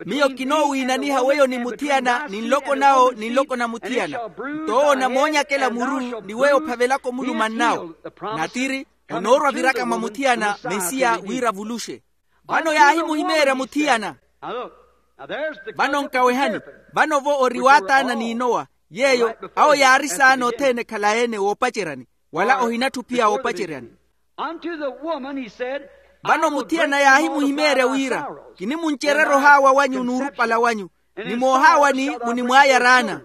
Miyo kinoowiinaniha weyo ni muthiyana ni nloko nawo ni nloko na muthiyana. Nto owo onamoonyakela muru ni weyo ophavelaka omulumannawe. Natiri onoorwa viraka mwa muthiyana mesiya wira avuluxe. Vano yaahimuhimeerya muthiyana. Vano nkawehani. Vano-vo ori waataana n'inowa, yeeyo awo yaari saana othene ekhalaye-ene woopaceryani, wala ohinatthu pia woopaceryani. Vano muthiyana yaahimuhimeerya wira, kinimuncererya ohaawa wanyu n'urupala wanyu, ni moohaawani munimwaaya raana.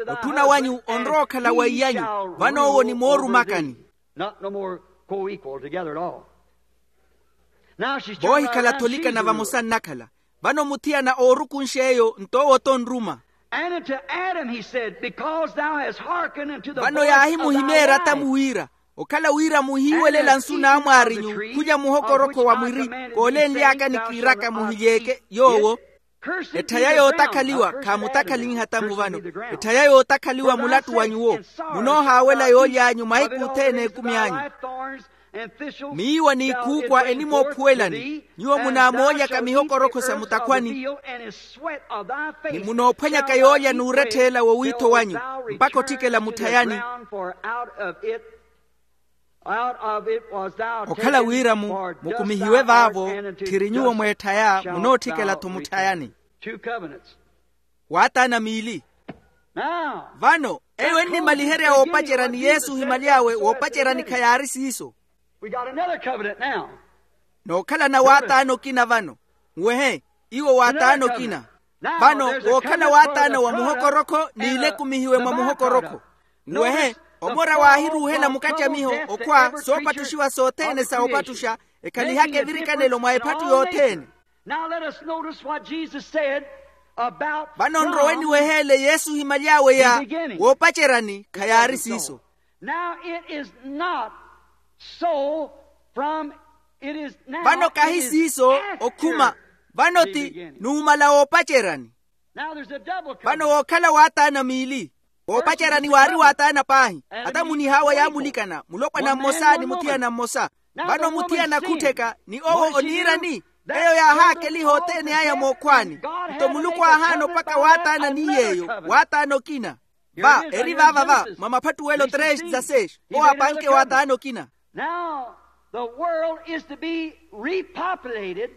Otthuna wanyu onrowa okhala wa iy'anyu, vano owo onimoorumakani. Not no more co-equal together at all. Voohikhala atholikana vamosa nnakhala. Vano muthiyana oorukunxe eyo nto owo tonruma. And unto Adam he said, because thou hast hearkened unto the voice of thy wife. Vano yaahimuhimeerya atamu wira, okhala wira muhiiwelela nsu n'amwaarinyu khulya muhokorokho wa mwiri koolenly'aka ni kiiraka muhilyeeke yoowo. Etthaya yootakhaliwa khaamutakhaliha tamu vano. Etthaya yootakhaliwa mulattu wa nyuwo. Munoohaawela yooly'anyu mahiku othene ekumi anyu. Miiwa n'ikhuukwa enimoophuwelani. Nyuwo munaamoolyaka mihokorokho sa mutakhwani. Ni munoophwanyaka yoolya n'uretthe ela wowiitho wanyu mpakha otthikela mutthayani. Okhala wira-mu mukumihiwe vaavo tthiri nyuwo mweetthaya munootthikela-tho mutthayani. Waataana miili. Vano eyo ennimaliherya woopacerya ni yesu ohimyaly'awe woopaceryani khayaari siiso. Nookhalana waataana okina vano. Nwehe, iwo waataana okina. Vano wookhala waataana wa muhokorokho n'ile ekumihiwe mwa muhokorokho. Nwehe, omora waahiruuhela mukacamiho okhwa soopattuxiwa sothene sa opattuxa ekhalihaka evirikanelo mwa ephattu yothene. Now let us notice what Jesus said about vano nrowe niweheele yesu ohimyaly'awe ya woopaceryani khayaari siiso. Now it is not so from it is now. Vano kahi siiso okhuma. Vano ti nuumala woopaceryani. Vano wookhala waataana miili. Woopaceryani waari waataana paahi. Ata munihaawa yaamulikana mulopwana mmosa ni muthiyana mmosa. Vano muthiyana akhuttheka ni owo oniirani. Eyo yaahaakeliha othene aya mookhwaani. Nto muluku aahaana opaka waataana ni yeeyo waataana okina. Va eri vaava va mwa maphattuwelo tres dzaseis. Owo apanke waataana okina. Now the world is to be repopulated,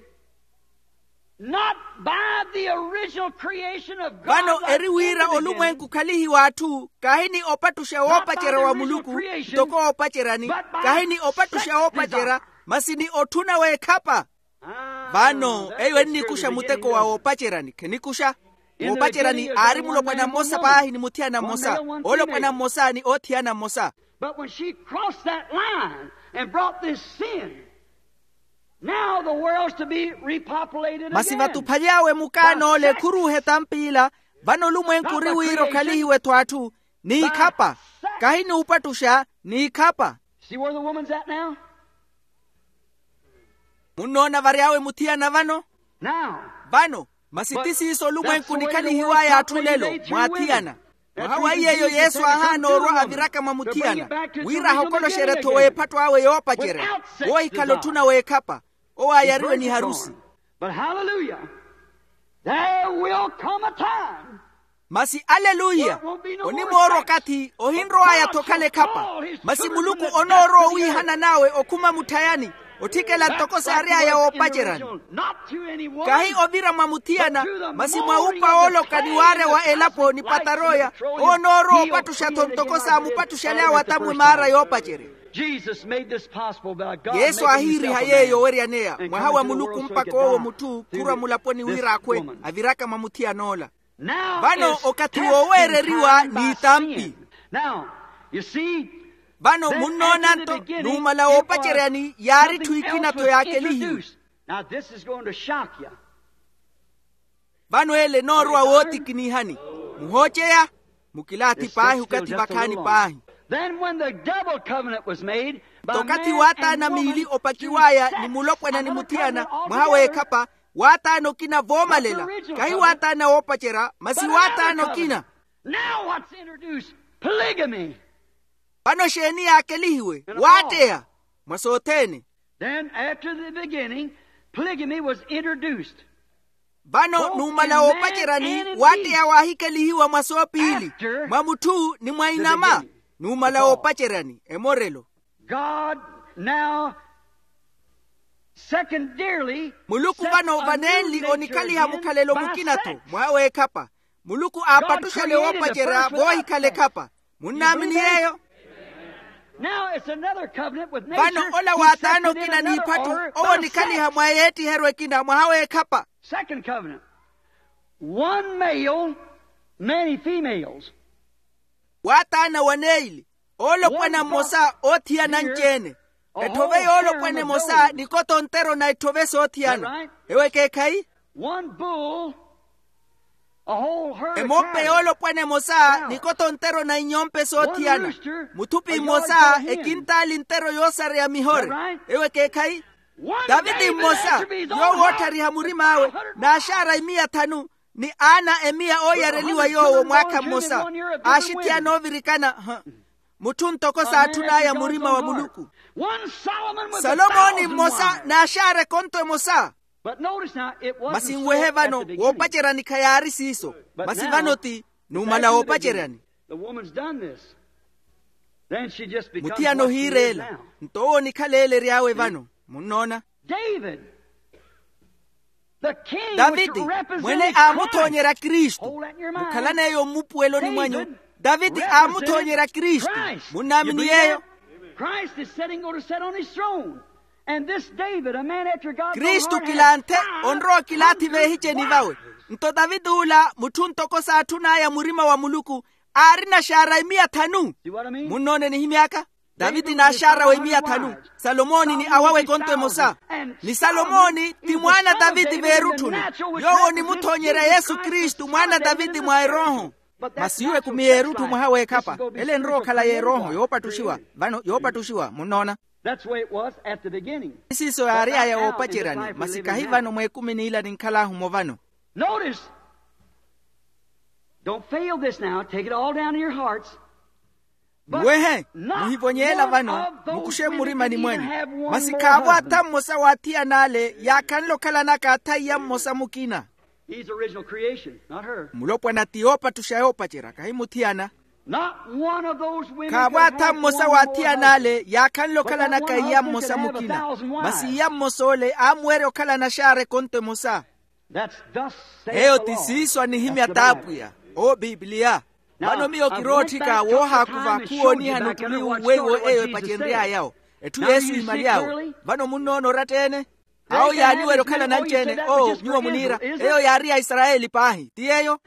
not by the original creation of God. Vano eri wira olumwenku khalihiwa atthu kahi ni opattuxa woopacerya wa muluku. Ntoko woopaceryani kahi ni opattuxa woopacerya masi ni otthuna w'ekhapa. Vano eyo ennikuxa muteko wa woopaceryani khenikuxa. Woopaceryani aari mulopwana mmosa paahi ni muthiyana mmosa. Olopwana mmosa ni oothiyana mmosa. But when she crossed that line and brought this sin, now the world's to be repopulated again. Masi vatuphaly'awe mukaana ole khuruuhe tampiila. Vano olumwenku ori wira okhalihiwe-tho atthu n'ikhapa kahi n'upattuxa n'ikhapa. See where the woman's at now? Munnoona vary'awe muthiyana vano. Vano masi ti siiso olumwenku nikhalihiw'aya atthu lelo mwaathiyana. Mwaha wa iyeeyo yesu aahaana orwa aviraka mwa muthiyana wira ahokoloxerye-tho w'ephattu awe yoopacerya woohikhala otthuna w'ekhapa. Owo aayariwe ni harusi. But hallelujah, there will come a time. Masi aleluya, onimoorwa okathi ohinrow'aya-tho okhala ekhapa. Masi muluku onoorowa owiihana n'awe okhuma mutthayani. Otthikela ntoko saary'aya woopaceryani. Kahi ovira mwa muthiyana, masi mwa upa ooloka ni waarya wa elapo ni pataroya, owo onoorowa opattuxa-tho ntoko saamupatthuxaly'awe atamwi maara yoopacerya. Yesu aahiiriha yeeyo oweryaneya mwaha wa muluku mpakha owo mutthu khurwa mulaponi wira akhwe aviraka mwa muthiyan'ola. Vano okathi wooweereriwa n'itampi. Vano munnoona-nto, numala woopaceryani yaari etthu ekina-tho yaakelihiwe. Vano ele enoorowa wootikinihani. Muhooceya, mukilaathi paahi okathi vakhaani paahi. Nto okathi waataana miili opakiw'aya ni mulopwana ni muthiyana mwaha w'ekhapa, waataana okina voomalela. Kahi waataana woopacerya masi waataana okina. Vano exeeni yaakelihiwe? Waatteya. Mwa sothene. Vano numala woopaceryani waatteya waahikelihiwa mwa soopiili, mwa mutthu ni mwa inama. Numala woopaceryani emorelo. Muluku vano vanenli onikhaliha mukhalelo mukina-tho mwaha w'ekhapa. Muluku aapattuxale woopacerya voohikhala ekhapa. Munnaamini yeeyo? Vano ola waataana okina n'ipphattu owo onikhaliha mwa yeettiheryo ekina mwaha w'ekhapa. One male, many females. Waataana waneili, oolopwana mmosa oothiyana anci-ene. Etthove yoolopwana emosa nikoto ontero na etthove soothiyana. Ewo ekeekhayi? Emompe yoolopwana emosa nikoto ontero na inyompe soothiyana. Muthupi mmosa ekintaali ntero yoosareya mihore. Ewo ekeekhayi? Taviti mmosa, yoowo ootthariha murim'awe, naaxaara imiya thanu, ni aana emiya ooyareliwa yoowo mwaakha mmosa. Aaxithiyana oovirikana. Mutthu ntoko saatthun'aya murima wa muluku. Salomoni mmosa naaxaara ekonto emosa. Masi nwehe vano woopaceryani khayaari siiso. Masi vano ti numala woopaceryani. Muthiyana ohiireela. Nto owo onikhala eelery'awe vano. Munnoona? Daviti, mwene aamuthoonyerya kristu. Mukhalan'eyo mmupuweloni mwanyu. Daviti aamuthoonyerya kristu. Munnaamini yeeyo? Kristu kilanthe onrowa okilaathi veehiceni vawe. Nto daviti ula mutthu ntoko saatthun'aya murima wa muluku, aarina xaara imiya thanu. Munnoone nihimy'aka? Daviti naaxaara wa imiya thanu. Salomoni ni awawe ekonto emosa. Ni salomoni ti mwaana daviti veerutthuni. Yoowo onimuthoonyerya yesu kristu mwaana daviti mwa erooho. Masi iwo ekumi y'erutthu mwaha w'ekhapa. Ele enrowa okhala y'erooho yoopattuxiwa. Vano yoopattuxiwa munnoona. Siiso yaary'aya woopaceryani masi kahi vano mw'ekumini ila ninkhal'ahu-mo vano. Notice. Don't fail this now. Take it all down in your hearts. Muwehe, muhivonye ela vano. Mukuxe mmurimani mwanyu. Masi khaavo atha mmosa w'athiyana ale yaakhanle okhalanaka atha iya mmosa mukina. Mulopwana ti yoopattuxa yoopacerya kahi muthiyana. Khaavo atha mmosa w'athiyana ale yaakhanle okhalanaka iya mmosa mukina. Masi iya mmosa ole aamuwerya okhalana xaara ekonto emosa. Eyo ti siiso anihimya t'apwiya. Owo pipiliya. Vano miyo kirootthika woohaakuva khuwoonihani otumiwu weiwo eyo epacenry'ayawo. Etthu yesu imaly'awe vano munnoona oratta-ene. Awo yaaniwerya okhala nanci-ene oo nyuwo muniira. Eyo yaari ya isarayeli paahi ti yeeyo.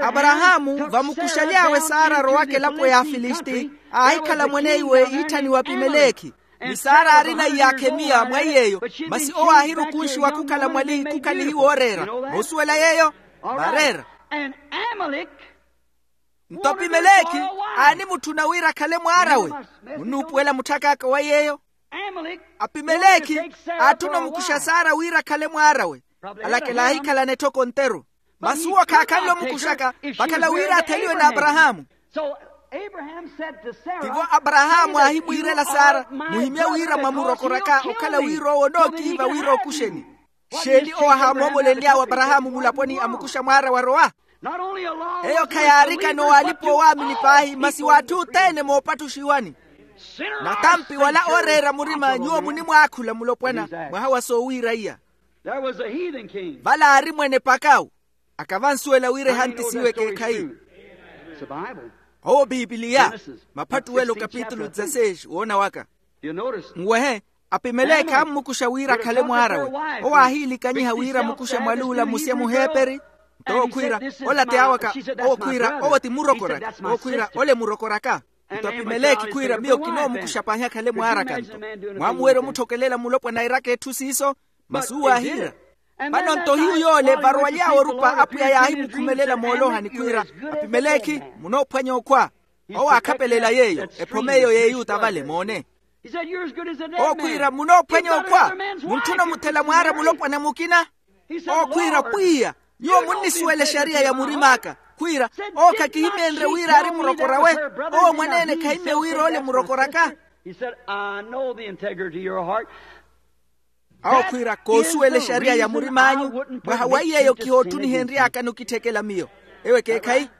Aparahaamu vamukuxaly'awe saara arowaka elapo ya afilisti aahikhala mwan'eiwe iitthaniwa apimelekhi. Ni saara aarina iyaakha emiya mwa iy'eyo. Masi owo aahirukunxiwa khukhala mwali khukhalihiwa ooreera. Moosuwela yeeyo? Vaareera. Nto apimelekhi aanimutthuna wira akhale mwaar'awe. Munnuupuwela mutthak'aka wa yeeyo? Apimelekhi aatthuna omukuxa saara wira akhale mwaar'awe. Alakela aahikhalana etthoko nteru. Masi uwo khaakhanle omukuxaka vakhala wira atheliwe n'aparahaamu. Tivo aparahaamu aahimwiirela saara muhimye wira mwamurokoraka okhala wira owo onookiiva wira okuxeni. Xeeni owo ahaamoomolenly'awe aparahaamu mulaponi amukuxa mwaara warowa? Eyo khayaarikana owaalipa owaamini paahi masi w'atthu othene moopattuxiwani. Natampi wala ooreera murima nyuwo munimwaakhula mulopwana mwaha wa soowiira iya. Vale aari mwene pakawu. Akavansuwela wira ehantisiwe ekeekhayi. Owo pipiliya. Maphattuwelo kapitulu dezasexi woona waka. Nwehe, apimelekhi ammukuxa wira akhale mwaarawe. Owo aahiilikanyiha wira amukuxe mwaluula musye muheeperi. Nto owo khwiira, ola ti aawaka. Owo khwiira owo ti murokoraka. Owo khwiira ole murokoraka. Nto apimelekhi khwiira miyo kinoomukuxa paahi akhale mwaaraka nto. Mwamuwerya omutthokelela mulopwana airaka etthu siiso. Masi uwo aahiira. Vano nto hiyu yoole varowaly'awe orupa apwiya yaahimukhumelela moolohani khwiira, apimelekhi, munoophwanya okhwa. Owo aakhapelela yeeyo ephom'eyo y'eyuta vale moone. Owo khwiira munoophwanya okhwa. Muntthuna omuthela mwaara mulopwana mukina. Owo khwiira pwiya, nyuwo munnisuwela exariya ya murim'aka. Khwiira, owo khakihimyenrye wira aari murokorawe. Owo mwaneene khahimmye wira ole murokoraka. Awo khwiira koosuwela exariya ya murim'anyu. Mwaha wa iy'eyo kihoottunihenry'aka nukitthekela miyo. Ewo ekeekhayi.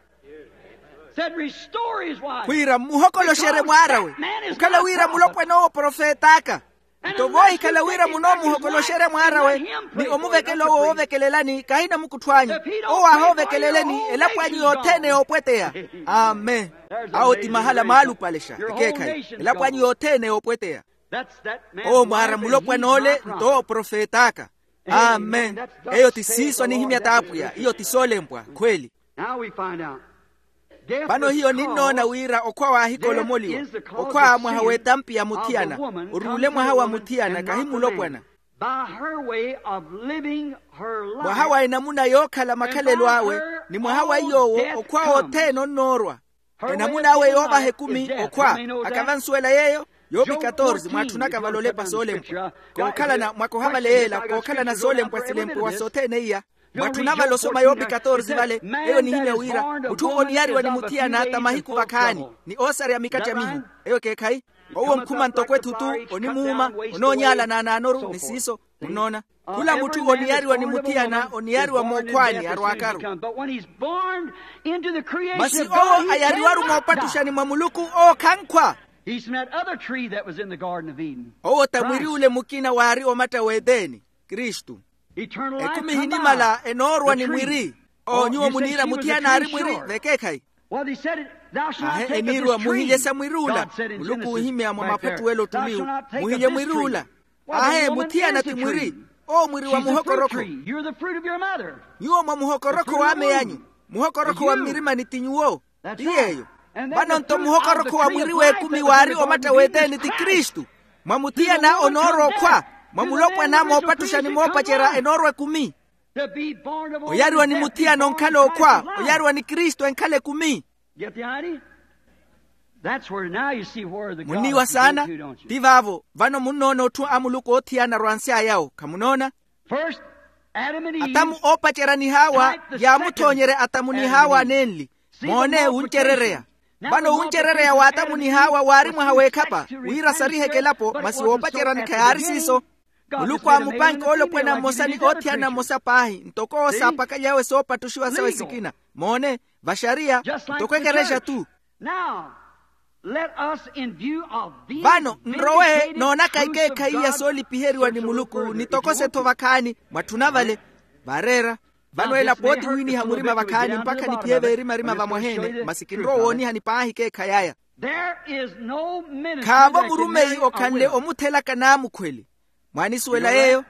Khwiira mmuhokoloxerye mwaar'awe. Okhala wira mulopwan'owo profet'aka. Nto voohikhala wira munoomuhokoloxerya mwaar'awe, ni omuvekela owo woovekelelani kahina mukuttho anyu. Owo aahoovekeleleni elapo anyu yothene yoopweteya. Amen. Awo ti mahala maalupalexa ekeekhayi. Elapo anyu yothene yoopweteya. Owo mwaara mulopwan'ole nto owo profet'aka. Amen. Eyo ti siiso anihimya t'apwiya iyo ti soolempwa khweli. Vano hiyo ninnoona wira okhwa waahikolomoliwa. Okhwa mwaha w'etampi ya muthiyana. Oruule mwaha wa muthiyana kahi mulopwana. Mwaha wa enamuna yookhala makhalelo awe, ni mwaha wa iy'owo okhwa othene onnoorwa. Enamuna awe yoovaha ekumi okhwa. Akavansuwela yeeyo. Yoopi katorze mwaatthunaka vale olepa soolempwa. Kookhalana mwakoha vale yeela kookhalana soolempwa silempwa wa sothene iya. Mwatthuna vale osoma yoopi katorze vale. Eyo nihimya wira mutthu oniyariwa ni muthiyana ta mahiku vakhaani, ni oosarya mikattya mihu. Eyo ekeekhayi. Owo onkhuma ntoko ethutu, onimuuma, onoonyaalana anaanoru ni siiso. Munnoona, khula mutthu oniyariwa ni muthiyana oniyariwa mookhwaani arwaakaru. Masi owo ayariwaru moopattuxani mwa muluku owo khankhwa. Owo ta mwiri ule mukina waari omatta w'eteni, kristu. Ekumi ehinimala enoorwa ni mwiri. Owo nyuwo muniira muthiyana aari mwiri vekeekhayi. Aahe eniirwa muhilye sa mwiri ula. Muluku oohimya mwa maphattuwelo ottuliwu. Muhilye mwiri ula. Aahe muthiyana ti mwiri. Owo mwiri wa muhokorokho. Nyuwo mwa muhokorokho w'ameyanyu. Muhokorokho wa mmirimani ti nyuwo. Ti yeeyo. Vano nto muhokorokho wa mwiri w'ekumi waari omatta w'eteni ti kristu. Mwa muthiyana onoorwa okhwa. Mwa mulopwana moopattuxa ni moopacerya enoorwa ekumi. Oyariwa ni muthiyana onkhala okhwa. Oyariwa ni kristu enkhala ekumi. Munniiwa saana. Ti vaavo vano munnoona otthu a muluku oothiyana arwansy'ayawo khamunoona. Atamu oopacerya ni haawa yaamuthoonyerya atamu ni haawa anenli. Moone wuncerereya. Vano wuncerereya w'atamu ni haawa waari mwaha w'ekhapa wira sariheke elapo masi woopaceryani khayaari siiso. Muluku aamupanke olopwana mmosa ni othiyana mmosa paahi ntoko owo saapakalyawe soopattuxiwa sawe sikina. Moone, vaxariya ntoko ekerexa tu. Vano nrowe noonaka ekeekhayi ya soolipiheriwa ni muluku nitokose-tho vakhaani. Mwatthuna vale. Vaareera. Vano ela pooti wiiniha murima vakhaani mpakha niphiye veerimarima vamwaheene masi kinrowa owoonihani paahi ekeekhayi aya. Khaavo murumeyi okhanle omuthelaka naamukhweli. Mwaanisuwela yeeyo?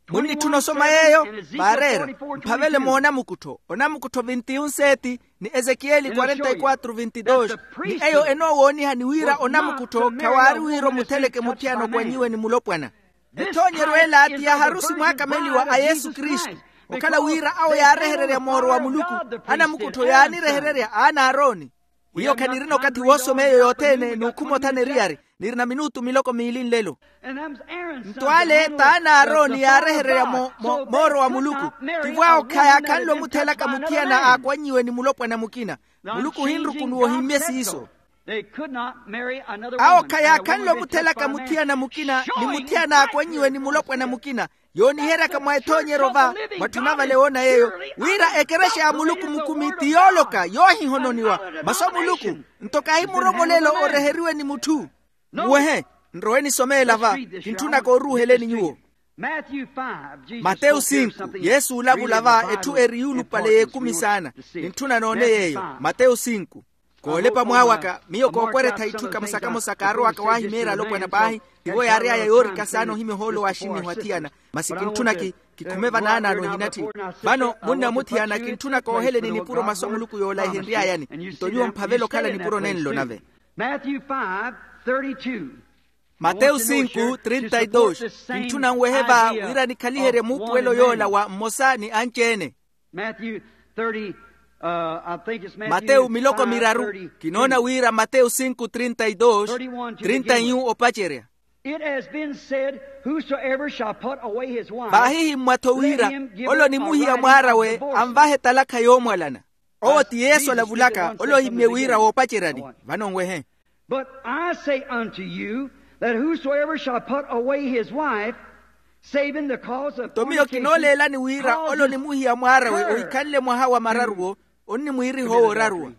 Munnitthuna osoma yeeyo. Vaareera. Mphavele moonamukuttho onamukuttho vinti-yu nseeti ni ezekiyeli quarenta-y-quatro vinti-dos. Ni eyo enoowoonihani wira onamukuttho khawaari wira omutheleke muthiyana okwanyiwe ni mulopwana. Ethoonyeryo ela ti ya harusi mwaakameliwa a yesu kristu. Okhala wira awo yaarehererya mooro wa muluku. Anamukuttho yaanirehererya aana a arooni. Hiyo khanirina okathi woosoma eyo yothene n'ukhuma othana eriyari. Nirina minutu miloko miili nlelo. Nto ale t'aana a arooni yaarehererya mooro wa muluku. Tivo awo khayaakhanle omuthelaka muthiyana aakwanyiwe ni mulopwana mukina. Muluku ohinrukunuwa ohimmye siiso. Awo khayaakhanle omuthelaka muthiyana mukina ni muthiyana aakwanyiwe ni mulopwana mukina. Yooniheryaka mwa ethoonyeryo va, mwatthuna vale woona yeeyo, wira ekerexa ya muluku mukumi ti yooloka yoohihononiwa. Masu a muluku nto kahi muromoleelo oreheriwe ni mutthu. Muwehe, nrowe nisomeela va. Kintthunaka oruuheleni nyuwo. Mateyu sinku, yesu olavula va etthu eri yuulupale y'ekumi saana. Kintthuna noone yeeyo. Mateyu sinku. Koolepa mwaawaka miyo kookweretha itthu kamosa-kamosa kaarowaka waahimeerya alopwana paahi. Tivo yaary'aya yoorika saana ohimya ohoolo wa axinnihu athiyana. Masi kintthuna ki kikhume vanaanaano ehinatthi. Vano munna muthiyana kintthuna kooheleni nipuro masu a muluku yoolaihenry'ayani. Nto nyuwo mphavela okhala nipuro nenlo nave. Mateyu sinku trinta y dos. Kintthuna nwehe va wira nikhaliherye muupuwelo yoola wa mmosa ni anci-ene. Mateyu miloko miraru. Kinoona wira mateyu sinku trinta y dos, trinta y un opacerya. Vaahihimmwa-tho wira ole onimuhiya mwaar'awe anvahe talakha yoomwalana. Owo ti yesu alavulaka ole ohimmye wira woopaceryani. Vano nwehe. But I say unto you, that whosoever shall put away his wife, saving the cause of nto miyo kinooleelani wira ole onimuhiya mwaar'awe ohikhanle mwaha wa mararuwo, onnimwiiriha owo oraruwa.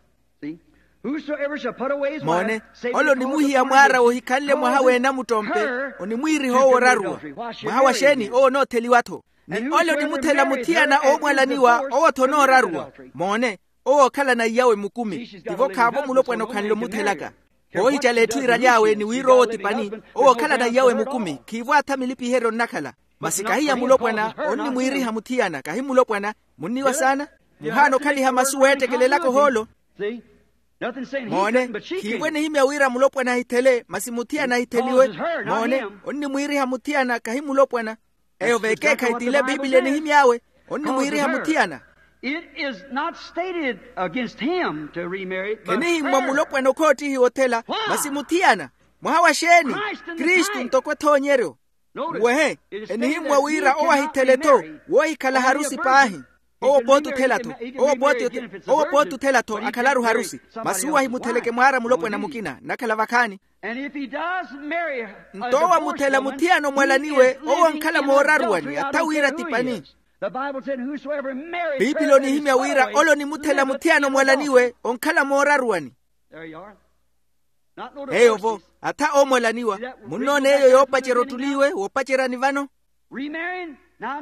Moone, ole onimuhiya mwaar'awe ohikhanle mwaha w'enamuttompe, onimwiiriha owo oraruwa. Mwaha wa xeeni? Owo onootheliwa-tho. Ni ole onimuthela muthiyana oomwalaniwa owo-tho onooraruwa. Moone, owo ookhalana iyawe mukumi. Tivo khaavo mulopwana okhanle omuthelaka. Koohicala etthu iiraly'awe ni wira owo ti pani. Owo ookhalana iyawe mukumi khiivo atha milipiheryo nnakhala. Masi kahiya mulopwana onnimwiiriha muthiyana kahi mulopwana. Munniwa saana. Muhaana okhaliha masu weettekelelaka ohoolo. Moone, khiivo enihimya wira mulopwana ahithele masi muthiyana ahitheliwe. Moone, onnimwiiriha muthiyana kahi mulopwana. Eyo v'ekeekhayi t'ile bibiliya enihimy'awe. Onnimwiiriha muthiyana. It is not stated against him to remarry. Khenihimmwa mulopwana okhoottihiwa othela. Masi muthiyana. Mwaha wa xeeni? Kristu ntoko ethoonyeryo. Nwehe, enihimmwa wira owo ahithele-tho. Woohikhala harusi paahi. Owo pooti othela-tho. Owo pooti othela-tho akhalaru harusi. Masi uwo ahimutheleke mwaara mulopwana mukina nnakhala vakhaani. Nto owo amuthela muthiyana omwalaniwe owo onkhala mooraruwani atha wira ti pani. Biipili onihimya wira ole onimuthela muthiyana omwalaniwe onkhala mooraruwani. Eyo-vo, atha oomwalaniwa. Munnoona eyo yoopacerya ottuliwe woopaceryani vano.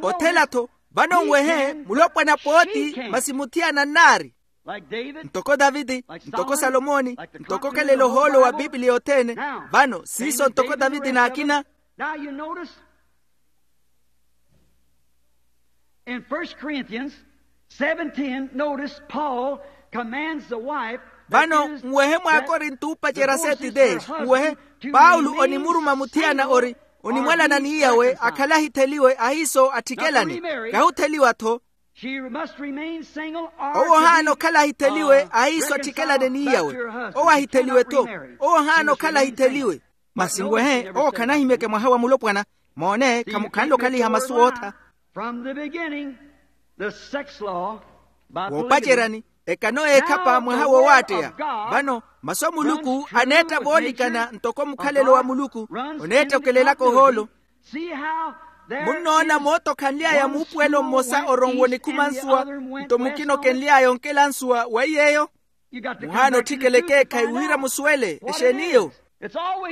Othela-tho. Vano nwehe mulopwana pooti masi muthiyana nnaari. Ntoko taviti, ntoko salomoni, ntoko okhelela ohoolo wa bibiliya othene. Vano siiso ntoko taviti n'akina. Now you notice in first Corinthians seven ten, notice Paul commands the wife. Vano nwehe mwaakorinto oopacerya seti teexi nwehe, paulo onimuruma muthiyana ori onimwalana n'iyawe akhale ahitheliwe ahiiso attikelane. Kahutheliwa-tho. Owo ohaana okhala ahitheliwe ahiiso attikelane n'iyawe. Owo ahitheliwe-tho. Owo ohaana okhala ahitheliwe. Masi nwehe owo khanahimyeke mwaha wa mulopwana. Moone khamukhanle okhaliha masu ootha. From the beginning the sex law by polygamy. Woopaceryani ekano eekhapa mwaha woowaatteya. Vano masu a muluku aneetta voolikana ntoko mukhalelo wa muluku oneetta okelelaka ohoolo. Munnoona moota okhanly'aya muupuwelo mmosa oronwa onikhuma nsuwa nto mukina okenly'aya onkela nsuwa weiyeeyo. Muhaana otthikela ekeekhayi wira musuwele exeen'iyo.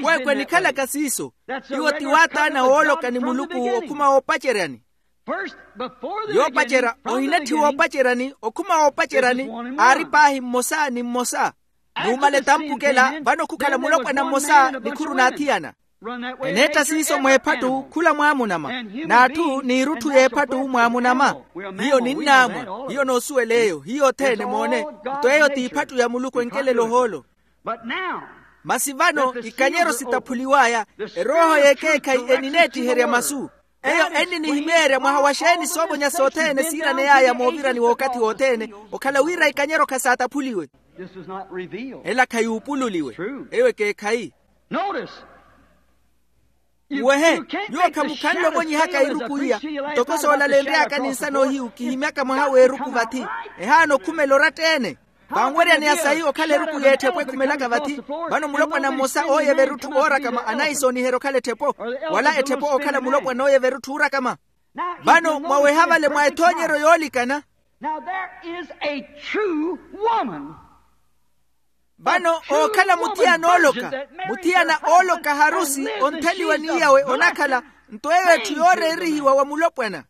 Kwekwe enikhalaka siiso. Iwo ti waataana wooloka ni muluku okhuma woopaceryani. Yoopacerya ohinetthiwa oopaceryani okhuma woopaceryani aari paahi mmosa ni mmosa. Nuumala etampukela vano khukhala mulopwana mmosa ni khuru n'athiyana. Eneetta siiso mw'ephattu khula mwaamunama. N'atthu n'irutthu y'ephattu mwaamunama. Hiyo ninnaamwa. Hiyo noosuwela eyo hiyo othene moone. Nto eyo t'iphattu ya muluku enkelela ohoolo. Masi vano ikanyero sitaphuliw'aya erooho y'ekeekhayi enineettiherya masu. Eyo enninihimeerya mwaha wa xeeni soovonya sothene siiraney'aya moovirani w'okathi wothene okhala wira ikanyero khasaataphuliwe. Ela khayuupululiwe. Eyo ekeekhayi. Uwehe, nyuwo khamukhanle ovonyihaka iruku iya. Ntoko soolalenry'aka ni nsana ohiyu kihimyaka mwaha w'eruku vathi. Ehaana okhumela oratta-ene. Vanweryaneya sayi okhala eruku y'etthepo ekhumelaka vathi. Vano mulopwana mmosa ooyeva erutthu oorakama anayi sooniherya okhala etthepo, wala etthepo okhala mulopwana ooyeva erutthu oorakama. Vano mwaweha vale mwa ethoonyeryo yoolikana. Now there is a true woman. Vano ookhala muthiyana ooloka, muthiyana ooloka harusi ontheliwa ni yawe onakhala. Nto eyo etthu yooreerihiwa wa mulopwana.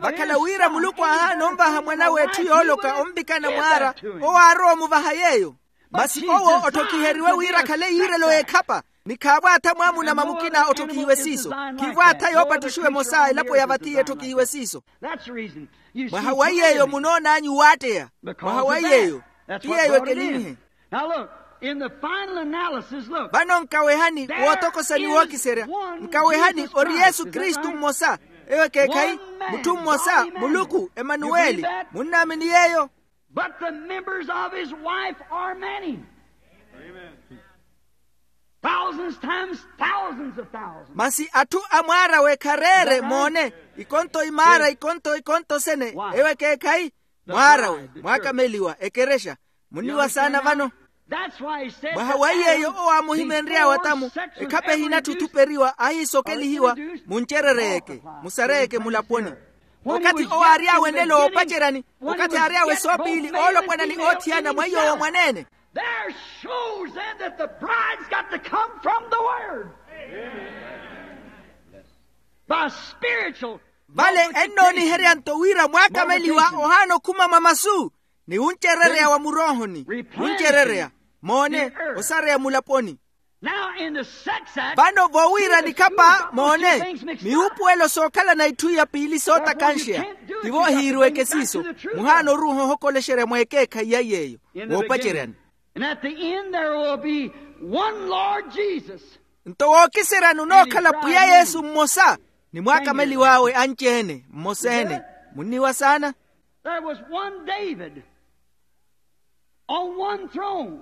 Vakhala wira muluku ahaana onvaha mwan'awe etthu yooloka onvikana mwaara, owo aarowa omuvaha yeeyo. Masi owo otthokiheriwe wira akhale yiirelo y'ekhapa, ni khaavwaatha mwaamuna mamukina otthokihiwe siiso. Khiivwaatha yoopattuxiwa emosa elapo ya vathi yetthokihiwe siiso. Mwaha wa yeeyo munoon'anyu waatteya. Mwaha wa yeeyo ti yeeyo ekelinhe. Vano nkawehani wootokosani wookiserya. Nkawehani ori yesu kristu mmosa. Eyo ekeekhayi. Mutthu mmosa muluku emanuweli. Munnaamini yeeyo? But the members of his wife are many. Thousands times thousands of thousands. Masi atthu a mwaarawe khareere moone. Ikonto imaara ikonto ikonto sene. Eyo ekeekhayi. Mwaarawe mwaakameliwa ekerexa. Munniwa saana vano. Mwaha wa yeeyo owo aamuhimenry'awe atamu. Ekhapa ehinatthu othuperiwa ahiisokelihiwa. Muncerereyeke, musareyeke mulaponi. Okathi owo aary'awe nlelo woopaceryani, okathi aary'awe soopiili oolopwana ni oothiyana mwa iy'owo mwaneene. There shows then that the bride's got to come from the word. By spiritual. Vale ennooniherya-nto wira mwaakameliwa ohaana okhuma mwa masu, ni wuncerereya wa muroohoni. Wuncerereya moone, osareya mulaponi. Vano vowiira nikhapa moone, miwuupuwelo sookhalana itthu iya piili sootakanxeya. Tivo ohiiriweke siiso. Muhaana oruuha ohokolexerya mweekeekhayi ya yeeyo. Woopaceryani. Nto wookiseryani onookhala pwiya yesu mmosa, ni mwaakameliw'awe anci-ene mmosa-ene. Munniwa saana. There was one david, on one throne,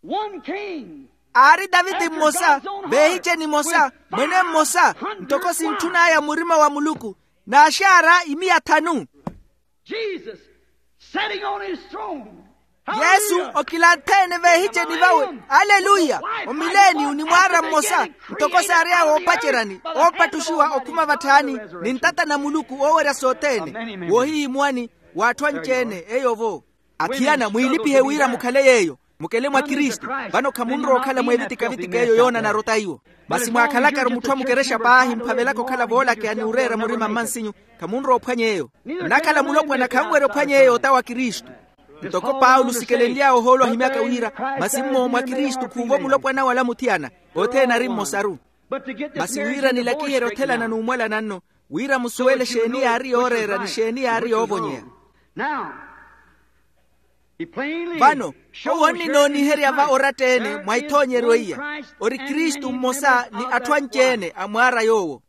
one king. Aari taviti mmosa, veehiceni emosa, mwene mmosa, ntoko sintthun'aya murima wa muluku, n'axaara imiya thanu. Jesus sitting on his throne. Yesu okilanthe-ene veehiceni vawe. Aleluya. Omileniyu ni mwaara mmosa, ntoko saary'awe oopaceryani oopattuxiwa okhuma vatthaani, ni ntata na muluku oowerya sothene. Woohihimuwani w'atthu anci-ene eyo-vo. Athiyana mwiilipihe wira mukhale yeeyo. Mukele mwa kristu. Vano khamunrowa okhala mweevitikavitika eyo yoonanara otaiwo. Masi mwaakhalakaru mutthu amukerexa paahi mphavelaka okhala voolakeya ni oreera murima mmansinyu. Khamunrowa ophwanya eyo. Nnakhala mulopwana khanwerya ophwanya eyo ota wa kristu. Ntoko paulo sikelenly'awe ohoolo ahimyaka wira, masi mmo mwa kristu khuuvo mulopwana wala muthiyana. Othene ari mmosaru. Masi wira nilakiherye othelana n'umwalana nno, wira musuwele exeeni yaari yooreera ni exeeni yaari yoovonyeya. Vano owo onninooniherya va oratta-ene mwa ithoonyeryo iya, ori kristu mmosa ni atthu anci-ene a mwaara yoowo.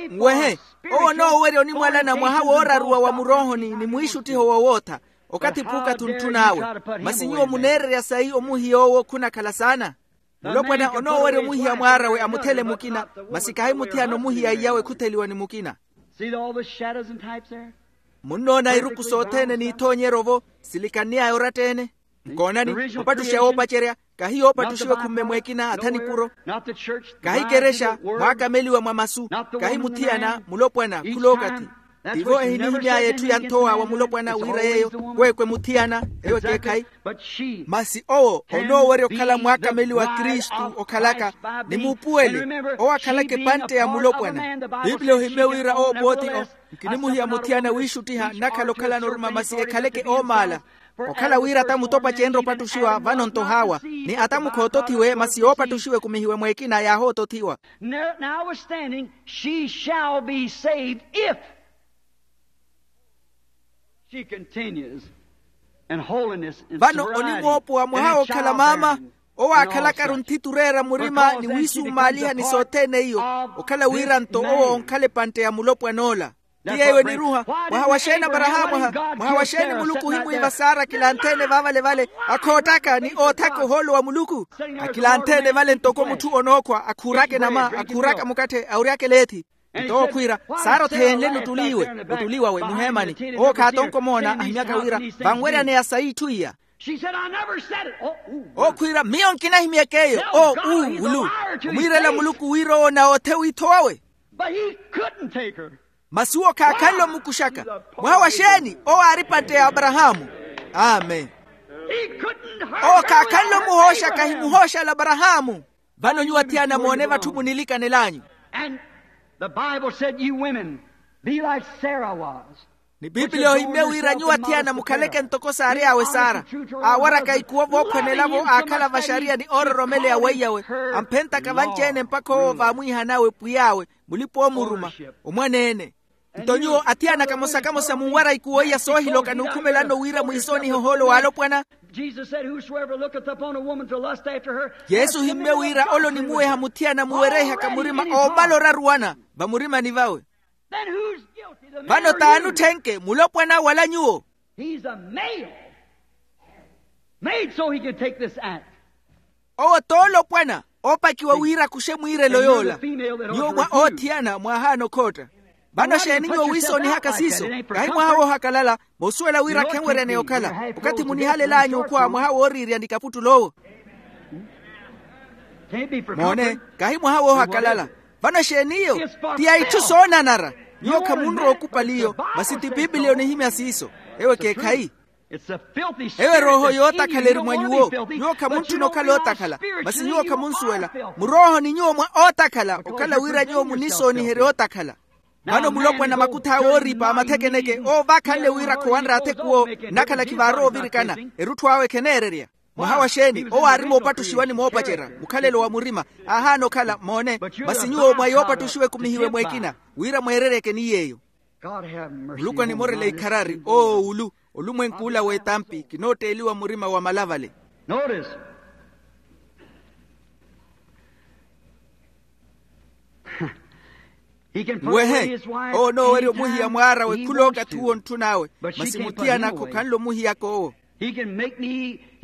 Nwehe, owo onoowerya onimwalana mwaha wooraruwa wa muroohoni ni mwiixuttiho wowootha. Okathi p'ukathi ontthun'awe. Masi nyuwo muneererya sayi omuhiya owo khunakhala saana. Mulopwana onoowerya omuhiya mwaarawe amuthele mukina, masi kahi muthiyana omuhiya iyawe khutheliwa ni mukina. Munnoona iruku sothene n'ithoonyeryo-vo silikanny'aya oratta-ene. Nkoonani, opattuxa woopacerya, kahi yoopattuxiwe khumme mwekina atha nipuro. Kahi kerexa mwaakameliwa mwa masu. Kahi muthiyana mulopwana khulookathi. Tivo ehinihimy'aya etthu ya nthowa wa mulopwana wira yeeyo, kwekwe muthiyana eyo ekeekhayi. Masi owo onoowerya okhala mwaakameliwa kristu okhalaka, ni muupuwele owo akhalaka epantte ya mulopwana. Piipili ohimmye wira owo pooti-o. Nkinimuhiya muthiyana wiixuttiha nnakhala okhalana oruma masi ekhaleke oomaala. Okhala wira ata mutopa cenre opattuxiwa vano nto haawa, ni ata mukhootothiwe masi yoopattuxiwa ekumihiwe mwekina yaahootothiwa. Notwithstanding she shall be saved if she continues in holiness and sobriety. Vano onimwoopowa mwaha wookhala maama owo aakhalakaru nthiti oreera murima ni wiisumaaliha ni sothene iyo, okhala wira nto owo onkhala epantte ya mulopwan'ola. Ti yeeyo eniruha. Mwaha wa xeeni aparahaamu aha? Mwaha wa xeeni muluku ohimwiiva sara akilanthe-ene vaavale-vale, akhoottaka ni oothaka ohoolo wa muluku? Akilanthe-ene vale ntoko mutthu onookhwa akhuuraka enama, akhuuraka mukatthe, awuryaka eleethi. Nto owo khwiira, sara otheenle nuttuliiwe, nuttuliiwawe muheemani. Owo khaatonka omoona ahimyaka wira vanweryaneya sayi itthu iya. She said, "I never said it." Ookhwiira, miyo nkinahimyeke eyo. Oo uu ulu. Omwiirela muluku wira owo nawoothe wiitho wawe. But he couldn't take her. Masi owo khaakhanle omukuxaka. Mwaha wa xeeni? Owo aari patte ya aparahaamu. Amen. He couldn't hurt her. Owo khaakhanle omuhooxaka ahimuhooxala aparahaamu. Vano nyuwo athiyana moone vatthu munilikanel'anyu. And the Bible said, "You women, be like Sarah was." Ni pipiliya ohimmye wira nyuwo athiyana mukhaleke ntoko saary'awe sara. Aawaraka ikuwo vookhwanela-vo aakhala vaxariya ni oororomeleya weiyawe. Amphentaka vanci-ene mpakha owo vaamwiihan'awe pwiy'awe, mulipa-oomuruma, omwaneene. Nto nyuwo athiyana kamosa-kamosa munwara ikuwo iya soohiloka n'ukhumelanno wira mwiisoonihe ohoolo w'alopwana. Jesus said, "Whosoever looketh upon a woman to lust after her." Yesu ohimmye wira ole onimuweha muthiyana muwerehaka murima oomala oraruwana vamurimani vawe. Then who's guilty? The man or you? Vano t'ani otthenke, mulopwana wala nyuwo? He's a male. Made so he can take this act. Owo t'olopwana oopakiwa wira akuxe mwiirelo yoola. Nyuwo mwa oothiyana mwaahaana okhootta. Vano xeeni nyuwo wiisoonihaka siiso? Kahi mwaha woohakalala. Moosuwela wira khenweryaneya okhala. Okathi munihalel'anyu okhwa mwaha wooriirya ni kaputtul'owo. Moone, kahi mwaha woohakalala. Vano xeeni iyo? Ti ya itthu soonanara. Nyuwo khamunrowa okupali iyo. Masi ti pipiliya onihimya siiso. Ewo ekeekhayi. Ewo erooho yootakhala eri mwa nyuwo. Nyuwo khamuntthuna okhala ootakhala. Masi nyuwo khamunsuwela. Muroohoni nyuwo mwa ootakhala okhala wira nyuwo munisooniherye ootakhala. Vano mulopwana makuth'awe ooripa mathekeneke owo vaakhanle wira khowanre athekuwo. Nnakhala khivaarowa ovirikana. Erutthu awe kheneererya. Mwaha wa xeeni? Owo aari moopattuxiwa ni moopacerya mukhalelo wa murima. Aahaana okhala moone. Masi nyuwo mwa yoopattuxiwa ekumihiwe mweekina wira mweereryeke ni yeeyo. Muluku animorele ikharari owo ulu. Olumwenk'ula w'etampi kinootteeliwa murima wa malavale. Notice. Nwehe. Owo onoowerya omuhiya mwaar'awe khulookathi uwo ontthun'awe. Masi muthiyana khokhanle omuhiyaka owo.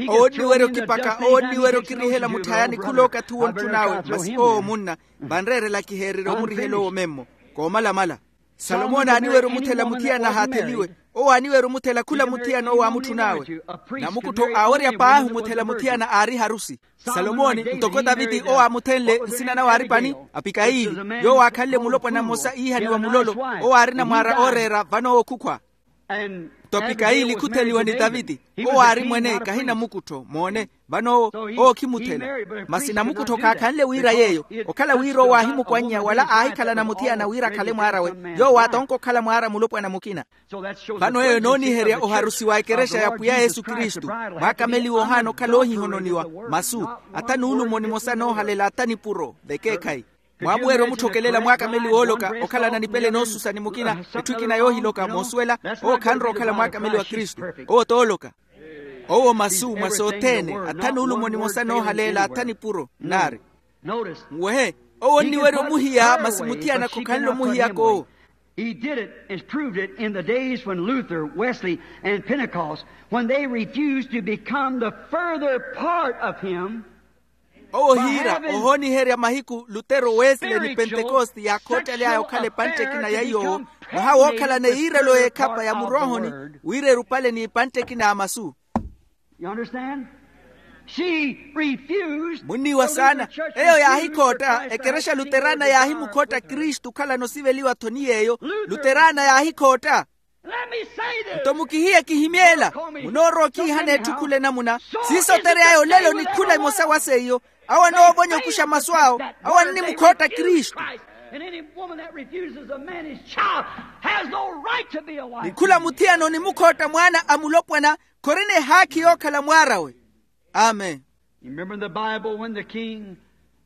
Owo onniwerya okipaka owo onniwerya okirihela mutthayani khulookathi uwo ontthun'awe masi owo munna. Vanreerela kiheererya omurihela owo memmo. Koomalamala. Salomoni aaniwerya omuthela muthiyana ahaatheliwe. Owo aaniwerya omuthela khula muthiyana owo aamutthun'awe. Namukuttho aawerya paahi omuthela muthiyana aari harusi. Salomoni ntoko taviti owo aamuthenle nsina nawe aari pani? Apikayili. Yoowo aakhanle mulopwana mmosa iihaniwa mulolo. Owo aari namwaara ooreera vano owo khukhwa. Nto apikayili khutheliwa ni taviti. Owo aari mwene kahi namukuttho moone. Vano owo owo khimuthela. Masi namukuttho khaakhanle wira yeeyo. Okhala wira owo aahimukwannya wala aahikhalana muthiyana wira akhale mwaar'awe. Yoowo aatonka okhala mwaara mulopwana mukina. Vano eyo enooniherya oharusi wa ekerexa ya pwiya yesu kristu. Mwaakameliwa ohaana okhala oohihononiwa. Masu atha nuulumo nimosa noohalela atha nipuro vekeekhayi. Mwaamuwerya omutthokelela mwaakameliwa ooloka okhalana nipele noosusa ni mukina. Etthu ekina yoohiloka moosuwela. Owo khanrowa okhala mwaakameliwa kristu. Owo t'ooloka. Owo masu mwa sothene atha nuulumo nimosa noohaleela atha nipuro nnaari. Nwehe. Owo onniwerya omuhiya masi muthiyana khokhanle omuhiyaka owo. He did it and proved it in the days when Luther, Wesley, and Pentecost, when they refused to become the further part of him. Owo hiira ohooniherya mahiku lutero wesley ni pentekoste yaakhoottely'aya okhala epantte ekina ya iy'owo. Mwaha wookhalana eyiirelo y'ekhapa ya muroohoni wira erupale n'epantte ekina ya masu. Munniiwa saana. Eyo yaahikhootta ekerexa luterana yaahimukhootta kristu okhalana osiveliwa-tho ni yeeyo. Luterana yaahikhootta. Nto mukihiye kihimyeela. Munoorowa okhiihana etthu khula enamuna siiso otery'aya olelo ni khula emosa wa seiyo. Awo anoovonya okuxa masu awo. Awo annimukhootta kristu. Ni khula muthiyana onimukhootta mwaana a mulopwana khorina ehaakhi yookhala mwaar'awe. Amen.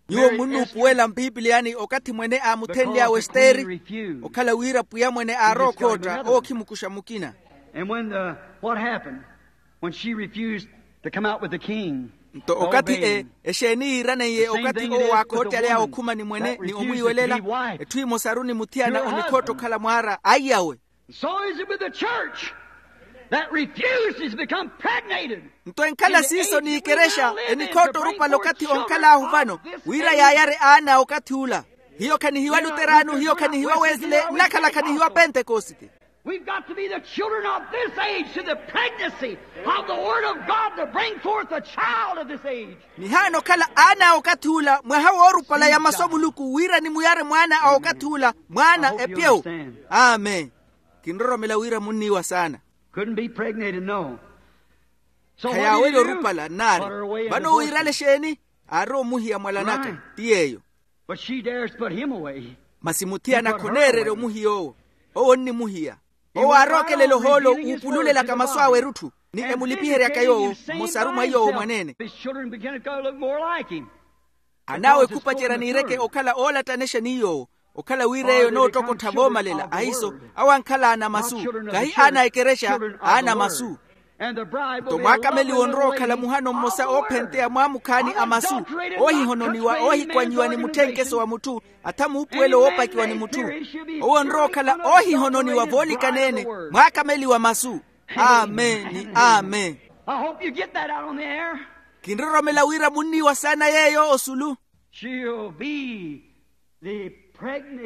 Nyuwo munnuupuwela mpipiliyani okathi mwene aamuthenly'awe esteri. Okhala wira pwiya mwene aarowa okhootta owo okhimukuxa mukina. And when the what happened when she refused to come out with the king? Nto okathi e exeeni yiiraneiye okathi owo waakhoottel'aya okhuma ni mwene ni omwiiwelela. Etthu emosaru ni muthiyana onikhootta okhala mwaara aiyawe. So is it with the church that refuses to become pregnated. Nto enkhala siiso n'ikerexa enikhootta orupale okathi onkhal'ahu vano wira yaayare aana okathi ula. Hiyo khanihiwa luteranu hiyo khanihiwa wesile nnakhala khanihiwa pentekosite. We've got to be the children of this age to the pregnancy of the word of God to bring forth a child of this age. Nihaana okhala aana a okathi ula mwaha woorupala ya masu a muluku wira nimuyare mwaana a okathi ula mwaana epyewu. Amen. Kinroromela wira munniiwa saana. Couldn't be pregnated, no. Khayaawele orupala nnaari. Vano wiirale exeeni? Aari omuhiya mwalanaka ti yeeyo. But she dares put him away. Masi muthiyana khoneererya omuhiya owo. Owo onnimuhiya. Owo aarookelela ohoolo uupululelaka masu awe erutthu ni emulipiheryaka yoowo mmosaru mwa iyoowo mwaneene. Anaawe khupacerya niireke okhala oolattanexa ni yoowo. Okhala wira eyo noottokottha voomalela ahiiso awo ankhala aana masu. Kahi aana a ekerexa aana masu. Nto mwaakameliwa onrowa okhala muhano mmosa oophenteya mwaamukhaani a masu, oohihononiwa oohikwanyiwa ni mutthenkeso wa mutthu, atha muupuwelo woopakiwa ni mutthu. Owo onrowa okhala oohihononiwa voolikaneene. Mwaakameliwa masu. Amen ni amen. Kinroromela wira munniiwa saana yeeyo osulu.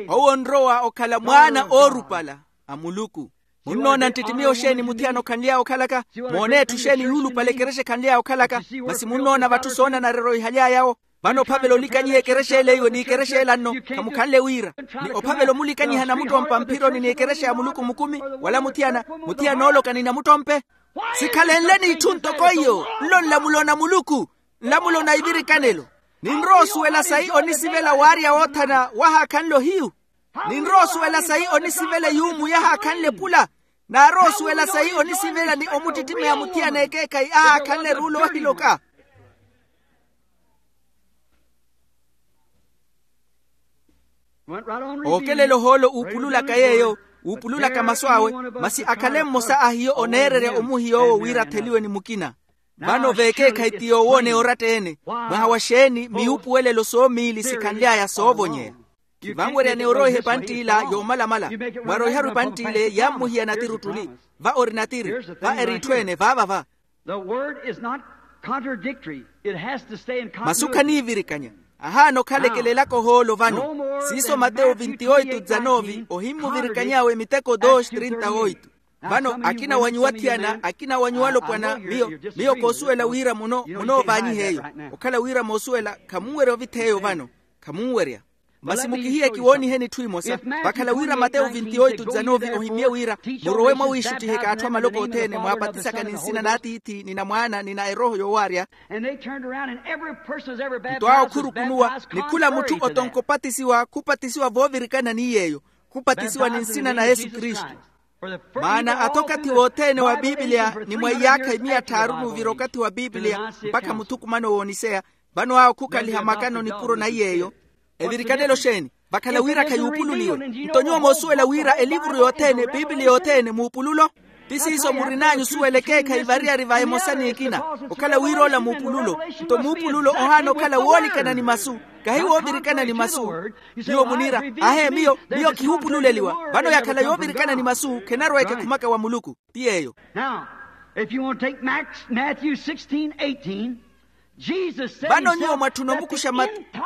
Owo onrowa okhala mwaana oorupala a muluku. Munnoona nttittimiho xeeni muthiyana okhanly'aya okhalaka? Moone etthu xeeni yuulupale ekerexa ekhanly'aya okhalaka? Masi munnoona vatthu soonanarerya ohihaly'aya-wo. Vano ophavela olikanyiha ekerexa ele iwe n'ikerexa ela nno khamukhanle wira. Ni ophavela omulikanyiha namuttompa mphironi n'ikerexa ya muluku mukumi wala muthiyana muthiyana ooloka ni namuttompe. Sikhalenle n'itthu ntoko iyo nlo nlamulo na muluku, nlamulo na ivirikanelo. Ninrowa osuwela sayi onisivela waarya woothana wahaakhanle ohiyu. Ninrowa osuwela sayi onisivela eyuumu yahaakhanle epula. Naarowa osuwela sayi onisivela ni omuttittimeya muthiyana ekeekhayi ahaakhanle eruula oohiloka. Ookelela ohoolo uupululaka yeeyo uupululaka masu awe. Masi akhale mmosa a hiyo oneererya omuhiy'owo wira atheliwe ni mukina. Vano veekeekhayi ti yoowooneya oratta-ene. Mwaha wa xeeni miyuupuwelelo soomiili sikhanly'aya soovonyeya. Vanwerya ni oroiha epantt'ila yoomalamala. Mwaroiharu epantt'ile yammuhiya natiri ottuli. Va ori natiri. Va eri itthu ene vaava va. Masu khaniivirikanya. Ahaana okhalekelelaka ohoolo vano. Siiso matewu vinti oitu dizanovi ohimmuvirikany'awe miteko dos trinta oitu. Vano akina wa nyuwo athiyana akina wa nyuwo alopwana miyo miyo koosuwela wira muno munoovaanyiha eyo. Okhala wira moosuwela khamunwerya ovitheeyo vano. Khamunwerya. Masi mukihiye kiwooniheni itthu imosa. Vakhala wira matewu vinti oitu dizanovi ohimye wira murowe mwawiixuttiheke atthu amaloko othene mwaapatisaka ni nsina n'atiithi ni na mwaana ni na erooho yoowaarya. Nto awo khurukunuwa ni khula mutthu otonka opatisiwa khupatisiwa voovirikana ni yeeyo. Khupatisiwa ni nsina na yesu kristu. Maana athi okathi wothene wa pipiliya ni mwa iyaakha imiya tthaaru n'uvira okathi wa pipiliya mpakha muthukumano w'oniseya. Vano awo khukhaliha makano nipuro na iy'eyo. Evirikanelo xeeni? Vakhala wira khayuupululiwe. Nto nyuwo moosuwela wira elivuru yothene pipiliya yothene muupululo. Ti siiso murin'anyu osuwela ekeekhayi variyari va emosa n'ekina. Okhala wira ola muupululo. Nto muupululo ohaana okhala woolikana ni masu. Kahi woovirikana ni masu. Nyuwo muniira, ahe miyo miyo khihuupululeliwa. Vano yakhala yoovirikana ni masu khenarweeke khumaka wa muluku. Ti yeeyo. Now, if you want to take Max, Matthew sixteen eighteen, Jesus said. Vano nyuwo mwatthuna omukuxa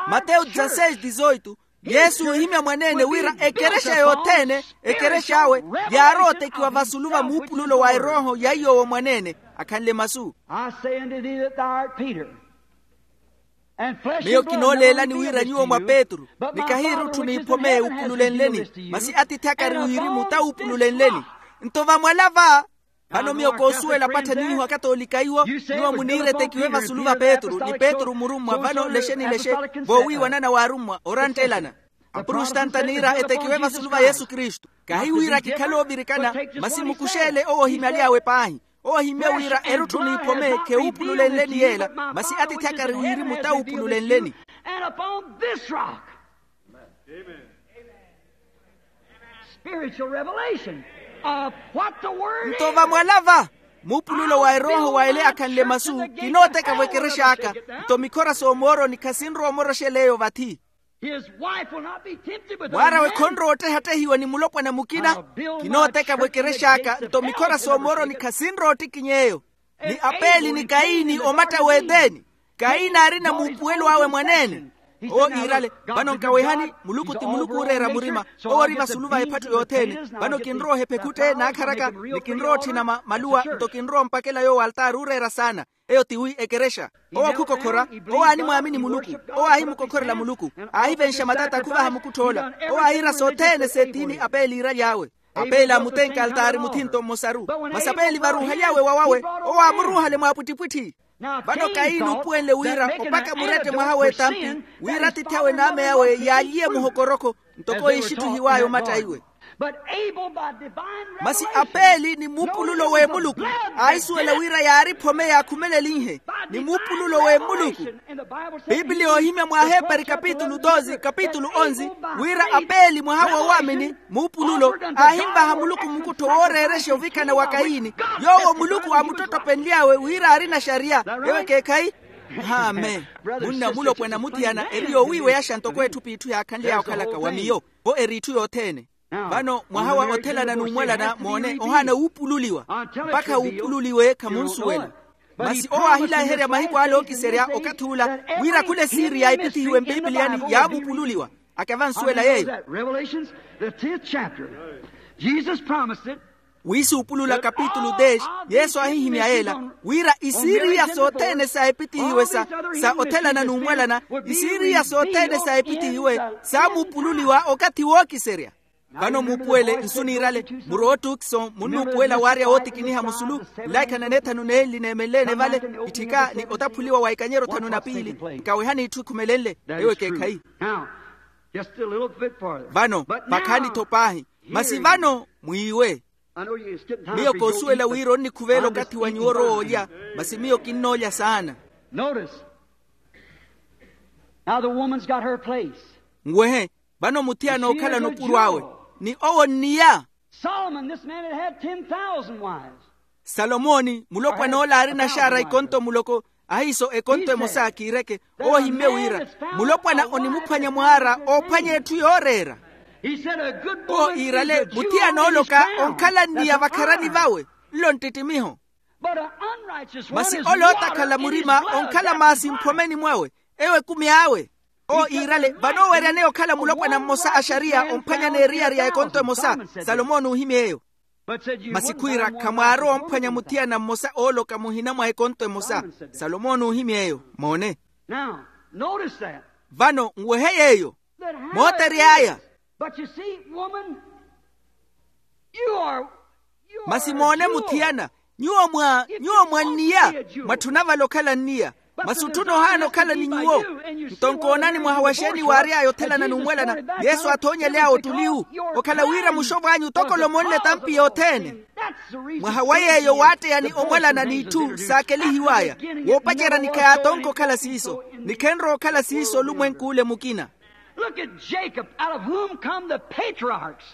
matewu dezaseixe dizooitu. Yesu oohimya mwaneene wira ekerexa yothene ekerexa awe yaarowa otekiwa vasulu va muupululo wa erooho ya iy'owo mwaneene akhanle masu. I say unto thee that thou art Peter. Miyo kinooleelani wira nyuwo mwa petru. Ni kahi erutthu n'iphome uupululenleni. Masi atiithi aka ari wirimu ta uupululenleni. Nto vamwala va. Vano miyo koosuwela pwattha niiho akatoolika iwo. Nyuwo muniira etekiwe vasulu va petru ni petru murummwa vano lexe ni lexe. Voowiiwanana waarummwa oranttelana. Apurustanta niira etekiwe vasulu va yesu kristu. Kahi wira kikhale oovirikana. Masi mukuxeele owo ohimyaly'awe paahi. Owo ohimmye wira erutthu n'iphome khewuupululenleni yeela. Masi atiithi aka ari wirimu ta uupululenleni. And upon this rock. Spiritual revelation of what the word. Nto vamwala va muupululo wa erooho wa ele akhanle masu. Kinooteka vwekerex'aka. Nto mikhora s'omooroni khasinrowa omoroxela eyo vathi. Mwaar'awe khonrowa ottehattehiwa ni mulopwana mukina. Kinooteka vwekerex'aka nto mikhora s'omooroni khasinrowa ottikiny'eyo. Ni apeli ni kayini omatta w'eteni. Kayini aarina muupuwelo awe mwaneene. Owo iirale, vano nkawehani, muluku ti muluku ooreera murima. Owo ori vasulu va ephattu yothene. Vano kinrowa ohepha ekhute naakharaka, ni kinrowa otthina maluwa nto kinrowa ompakela yoowo altaari ooreera saana. Eyo ti wi ekerexa. Owo akhukokhora. Owo aanimwaamini muluku. Owo aahimukokhorela muluku. Aahivenxa matata khuvaha mukutth'ola. Owo aahiira sothene s'etiini apeeli iiraly'awe. Apeeli aamutenka altaari muthinto mmosaru. Masi apeeli varuuhaly'awe wawawe, owo aamuruuhale mwaapwittipwitthi. Vano kayini oopuwenle wira opaka murette mwaha w'etampi, wira atitthi awe n'ame awe yaalyiye muhokorokho, ntoko ixitthihiw'aya omatta iwe. Masi apeeli ni muupululo w'emuluku aahisuwela wira yaari phome yaakhumelelihe ni muupululo w'emuluku. Piipiliya oohimya mw'ahepari kapitulu doze kapitulu onze, wira apeeli mwaha w'owaamini muupululo, aahinvaha muluku mukuttho wooreerexa ovikana wa kayini, yoowo muluku aamuttottopenly'awe wira aari naxariya. Ewo ekeekhayi. Amen. Munna mulopwana muthiyana eri yoowiiweyaxa ntoko etthu p'itthu yaakhanly'aya okhalaka wa miyo. Vo eri itthu yothene. Vano mwaha wa othelana n'umwalana moone ohaana wuupululiwa. Mpakha wuupululiwe khamunsuwela. Masi owo aahilaherya mahiku ale ookiserya okathi ula, wira khula esiiri yaahipithihiwe mpipiliyani yaamupululiwa. Akyavansuwela yeeyo. Wiisuupulula kapitulu dez, yesu aahihimya yeela, wira isiiriya sothene saahipithihiwe sa othelana n'umwalana, isiiriya sothene saahipithihiwe, saamupululiwa okathi wookiserya. Vano muupuwele nsu niirale, murowa ottukiso munnuupuwela waarya wootikiniha musulu. Nlaikha na neethanu n'enli neemenleene vale, itthika ni otaphuliwa wa ikanyero thanu na piili. Nkawehani itthu ekhumelenle. Ewo ekeekhayi. Vano vakhaani-tho paahi. Masi vano mwiiwe. Miyo koosuwela wira onnikhuveela okathi wa nyuwo orowa olya, masi miyo kinnoolya saana. Nwehe. Vano muthiyana ookhalana opuro awe, ni owo nniya. Solomoni, mulopwana ole aari naxaara ikonto muloko. Ahiiso ekonto emosa kiireke. Owo ohimmye wira, mulopwana onimuphwanya mwaara oophwanya etthu yooreera. Owo iirale, muthiyana oloka onkhala nniya vakharani vawe. Nlo nttittimiho. Masi ole ootakhala murima onkhala maasi mphomeni mwawe. Ewo ekumi awe. Owo iirale, vano oweryaneya okhala mulopwana mmosa a xariya omphwanyana eriyari ya ekonto emosa. Salomoni oohimya eyo. Masi khwiira khamwaarowa omphwanya muthiyana mmosa ooloka muhina mwa ekonto emosa. Salomoni oohimya eyo. Moone. Vano nwehe yeeyo. Mootery'aya. Masi moone muthiyana, nyuwo mwa nyuwo mwa nniya. Mwatthuna vale okhala nniya. Masi otthuna ohaana okhala ni nyuwo. Nto nkoonani mwaha wa xeeni waary'aya othelana n'umwalana, yesu aathoonyely'aya ottuliwu. Okhala wira muxovw'anyu toko olomonle etampi yothene. Mwaha wa yeeyo waatteyani omwalana n'itthu saakelihiw'aya. Woopaceryani khayaatonka okhala siiso, ni khenrowa okhala siiso olumwenk'ule mukina. Look at Jacob, out of whom come the patriarchs.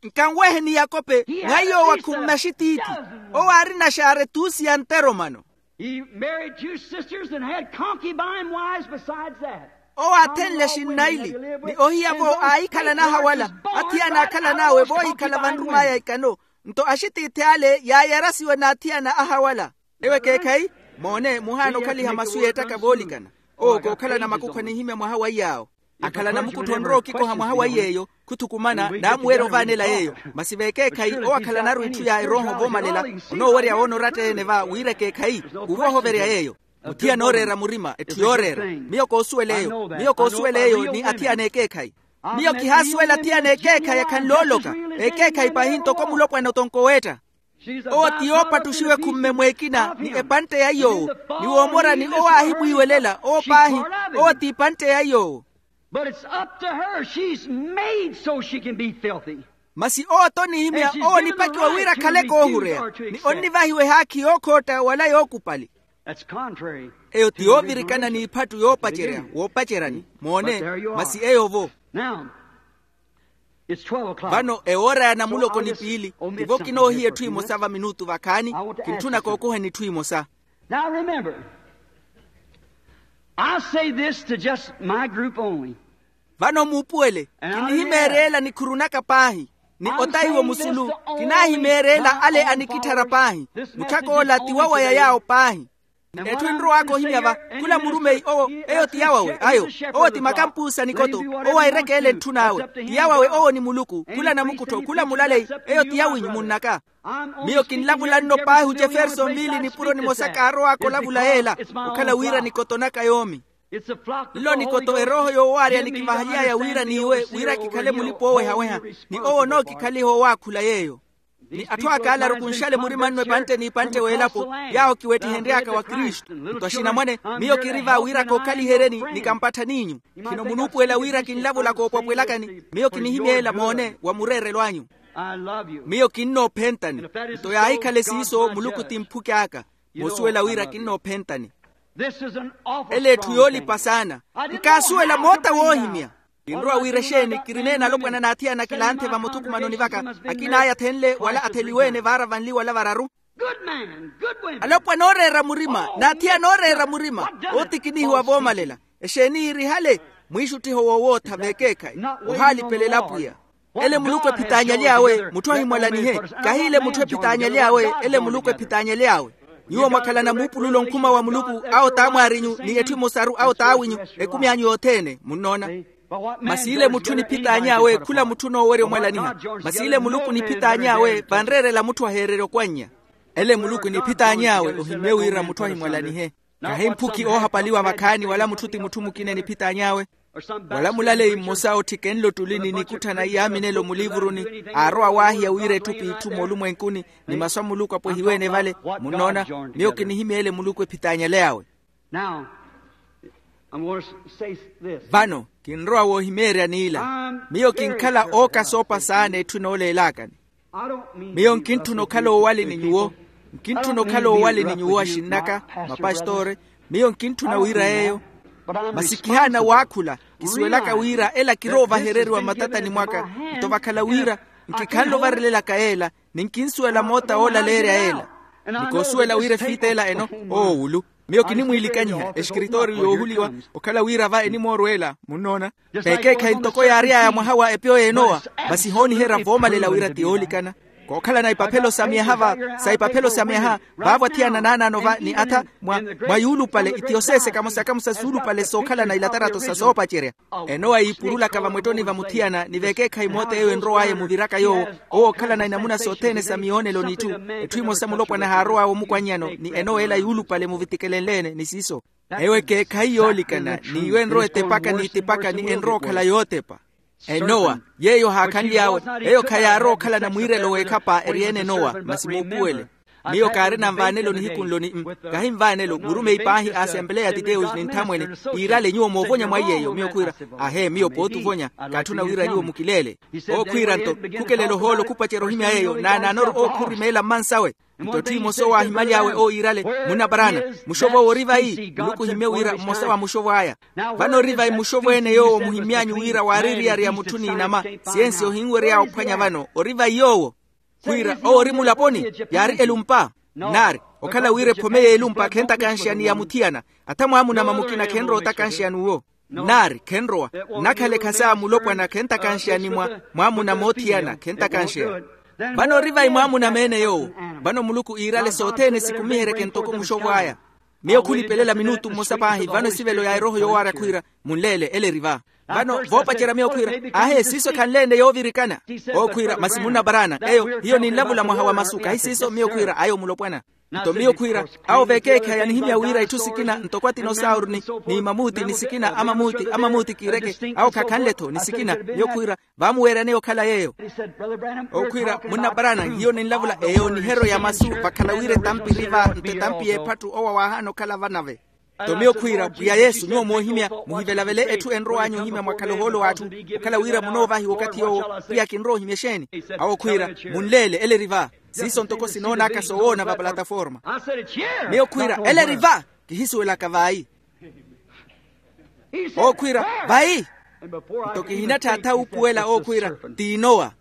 Nkanweheni yakope, mwa yoowa khummaxitiithi. Owo aari naxaara etuusi ya nteromano. He married two sisters and had concubine wives besides that. Owo aathenle axinnaili, ni ohiya-vo aahikhalana ahawala. Athiyana aakhalan'awe voohikhala vanrum'aya ikano. Nto axitiithi ale yaayarasiwe n'athiyana ahawala. Ewo ekeekhayi. Moone muhaana okhaliha masu yeettaka voolikana. Owo kookhalana makukhwa nihimya mwaha wa iy'awo. Akhalana mukuttho onrowa okikoha mwaha wa iy'eyo. Khuthukumana naamuwerya ovaanela yeeyo. Masi veekeekhayi owo akhalanaru itthu ya erooho voomalela. Onoowerya woona oratta-ene va wira ekeekhayi. Khuuva ohoverya yeeyo. Muthiyana ooreera murima etthu yooreera. Miyo koosuwela eyo. Miyo koosuwela eyo ni athiyana ekeekhayi. Miyo kihaasuwela athiyana ekeekhayi akhanle ooloka. Ekeekhayi paahi ntoko mulopwana otonko weetta. Owo ti yoopattuxiwe khumme mw'ekina ni epantte ya iy'owo. Ni woomorani owo aahimwiiwelela owo paahi. Owo ti epantte ya iy'owo. But it's up to her. She's made so she can be filthy. Masi owo t'onihimya owo onipakiwa wira akhale koohureya. Ni onnivahiwa ehaakhi yookhootta wala yookupali. Eyo ti yoovirikana n'iphattu yoopacerya woopaceryani. Moone. Masi eyo-vo. Vano ewoora ya namuloko ni piili. Tivo kinoohiya etthu emosa va minutu vakhaani. Kintthuna kookuheni etthu emosa. Now remember, I say this to just my group only. Vano muupuwele, kinihimeerya ela nikhuru naka paahi. Ni otaiwo musulu, kinaahimeerya ela ale anikitthara paahi. Mutthak'ola ti wawaya yaawo paahi. Etthu enrow'aka ohimya va, khula murumeyi owo, eyo ti yawawe ayo. Owo ti makampuusa nikoto. Owo airekeele etthu n'awe ti yawawe owo ni muluku khula namukuttho khula mulaleyi. Eyo ti yawinyu munn'aka. Miyo kinlavula nno paahi ojeferson viili nipuro nimosa kaarow'aka olavula yeela, okhala wira nikoto naka yoomi. Nlo nikoto erooho yoowaarya nikivahaly'aya wira n'iwe wira kikhale mulipa oowehaweha. Ni owo onookikhaliha owaakhula yeeyo. Ni atthu aka alaru kunxale murima nnu epantte n'ipantte w'elapo, yaawo kiwettihenry'aka wa kristu nto axinamwane. Miyo kiri va wira kookhaliheryeni ni kampatthan'inyu. Khino munuupuwela wira kinlavula koopwapwelakani. Miyo kinihimya ela moone wa mureerelo anyu. Miyo kinnoophentani. Nto yaahikhale siiso muluku ti mphuki aka. Moosuwela wira kinnoophentani. Ele etthu yoolipa saana. Nkaasuwela moota woohimya. Kinrowa wira exeeni kirineene alopwana n'athiyana kilanthe vamuthukumanoni vaka. Akina aya athenle wala atheliwe-ene vaara vanli wala vararu. Alopwana ooreera murima n'athiyana ooreera murima. Ootikinihiwa voomalela. Exeeni yiirihale? Mwiixuttiho wowootha vekeekhayi. Ohaalipelela apwiya. Ele muluku ephitaanyaly'awe mutthu ahimwalanihe. Kahiile mutthu ephitaanyaly'awe ele muluku ephitaanyaly'awe. Nyuwo mwakhalana muupululo onkhuma wa muluku. Awo t'amwaarinyu ni etthu emosaru awo t'awinyu. Ekumi anyu yothene munnoona. Masi ile mutthu niphitaany'awe khula mutthu onoowerya omwalaniha. Masi ile muluku niphitaany'awe vanreerela mutthu aheererya okwannya. Ele muluku niphitaany'awe ohimmye wira mutthu ahimwalanihe. Kahi mphuki oohapaliwa vakhaani wala mutthu ti mutthu mukina eniphitaany'awe. Wala mulaleyi mmosa ootthike nlo ottulini nikutthana iyaaminelo muliivuruni. Aarowa waahiya wira etthu p'itthu moolumwenkuni. Ni masu a muluku apwehiwe-ene vale. Munnoona? Miyo kinihimya ele muluku ephitaanyale awe. Vano kinrowa woohimeerya n'ila. Miyo kinkhala ooka soopa saana etthu enooleelakani. Miyo nkintthuna okhala oowali ni nyuwo. Nkintthuna okhala oowali ni nyuwo axinn'aka, mapastore. Miyo nkintthuna wira yeeyo. Masi kihaana waakhula. Kisuwelaka wira ela kiroovahereriwa mmatatani mwaka. Nto vakhala wira nkikhanle ovarelelaka yeela. Ni nkinsuwela moota oolaleerya yeela. Ni koosuwela wira efiita ela eno oowulu. Miyo kinimwiilikanyiha exikiritooriyo yoohuliwa. Okhala wira va enimoorweela munnoona. Vekeekhayi ntoko yaary'aya mwaha wa epyo y'enowa. Masi hooniherya voomalela wira ti yoolikana. Kookhalana ipaphelo sa myaha va sa ipaphelo sa myaha. Vaavo athiyana naanaano va ni atha mwa yuulupale itiyosese kamosa kamosa suulupale sookhalana ilatarato sa soopacerya. Enowa yiipurulaka vamwettoni va muthiyana ni vekeekhayi moota eyo enrow'aya emuviraka yoowo. Owo ookhalana inamuna sothene sa miyoonelo n'itthu. Etthu emosa mulopwana haarow'awe omukwannyano ni enowa ela yuulupale muvitikelenle-ene ni siiso. Eyo ekeekhayi yoolikana. N'iyo enrowa etepaka n'itipaka ni enrowa okhala yootepa. Enowa yeeyo haakhanly'awe. Eyo khayaarowa okhalana mwiirelo w'ekhapa eri-ene enowa masi muupuwele. Miyo kaarina nvaanelo nihiku nlo ni mm. Kahinvaanelo murumeyi paahi a asempeleya ya titeus ni nthamwene. Iirale nyuwo moovonya mwa iy'eyo miyo khwiira. Ahe miyo pooti ovonya. Kaatthuna wira nyuwo mukileele. Owo khwiira nto khukelela ohoolo khupacerya ohimya yeeyo naanaanoru owo khurimeela mmansawe. Nto etthu emosa owo aahimaly'awe owo iirale, munna paraana, muxov'owo ori vayi? Muluku ohimmye wira mmosa wa muxov'aya. Vano ori vayi muxov'ene yoowo muhimmy'anyu wira waari eriyari ya mutthu n'inama? Siyensi ohinwery'awe ophwanya vano ori vayi yoowo? Khwiira owo ori mulaponi. Yaari elumpa. Naari okhala wira ephome y'elumpa khentakanxeya ni ya muthiyana. Atha mwaamunama mukina khenrowa otakanxeya n'uwo. Naari khenrowa. Nnakhala ekhasa mulopwana khentakanxeya ni mwa mwaamunama othiyana khentakanxeya. Vano ori vayi mwaamunama-ene yoowo? Vano muluku iirale sothene sikumiheryeke ntoko muxov'aya. Miyo khulipelela minutu mmosa paahi vano esivelo ya erooho yoowaarya khwiira, munleele ele eri va. Vano voopacerya miyo khwiira, ahe siiso ekhanle-ene yoovirikana. Owo khwiira masi munna paraana eyo hiyo ninlavula mwaha wa masu kahi siiso miyo khwiira ayo mulopwana. Nto miyo khwiira, awo vekeekhayi yanihimya wira itthu sikina ntoko atinosauru ni mamuti ni sikina a mamuti a mamuti kiireke awo khakhanle-tho ni sikina. Miyo khwiira, vaamuweeryaneya okhala yeeyo. Owo khwiira munna paraana hiyo ninlavula eyo niheryo ya masu vakhala wira etampi eri va nto etampi y'ephattu owo awaahaana okhala vanave. Nto miyo khwiira pwiya yesu nyuwo moohimya, muhivelavele etthu enrow'anyu ohimya mwakhala ohoolo w'atthu. Okhala wira munoovahiwa okathi yoowo pwiya kinrowa ohimya exeeni? Awo khwiira, munleele ele eri va. Siiso ntoko sinoon'aka soowoona va plataforma. Miyo khwiira ele eri va. Kihisuwelaka vayi. Owo khwiira, vayi. Nto kihinatthaatha wuupuwela owo khwiira, t'inowa.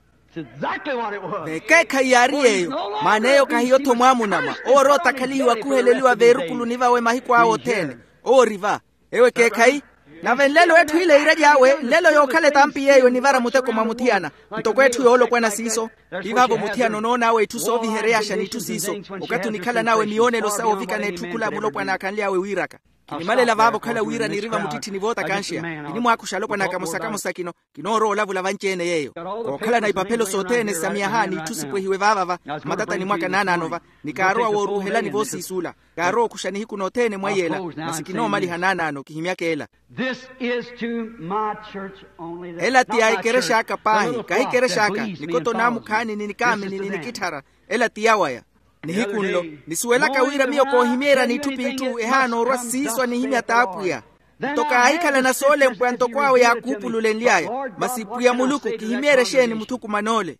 Vekeekhayi yaari yeeyo. Maana eyo khahiyo-tho mwaamunama owo ori otakhalihiwa khuheleliwa veerukuluni vawe mahiku awe othene. Owo ori va. Ewo ekeekhayi. Nave nlelo etthu ile iiraly'awe nlelo yookhala etampi yeeyo enivara muteko mwa muthiyana. Ntoko etthu yoolopwana siiso. Ti vaavo muthiyana onoon'awe itthu soovihereyaxa n'itthu siiso. Okathi onikhalan'awe miyoonelo sawo ovikana etthu khula mulopwana akhanly'awe wiiraka. Kinimalela vaavo okhala wira niri vamutitthini vootakanxeya. Kinimwaakuxa alopwana kamosa kamosa kino. Kinoorowa olavula vanci-ene yeeyo. Kookhalana ipaphelo sothene sa miyaha n'itthu sipwehiwe vaavava. Matatani mwaka naanaano va. Ni kaarowa wooruuhelani voosiisuula. Kaarowa okuxa nihiku nothene mwa iyela. Masi kinoomaliha naanaano kihimyaka ela. This is to my church only. Ela ti ya ekerex'aka paahi kahi ekerex'aka. Nikoto naamukhaani ni nikaamini ni nikitthara. Ela ti yawaya. Nihiku nlo nisuwelaka wira miyo koohimyeeryani itthu p'itthu ehaana orwa siiso anihimya t'apwiya. Nto kaahikhalana soolempwa ntoko awe yaakuupululenly'aya. Masi pwiya muluku kihimyeerye exeeni muthukuman'ole?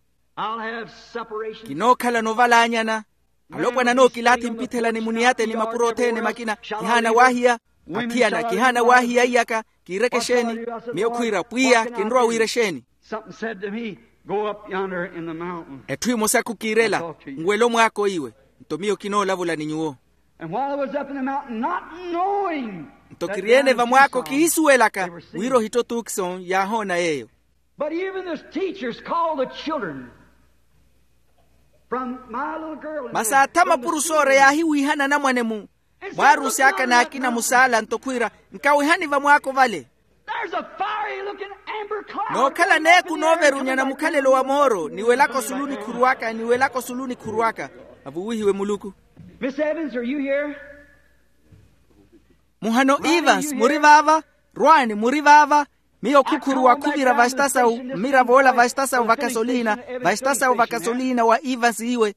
Kinookhalana ovalaanyana. Alopwana nookilaathi mpithelani muniyateni mapuro othene makina. Kihaana waahiya. Athiyana kihaana waahiya iyaka. Kiireke exeeni? Miyo khwiira pwiya kinrowa wiira exeeni? Something said to me, go up yonder in the mountain. Etthu emosaku kiirela. Nweele omwaako iwe. Nto miyo kinoolavula ni nyuwo. And while I was up in the mountain not knowing. Nto kiriene vamwaako kihisuwelaka wira ohitto tuukison yaahoona yeeyo. But even this teachers called the children from my little girl. Masi atha mapuro soore yaahiwiihana anamwane mu mwaarusi aka n'akina musaala nto khwiira, nkawihani vamwaako vale. Nookhala neeku nooverunyana mukhalelo wa mooro niwelaka osulu nikhuruwaka niwelaka osulu nikhuruwaka. Avuwihiwe muluku. Muhano evans muri vaava? Rwani muri vaava? Miyo khukhuruwa khuvira vasitasawu mmirav'ola vasitasawu vakasoliina. Vasitasawu vakasoliina wa evans iwe.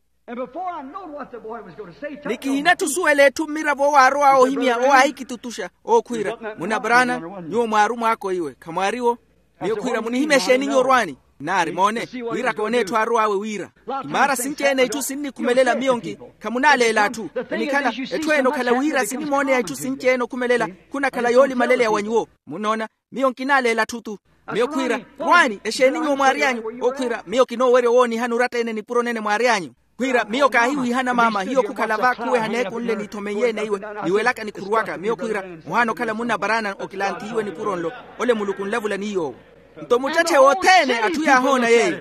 Ni kihinatthu osuwela etthu mmiravo owo aarow'awe ohimya owo aahikitutuxa. Owo khwiira munabraana, nyuwo mwaaru mwaako iwe khamwaariwo. Miyo khwiira munihimya exeeni nyuwo orwaani? Naari moone, wira koone etthu aarow'awe wira. Imaara sinci-ene itthu sinnikhumelela miyo nki? Khamunaaleela atthu. Enikhala etthu ene okhala wira sinimooneya itthu sinci-ene okhumelela. Khunakhala yoolimaleleya wa nyuwo. Munnoona? Miyo nkinaaleela atthu-tu. Miyo khwiira, rwaani exeeni nyuwo mwaary'anyu? Okhwiira miyo kinoowerya owoonihana oratta-ene nipuro nene mwaary'anyu. Khwiira miyo kaahiwiihana maama hiyo khukhala va khuweha neeku nle niithomenyeene iwe. Niwelaka nikhuruwaka miyo khwiira, muhaana okhala munnaparaana okilantihiwe nipuro nlo. Ole muluku nlavula ni yoowo. Nto muttetthe wothene atthu yaahoona yeeyo.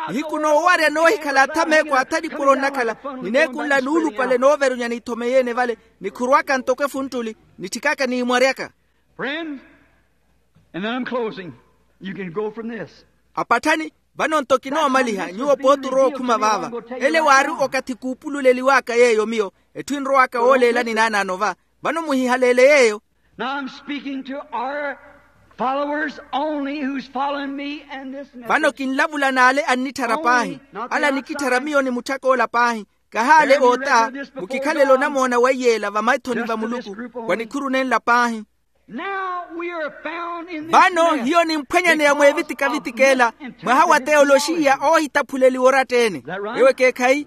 Nihiku noowarya noohikhala athameeko atha nipuro nnakhala, ni neeku nla nuulupale nooverunya niithomenyeene vale. Nikhuruwaka ntoko efuntuli, nitthikaka niimwaryaka. Friends, and then I'm closing. You can go from this. Apatthani, vano nto kinoomaliha nyuwo pooti orowa okhuma vaava. Ele waari okathi kuupululeliw'aka yeeyo miyo. Etthu enrow'aka wooleelani naanaano va. Vano muhihaleele yeeyo. Now I'm speaking to our followers only who's following me and this message. Vano kinlavula n'ale annitthara paahi. Ale anikitthara miyo ni mutthak'ola paahi. Kahaale oota, mukikhalele onamoona wa iyeela vamaithoni va muluku. Wa nikhuru nenla paahi. Vano hiyo nimphwanyaneya mweevitikavitik'ela, mwaha wa teyoloxiya oohitaphuleliwa oratta-ene. Ewo ekeekhayi?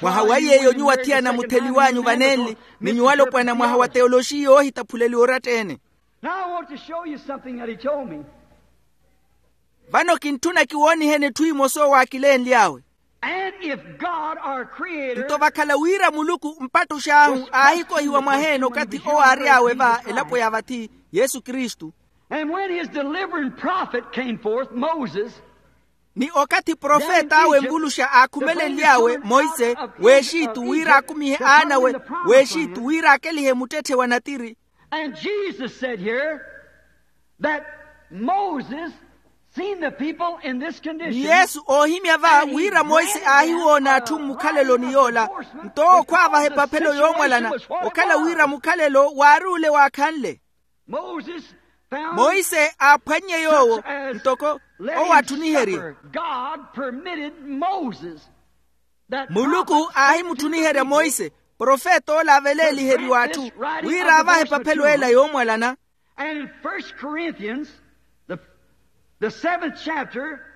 Mwaha wa yeeyo nyuwo athiyana mutheliw'anyu vanenli, ni nyuwo alopwana mwaha wa teyoloxiya oohitaphuleliwa oratta-ene. Now I want to show you something that he told me. Vano kintthuna kiwooniheni etthu emosa owo aakilenly'awe. And if God our creator nto vakhala wira muluku mpattux'ahu aahikohiwa mwaheene okathi owo aary'awe va elapo ya vathi, yesu kristu. And when his delivering prophet came forth, Moses. Ni okathi profet'awe nvuluxa aakhumelenly'awe moise, w'exitu wira akumihe aan'awe, w'exitu wira akelihe muttetthe wa natiri. And Jesus said here that Moses seen the people in this condition. Ni yesu oohimya va wira moise aahiwoona atthu mmukhaleloni yoola. Nto owo khwaavaha epaphelo yoomwalana, okhala wira mukhalelo waari ole waakhanle. Moise aaphwannye yoowo ntoko owo atthuniherye. Muluku aahimutthuniherya moise, profeta ola aveleeliheriwa atthu, wira aavahe epaphelo ela yoomwalana.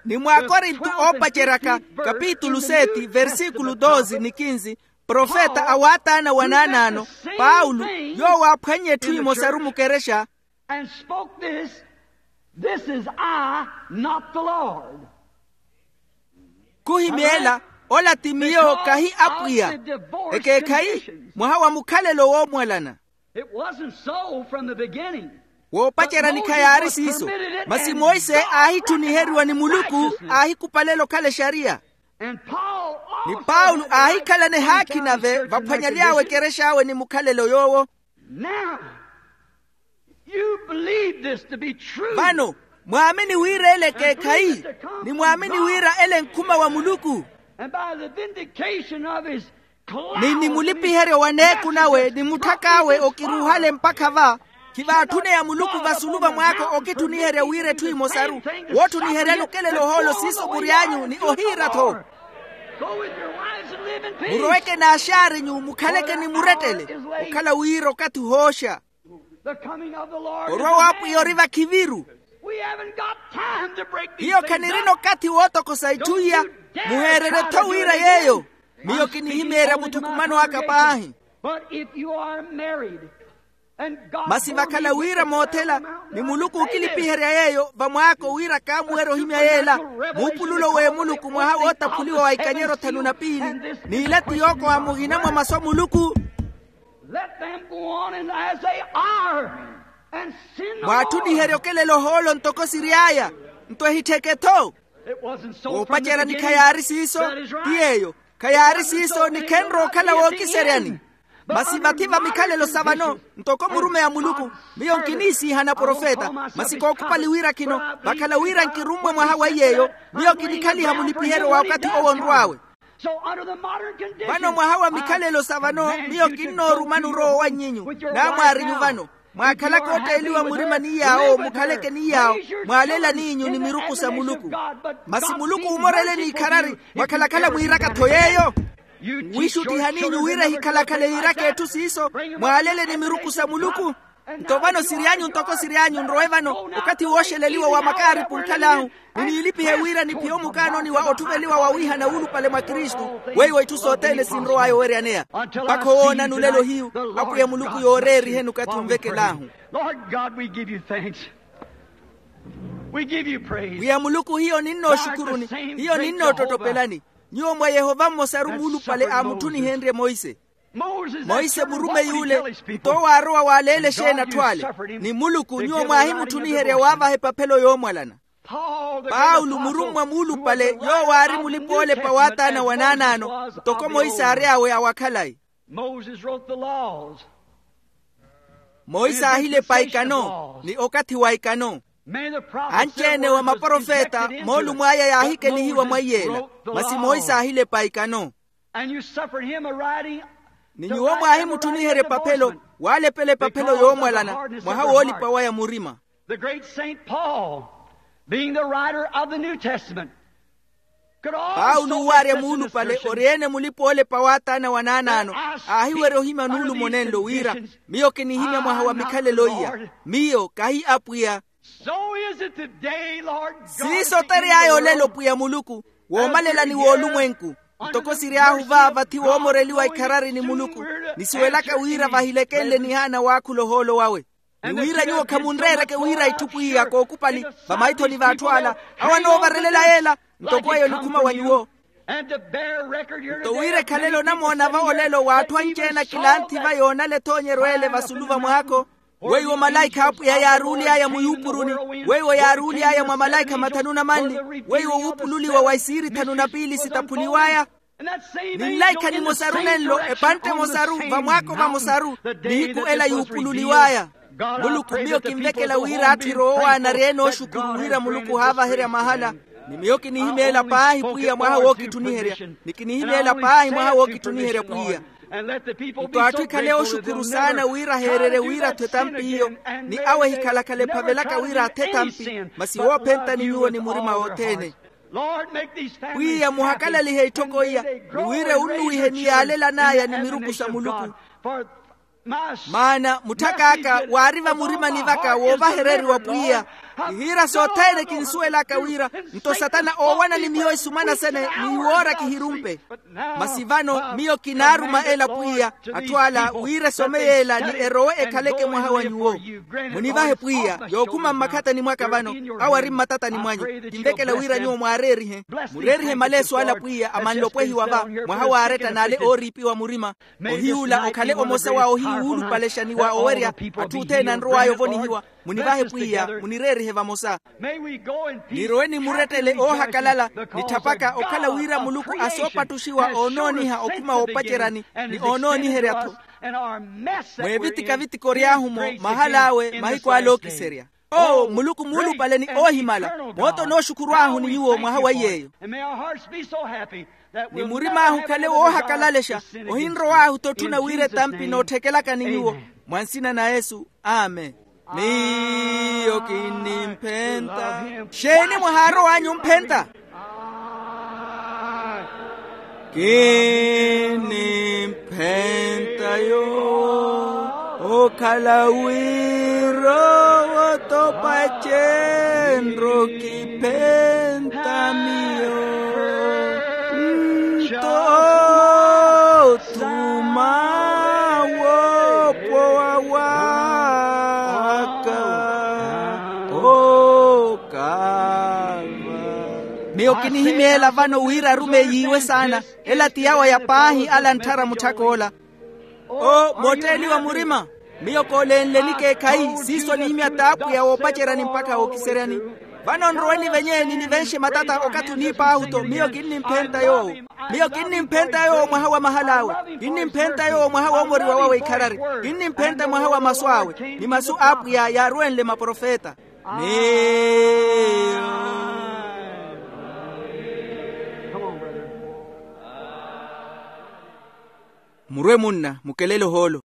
Ni mwaakorinto oopaceryaka, kapitulu seti versikulu doze ni kinzi, profeta a waataana wa naanaano, paulo, yoowo aaphwannye etthu emosaru mukerexa. And spoke this, this is I, not the lord. Khuhimyeela, ola ti miyo kahi apwiya. Ekeekhayi? Mwaha wa mukhalelo woomwalana. It wasn't so from the beginning. Woopacerya ni khayaari siiso. Masi monse aahitthuniheriwa ni muluku, aahikupalela okhala exariya. Ni paulo aahikhalana ehaakhi nave vaphwanyaly'awe ekerex'awe ni mukhalelo yoowo. Now you believe this to be true. Vano mwaamini wira ele ekeekhayi, ni mwaamini wira ele nkhuma wa muluku. And by the vindication of his ni ni mulipiheryo wa neeku nawe ni mutthak'awe okiruuhale mpakha va, khivaatthune ya muluku vasulu va mwaako okitthuniherya wira etthu emosaru. Woottuniheryani okelela ohoolo siiso mury'anyu ni ohiira-tho. Muroweke n'axaarinyu mukhaleke ni murettele. Okhala wira okathi ohooxa. Orwa w'apwiya ori vakhiviru. Hiyo khanirina okathi wootokosa itthu iya. Muheererye-tho wira yeeyo. Miyo kinihimeerya muthukumano aka paahi. Masi vakhala wira moothela, ni muluku okilipiherya yeeyo vamwaako wira kaamuwerya ohimya yeela, muupululo w'emuluku mwaha wootaphuliwa wa ikanyero thanu na piili. N'ila ti yookoha muhina mwa masu a muluku. Let them go on and as they are, and sin no more. Mwaatthuniherye okelela ohoolo ntoko siry'aya. Nto ehittheke-tho. Woopacerya ni khayaari siiso. Ti yeeyo. Khayaari siiso ni khenrowa okhala wookiseryani. Masi vathi va mikhalelo sa vano, ntoko murumeyi a muluku, miyo nkiniisiihana profeta. Masi kookhupali wira khino, vakhala wira nkirummwe mwaha wa iy'eyo, miyo kinikhaliha mulipiheryo wa okathi owo onrw'awe. Vano mwaha wa mikhalelo sa vano miyo kinnoorumani orowa owannye-nyu. Namwaarinyu vano mwaakhalaka ootteeliwa murima ni yaawo mukhaleke ni yaawo. Mwaalelani-nyu ni miruku sa muluku. Masi muluku omorele n'ikharari. Mwakhalakhala mwiiraka-tho yeeyo. Mwiixuttihaninyu wira ehikhalakhala yiiraka etthu siiso. Mwaalele ni miruku sa muluku. Nto vano siry'anyu ntoko siry'anyu nrowe vano. Okathi wooxeleliwa wa makaaripu nkhal'ahu. Ni niilipihe wira niphiye omukaanoni wa otthuveliwa wawihana wuulupale mwa kristu. Weiwo itthu sothene sinrow'aya oweryaneya. Mpakha owoonani olelo hiyu. Apwiya muluku yooreeriheni okathi onvekel'ahu. Lord god we give you thanks. We give you praise. Pwiya muluku hiyo ninnooxukuruni. Hiyo ninnoottotopelani. Nyuwo mwa yehova mmosaru muulupale aamutthunihenrye monse. Monse murumeyi ule nto waarowa waaleela exeeni atthu ale. Ni muluku nyuwo mwaahimutthuniherya waavaha epaphelo yoomwalana. Paulo murummwa muulupale yoowo aari mulipa-oolepa w'ataana wa naanaano ntoko monse aary'awe awakhalayi. Monse aahilepa ikano ni okathi wa ikano. Anci-ene wa maprofeta moolumw'aya yaahikelihiwa mwa iy'ela. Masi monse aahilepa ikano. Ni nyuwo mwaahimutthuniherya epaphelo waalepela epaphelo yoomwalana mwaha woolipa waya murima. The great saint paul being the writer of the new testament. Paulo owaarya muulupale ori-ene mulipa-oolepa w'ataana wa naanaano aahiwerya ohimya nuulumo nenlo wira miyo kinihimya mwaha wa mikhalelo iya. Miyo kahi apwiya. Siiso tery'aya olelo pwiya muluku woomalelani w'olumwenku. Ntoko siry'ahu vaava thi woomoreliwa ikharari ni muluku nisuwelaka wira vahilekenle nihaana waakhula ohoolo wawe. Ni wira nyuwo khamunreereke wira itthu pwiya kookupali vamaithoni v'atthu ala awo anoovarelela yeela. Ntoko eyo nikhuma wa nyuwo. Nto wira ekhalelo onamoona va olelo w'atthu anci-ene akilanthi va yoonala ethoonyeryo ele vasulu va mwaako. Weiwo malaikha a apwiya yaaruuly'aya muyuupuruni. Weiwo yaaruuly'aya mwa malaikha mathanu na manli. Weiwo wuupululiwa wa isiiri thanu na piili sitaphuliw'aya. Ni nlaikha nimosaru nenlo epantte emosaru vamwaako vamosaru. Nihiku ela yuupululiw'aya. Muluku miyo kinvekela wira atthu eroowaana ari-ene ooxukuru wira muluku ohaavaherya mahala. Ni miyo kinihimeela paahi pwiya mwaha wookitthuniherya. Ni kinihimeela paahi mwaha wookitthuniherya pwiya. Nto atthu ekhale ooxukuru saana wira aheererye wira athu etampi iyo. Ni awo ehikhalakhala ephavelaka wira athe etampi. Masi woophentani nyuwo ni murima wothene. Pwiya muhakalalihe itthoko iya. Ni wira ewunnuwihe ni yaalelan'aya ni miruku sa muluku. Maana mutthak'aka waari vamurimani vaka woovahereriwa pwiya. Ihiira sothene kinsuwelaka wira nto satana oowana ni miyo isumana sene, ni iwoora kihirumpe. Masi vano miyo kinaaruma ela pwiya, atthu ala wira esome y'ela ni erowe ekhaleke mwaha wa nyuwo. Munivahe pwiya yookhuma mmakhatani mwaka vano, awo ari mmatatani mwanyu. Kinvekela wira nyuwo mwaareerihe, mureerihe maleeso ala pwiya amanle opwehiwa va, mwaha wa aretta n'ale ooriipiwa murima. Ohiyuula okhale omosa wa ohiwuulupalexa ni wa owerya atthu othene anrow'aya ovonihiwa. Munivahe pwiya, munireerihe vamosa. Nirowe ni murettele oohakalala, nitthapaka okhala wira muluku asoopattuxiwa oonooniha okhuma woopaceryani, ni oonooniherya-tho. Mweevitika-vitika ory'ahu-mo mahal'awe mahiku ale ookiserya. Oo muluku muulupale ni oohimala, moota onooxukhurw'ahu ni nyuwo mwaha wa iy'eyo. Ni murim'ahu okhale woohakalalexa, ohinrow'ahu-tho otthuna wira etampi nootthekelaka ni nyuwo. Mwa nsina na yesu. Amen. Miyo kinnimphenta. Xeeni mwahaarow'anyu omphenta? Kinnimphenta yoowo, okhala wira owo topacenro kiphenta miyo. Nto othuma woopowa waka okaava. Miyo kinihimya ela vano wira arumeyi iwe saana. Ela ti yawo ya paahi ala antthara mutthak'ola. Oo mootteeliwa murima. Miyo koolenleni keekhayi siiso nihimya t'apwiya woopaceryani mpakha wookiseryani. Vano nrowe nivenye ninivenxe matata okathi oniip'ahu-tho. Miyo kinnimphenta yoowo. Miyo kinnimphenta yoowo mwaha wa mahal'awe. Kinnimphenta yoowo mwaha woomoriwa wawe ikharari. Kinnimphenta mwaha wa masu awe ni masu a apwiya yaarwenle maprofeta. Miyo. Murwe munna mukelele ohoolo.